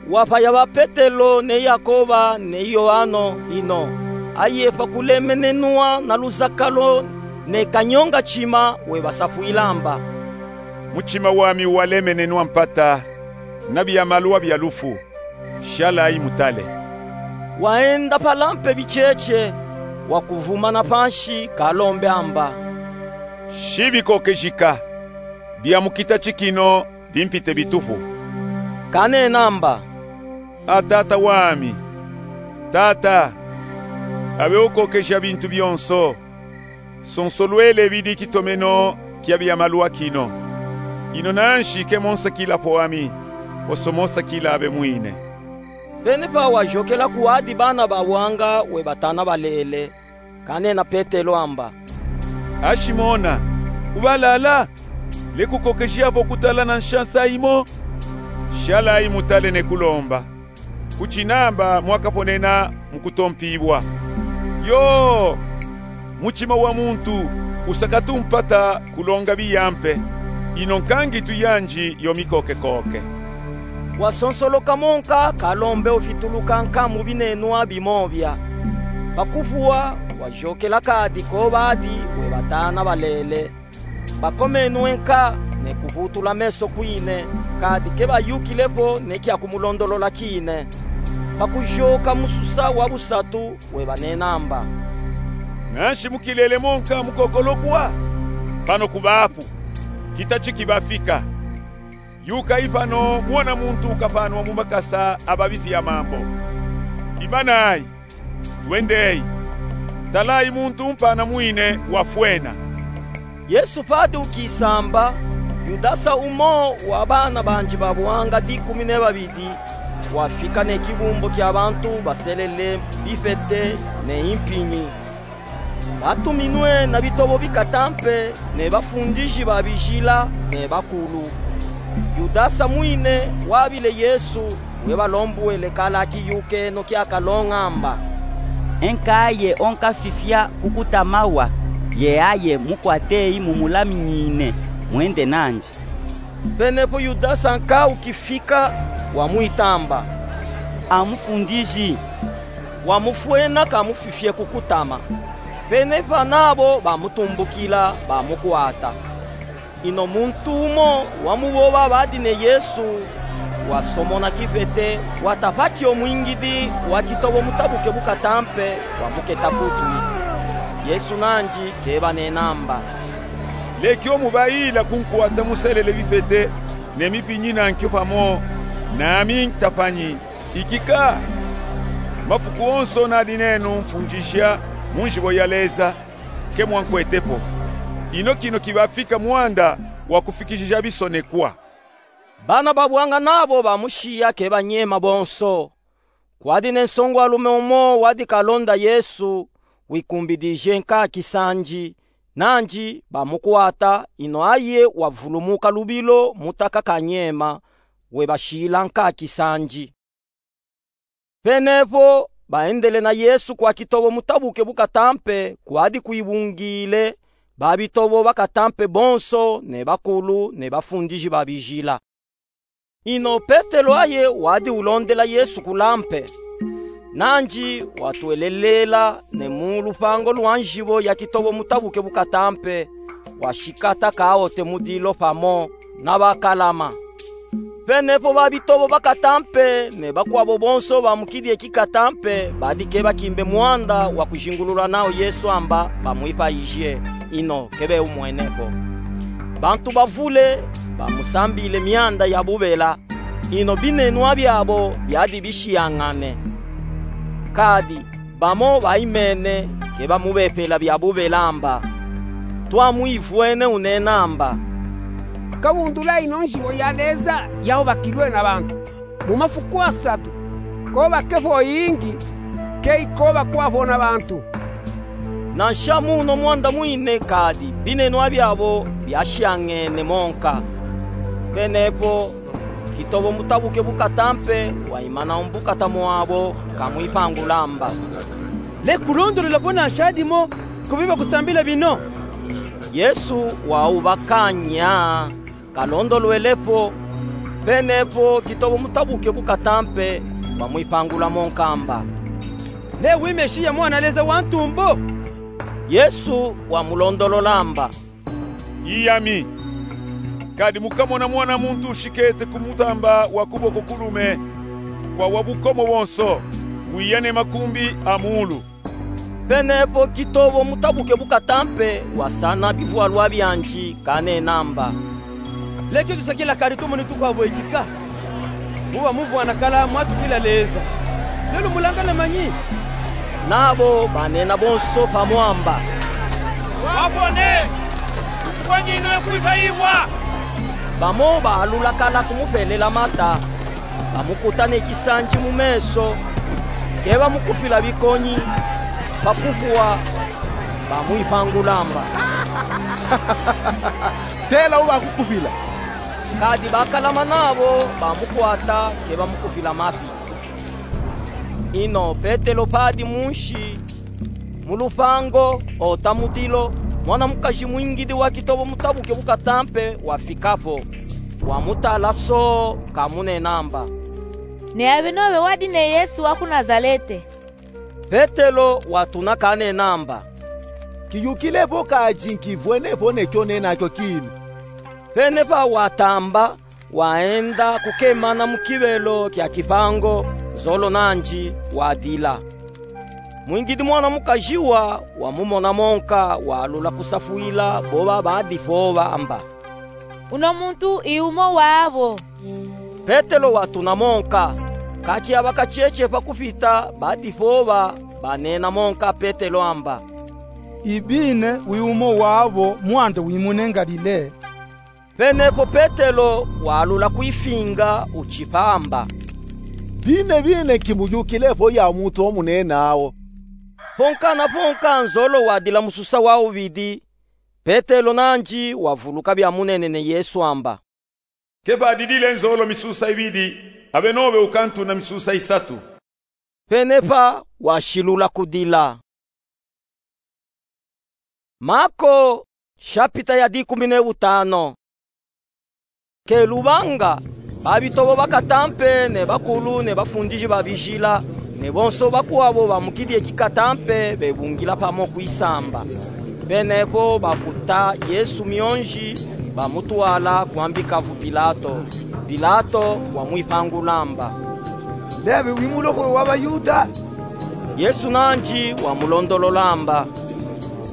Wapaya ba Petelo ne Yakoba ne Yoano ino, aye pa kulemenenwa na luzakalo ne kanyonga ntima, webasafwila amba: Mutima wami walemenenwa mpata na biamalwa bia lufu. Shalayi mutale. Waenda palampe bicheche, wakuvumana panshi, kalombe amba: Shibikokejika, bia mu kita ti kino bimpite bitupu. Kanena amba: A Tata wami, Tata, abe ukokeja bintu bionso. Sonsolwele bidi kitomeno kia biamalwa kino. Ino nanshi ke monsakila po ami, hoso monsakila abe mwine. Pene pa wayokela kuwadi bana ba wanga webatana balele, kanena Petelo amba: A Simona, ubalala? Lekukokeja po kutala nansha nsayi mo? Shalayi mutale ne kulomba, kuti namba mwakaponena mu kutompibwa. Yo, mutima wa muntu usakatu mpata kulonga biya mpe, ino nkangitu yandi yo mikokekoke. Wasonsoloka monka, kalombe ufituluka nka mu binenwa bimo bia. Pakuvwa, wayokela kadi ko badi webatana balele. Bakomenwe nka ne kuvutula meso kwine, kadi ke bayukile po ne kia kumulondolola kine. Pakuyoka mususa wa busatu, webanena amba: Nanshi mukilele monka mukokolokwa? Pano kubapu, kita ti kibafika. Yukayi pano, Muana muntu ukapanwa mu makasa a babifi ya mambo. Imanayi, twendeyi. Talayi, muntu mpana mwine wafwena. Yesu padi ukisamba, Yudasa, umo wa bana bandi ba buhanga dikumi ne babidi, wafika ne kibumbu kia bantu baselele bipete ne impinyi. Batuminwe na bitobo bikatampe ne bafundiji ba bijila ne bakulu. Yudasa mwine wabile Yesu, webalombuele kala kiyukeno kia kalonga amba: Nkaye onkafifia ku kutama wa, ye aye mukwateyi mumulaminyine, mwende nandi. Penepo Yudasa nka ukifika, wamwita amba: A Mufundiji. Wamufwena kamufifie ku kutama. Penepa nabo bamutumbukila, bamukwata. Ino muntu umo wa mu bo babadi ne Yesu wasomona kipete, wata pa kio mwingidi wa kitobo mutabuke bukatampe, wamuketa ku twi. Yesu nandi kebanena amba: Lekio mubayila kunkwata muselele bipete ne mipinyi nankio pamo nami ntapanyi. Ikika, mafuku onso nadi nenu mfundija mu nzibo ya Leza, ke mwankwete po. Ino kino kibafika mwanda wa kufikijija bisonekwa. Bana ba buhanga nabo bamushiya kebanyema bonso. Kwadi ne nsongwalume umo wadi kalonda Yesu, wikumbidije nka kisandi, nandi bamukwata, ino aye wavulumuka lubilo mutaka kanyema, webashila nka kisandi. Penepo baendele na Yesu kwa kitobo mutabuke bukatampe, kwadi kwibungile ba bitobo bakatampe bonso ne bakulu ne bafundiji ba bijila. Ino Petelo aye wadi ulondela Yesu kula mpe. Nandi watwelelela ne mu lupango lwa nzibo ya kitobo mutabuke bukatampe, washikata kaote mu dilo pamo na bakalama. Penepo ba bitobo bakatampe ne bakwabo bonso ba mu kidi e kikatampe badi kebakimbe mwanda wa kuzingulula nao Yesu amba bamwipayije, ino kebe umwene ko. Bantu bavule bamusambile mianda ya bubela, ino binenwa biabo biadi bishiangane. Kadi bamo baimene kebamubepela bia bubela amba: Twamwivwene unena amba: Kawundula ino nzibo ya Leza yaubakilwe na bantu. Mu mafuku asatu, kobake po ingi, ke ikobakwa po na bantu. Nansha muno mwanda mwine kadi binenwa biabo biashiangene monka. Penepo kitobo mutabuke bukatampe waimana umbukata mwabo kamwipangula amba: Lekulondolola po nansha dimo ku bibakusambila bino. Yesu waubakanya, kalondolwele po. Penepo kitovo mutabuke bu katampe wamwipangula mo nkamba: Ne wi Mesiya, Mwana Leza wa ntumbu? Yesu wamulondolola amba: I yami. Kadi mukamona Mwana muntu ushikete ku mutamba wa kuboko kulume kwa Wabukomo bonso, wiya ne makumbi a muulu. Penepo kitovo mutabuke bu katampe wasana bivwalwa biandi kanena amba: Leki tusakila kadi tumone tukwavo eki ka. Mu bamuvwana kala mwatukila Leza. Lelu mulangana manyi? Nabo banena bonso pamo amba: Wavwone, ufwanine kwivayiwa. Bamo baalula kala kumupelela mata, bamukuta ne kisandi mu meso, ke bamukupila bikonyi, pa kukuwa, bamwipangula amba: Tela ubakukupila. Kadi bakalama nabo bamukwata, ke bamukupila mafi. Ino Petelo padi munsi mu lupango, ota mu dilo, mwana mukazi mwingidi wa kitovo mutabuke bu katampe wafikapo, wamutala so, kamunena amba: Ne abenobe wadi ne Yesu wa ku Nazalete. Petelo watuna kanena amba: Kiyukilepo kadi nkivwene po ne kyo nena kyo kina. Penepa watamba, waenda kukemana mu kibelo kya kipango, nzolo nandi wadila. Mwingidi mwana mukazi wa wamumona monka, waalula kusafwila bo babadipova amba: Uno muntu i umo wabo. Petelo watuna monka, kaki abakacheche pa kupita badipova, banena monka Petelo amba: I bine wi umo wabo, mwanda wimune Ngalile. Penepo Petelo waalula kwifinga, uchipa amba: Bine bine, nkimuyukilepo ya muntu omunena wo. Ponka na ponka nzolo wadila mususa wa ubidi, Petelo nandi wavuluka byamunenene Yesu amba: Ke padidile nzolo misusa ibidi, abenobe ukantuna misusa isatu. Penepa washilula kudila. Mako, shapita ya dikumi ne utano. Ke lubanga, babitobo bakatampe ne bakulu ne bafundiji ba bijila, ne bonso bakwabo ba mu kidie kikatampe bebungila pamo kwisamba. Penepo bakuta Yesu mionji, bamutwala kwambi kavu Pilato. Pilato wamwipangula amba: Lebe wi mulohwe wa baYuda? Yesu nandi wamulondolola amba: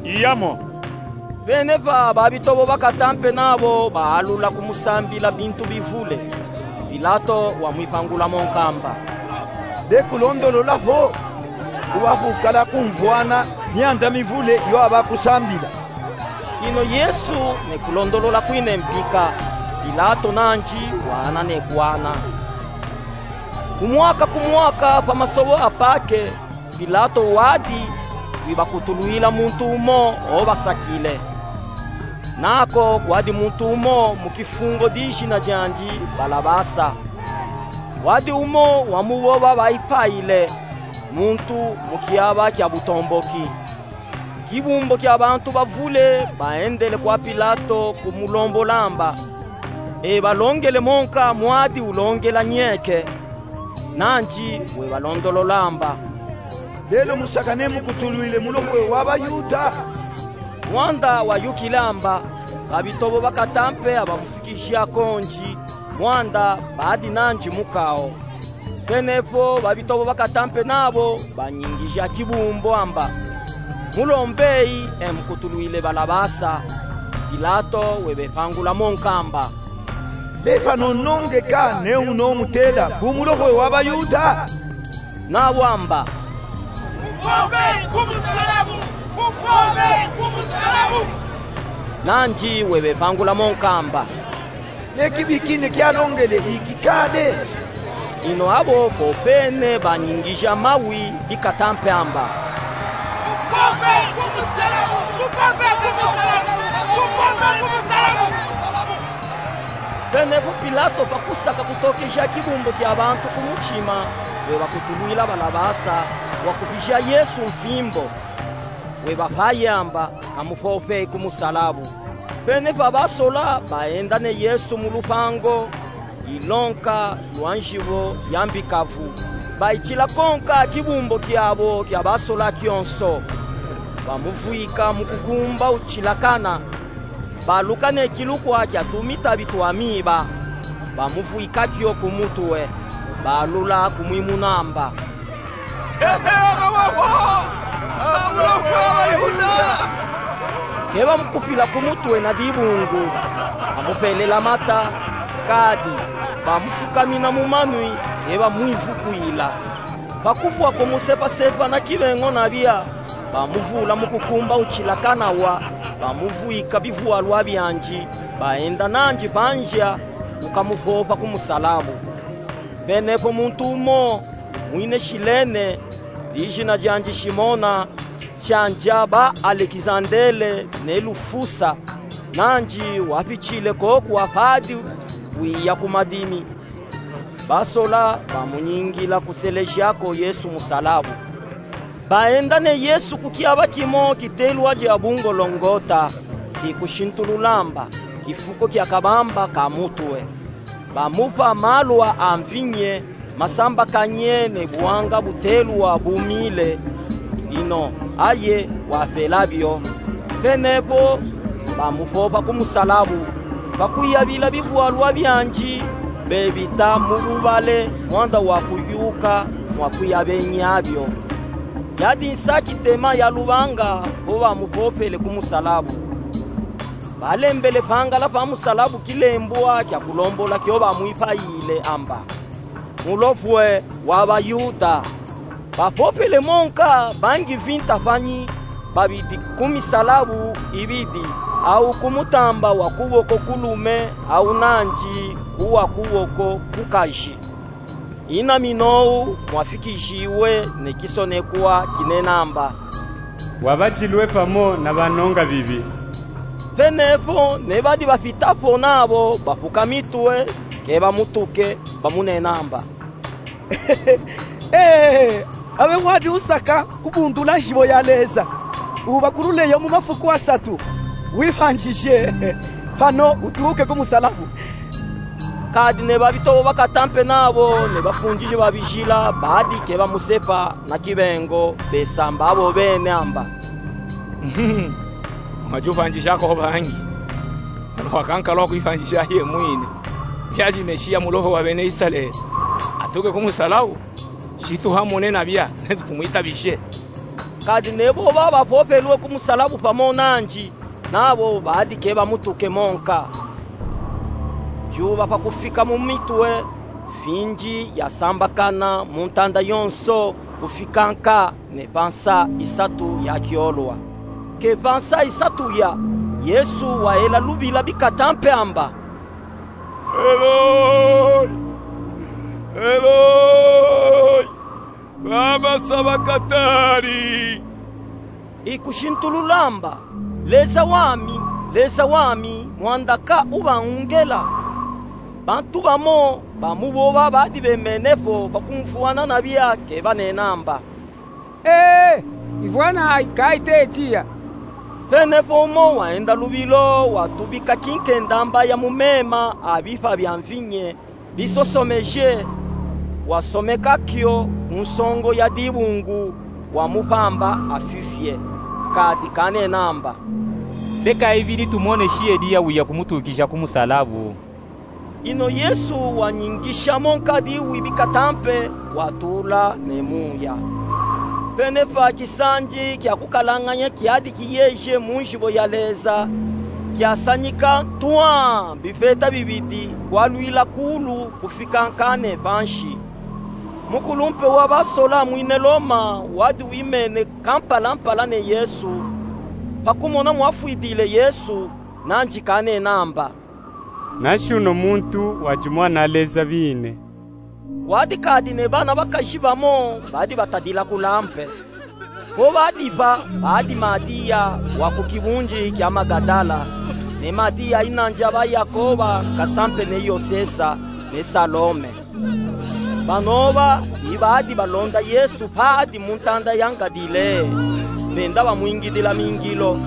Iyamo. Penepa babitobo bakatampe nabo baalula kumusambila bintu bivule. Pilato wamwipangula monka amba: Lekulondolola vo, uba kukala kumvwana myanda mivule yo abakusambila. Ino Yesu nekulondolola kwine mpika, Pilato nandi waana nekwaana. Kumwaka kumwaka pa masobo a Pake, Pilato wadi wibakutulwila muntu umo obasakile. Nako kwadi muntu umo mu kifungo dijina diandi Balabasa. Wadi umo wa mu bo babayipaile, muntu mu kiaba kia butomboki. Kibumbo kia bantu bavule baendele kwa Pilato kumulombola amba: Ebalongele monka mwadi ulongela nyeke. Nandi webalondolola amba: Lelo musakane mukutulwile mulohwe wa baYuda? Mwanda wayukile amba: Babitobo bakatampe abamufikija kondi, mwanda badi nandi mukao. Penepo babitobo bakatampe nabo banyingija kibumbo amba: Mulombeyi, e mukutulwile Balabasa. Pilato webepangula monka amba: Lepanonongeka ne uno mutela bu mulohwe wa baYuda? Nabo amba: Mupombe kumusalabu! Mupombe kumusalabu! Nandi webepangula monka amba: Nekibi kine kialongele ikikale. Ino abo popene banyingija mawi bikatampe amba: Mupombe kumusalabu! Mupombe kumusalabu! Mupombe kumusalabu! Penepo Pilato, pa kusaka kutokeja kibumbo kia bantu ku mutima, webakutulwila Balabasa, wakupija Yesu mfimbo. Webapayi amba: Kamupompeyi kumusalabu. Penepa basola baenda ne Yesu mu lupango, ilonka lwa nzivo ya mbikavu. Bayitila konka kibumbo kiabo kia basola kionso. Bamuvwika mu kukumba utsilakana. Baluka ne kilukwa kia tumitabi twa miba. Bamuvwika kio ku mutue. Balula kumwimunamba: Ke bamukufila ku mutue na dibungu, bamupelela mata, kadi bamufukamina mu manwi, ke bamwivukwila. Pa kuvwa kumusepasepa na kibengo na bia, bamuvula mu kukumba utsilakana wa, bamuvwika bivwalwa biandi, baenda nandi pa nzia kukamupopa ku musalabu. Penepo muntu umo, mwine Silene, dijina diandi Simona, tiandia ba Alekizandele ne Lufusa, nandi wapitile koku apadi wiya ku madimi. Basola bamunyingila kuselejiako Yesu musalabu. Baenda ne Yesu ku kiaba kimo kitelwa dia Bungolongota, ikusintululamba, kifuko kia kabamba ka mutue. Bamupa malwa a mvinye masambakanye ne buwanga butelwa bumile, ino aye wapela bio. Penepo bamupopa ku musalabu, pa kuyabila bivwalwa biandi bebita mu bubale mwanda wa kuyuka mwa kuyabenyabio. Yadi nsaki tema ya lubanga bo bamupopele ku musalabu. Balembele pangala pa musalabu kilembwa kia kulombola kio bamwipayile amba: Mulopwe wa Bayuda. Bapopele monka bangi vinta panyi, babidi ku misalabu ibidi, au ku mutamba wa kuboko kulume, au nandi ku wa kuboko kukaji. Ina minou mwafikijiwe ne kisonekwa kinenamba: Wabadilwe pamo na banongabibi. Penepo ne badi bapitapo nabo bapuka mitue, ke bamutuke, bamunenamba: Ee, awe wadi usaka kubundula nzibo ya Leza, ubakululeyo mu mafuku asatu, wipandije, pano utuke ku musalabu. Kadi ne babitobo ba katampe nabo ne bafundiji ba bijila badi ke bamusepa na kibengo, besamba abo bene amba: Mwadi upandijako bangi, pano wakankala wa kwipandija yemwine. Biadi Mesiya, Mulopwe wa bene Isalele, atuke ku musalabu? Situhamone na bia, netu tumwitabije. Kadi ne bo babapopelwe ku musalabu pamo nandi, nabo badi ke bamutuke monka. Dyuba pa kufika mu mitue, fingi yasambakana mu ntanda yonso kufika nka ne pa nsa isatu ya kyolwa. Ke pa nsa isatu ya, Yesu wayela lubila bikatampe amba: Eloi, Eloi, lama sabakatani? Ikusintulula amba: Leza wami, Leza wami, mwanda ka ubaungela? Bantu bamo ba mu boba badi bemenepo pa kumvwana na bia ke banenamba: Ee, ivwana ayi ka itetiya. Penepo umo waenda lubilo, watubika kinkenda mbaya mu mema a bipa bya mvinye bisosomeje, wasomeka kyo ku nsongo ya dibungu, wamupamba afifye. Kadi kanenamba: Beka ibidi tumoneshi Eliya wiya kumutukija ku musalabu. Ino Yesu wanyingisha mo nkadi wi bikatampe, watula ne muya. Penepa kisandi kya kukalanganya kyadi kiyeje mu nzibo ya Leza, kyasanyika ntwa bipeta bibidi, kwalwila kulu kufika nka ne pansi. Mukulumpe wa basola mwine Loma wadi wimene kampalampala ne Yesu, pa kumona mwafwidile Yesu, nandi kanenamba: Nansi uno muntu wadi Mwana Leza bine. Kwadi kadi ne bana bakaji bamo badi batadila kula mpe. Ko badi ba, badi Madiya wa ku kibundi kya Magadala, ne Madiya inandi aba Yakoba kasampe ne Yosesa, ne Salome. Banoba i badi balonda Yesu padi mu ntanda ya Ngadileye, benda bamwingidila mingilo.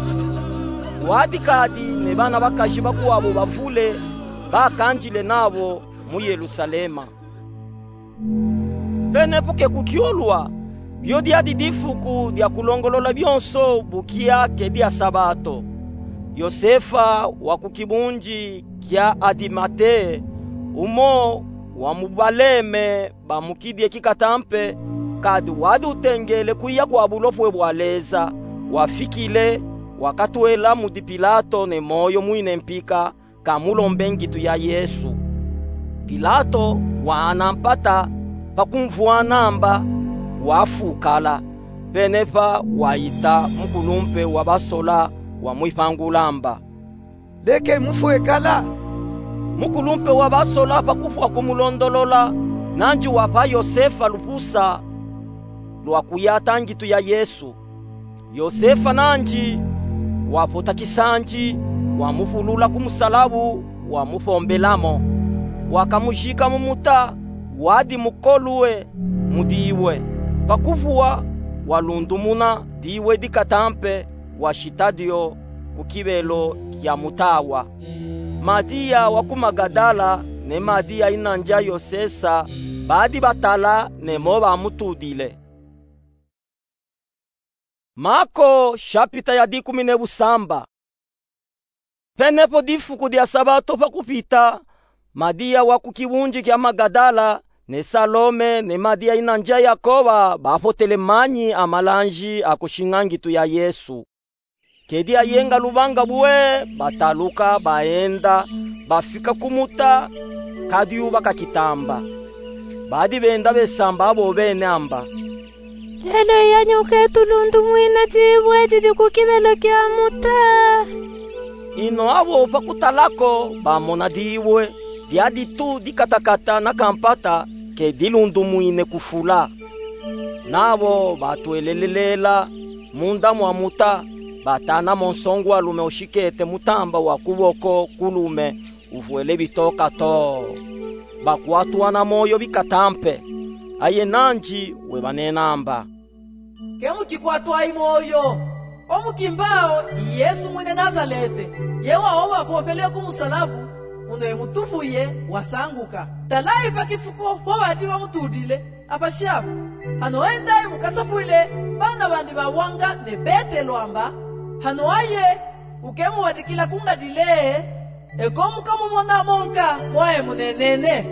Kwadi kadi ne bana bakaji bakwabo bavule, bakandile nabo, mu Yelusalema. Penepo ke kukiolwa, lyo lyadi difuku lya kulongolola byonso bukia ke lya Sabato. Yosefa wa ku kibunji kya Adimate, umo wa mu baleme ba mu kidie kikatampe, kadi wadi utengele kwiya kwa bulopwe bwa Leza, wafikile, wakatwela mudi Pilato ne moyo mwine mpika, kamulombe ngitu ya Yesu. Pilato waana mpata pa kumvwana amba, wafukala. Penepa waita mukulumpe wa basola, wamwipangula amba: Leke mufwe kala. Mukulumpe wa basola pa kufwa kumulondolola, nanji wapa Yosefa lupusa lwa kuyata ngitu ya Yesu. Yosefa nanji wapota kisanji, wamupulula ku musalabu, wamupombelamo. Wakamujika mu muta wadi mukolwe mu diwe. Pa kufwa, walundumuna diwe dikatampe, washita dyo ku kibelo kya muta awa. Madiya wa ku Magadala ne Madiya ina nja Yosesa badi batala ne mo bamutudile. Mako, shapita ya dikumi ne busamba. Penepo difuku dya Sabato pa kupita, Madiya wa ku kibunji kya Magadala, ne Salome, ne Madiya ina nja Yakoba bapotele manyi a malanji a kushinga ngitu ya Yesu. Kedi ayenga lubanga bwe, bataluka, baenda, bafika ku muta, kadyuba kakitamba. Badi benda besamba abo bene amba: Lelo yanyi uke tulundumwina diwe didi ku kibelo kya muta. Ino abo pa kutala ko, bamona diwe, dyadi tu dikatakata na kampata, ke dilundumwine kufula. Nabo batwelelelela munda mwa muta, batanamo nsongwalume ushikete mutamba wa kuboko kulume, uvwele bitoka too. Bakwatwa na moyo bikatampe. Aye nanji webanena amba: Ke mukikwatwayi moyo. Omukimbao i Yesu mwine Nazalete, ye wawo bapompele ku musalabu, uno ye mutufuye wasanguka. Talayi pa kifuko po badi bamutudile, apashi apo. Hano endayi mukasapwile bana bandi ba wanga ne Petelo amba: Hano aye, uke muwadikila ku Ngalilea, eko mukamumonamo nka mwaye munenene.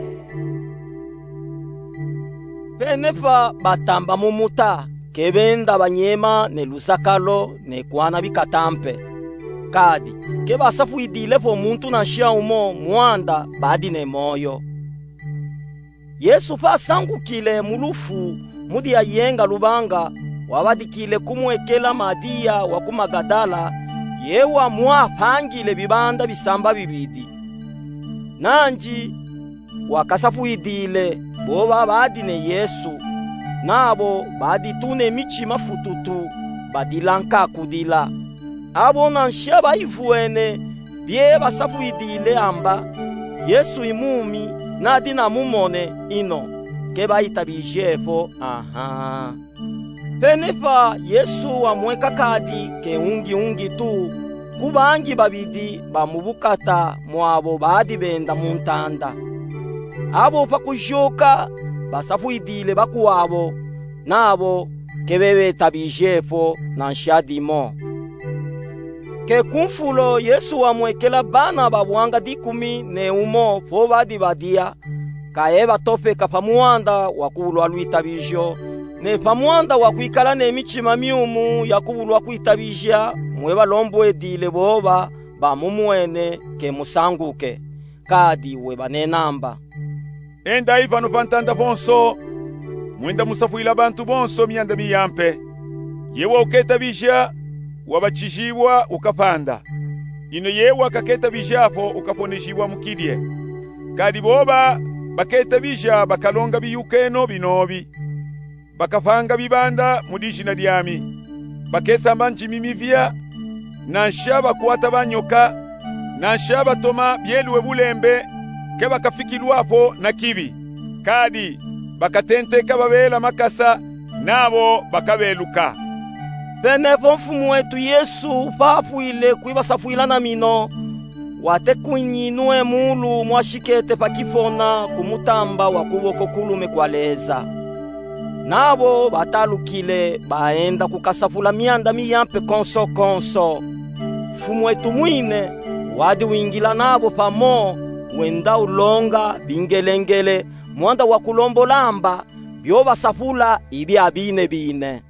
Penepa batamba mu muta, ke benda banyema ne luzakalo ne kwana bikatampe. Kadi ke basapwidile po muntu nanshia umo mwanda badi ne moyo. Yesu pa sangukile mu lufu mudi ayenga lubanga, wabadikile kumwekela Madiya wa ku Magadala, ye wamwapangile bibanda bisamba bibidi. Nanji wakasapwidile boba badi ne Yesu, nabo badi tu ne michima fututu, badila nka kudila. Abo nanshia bayivwene bye basapwidile amba, Yesu i mumi, nadi namumone ino, ke bayitabije po, aha. Penepa Yesu wamweka kadi ke ungi ungi tu, ku bangi babidi ba mu bukata mwabo badi benda mu ntanda. Abo pa kujuka basapwidile bakwabo, nabo ke bebetabije po nanshia dimo. Ke ku mfulo Yesu wamwekela bana ba bwanga dikumi ne umo po badi badia, ka ebatopeka pa mwanda wa kubulwa lwitabijo, ne pa mwanda wa kwikala ne michima miumu ya kubulwa kwitabija, mwe balombwedile boba bamumwene ke musanguke. Kadi webanena amba: Endayi pano pa ntanda ponso, mwenda musapwila bantu bonso myanda miyampe. Ye wauketabija, wabachijibwa, ukapanda. Ino ye wakaketabija po, ukaponejibwa mu kidie. Kadi boba baketabija bakalonga biyukeno binobi. Bakapanga bibanda mu dijina diami. Bakesamba njimi mivia, nanshia bakwata banyoka, nanshia batoma byeluwe bulembe, ke bakafikilwa po na kibi. Kadi bakatenteka babela makasa, nabo bakabeluka. Penepo Mfumu wetu Yesu pa pwile kwibasapwila na mino, Watekunyinue mulu mwa shikete pa kifona ku mutamba wa kuboko kulume kwa Leza. Nabo batalukile, baenda kukasapula mianda miyampe konso konso. Mfumu etu mwine wadi wingila nabo pamo, wenda ulonga bingelengele mwanda wa kulombola amba bio basapula ibia bine bine.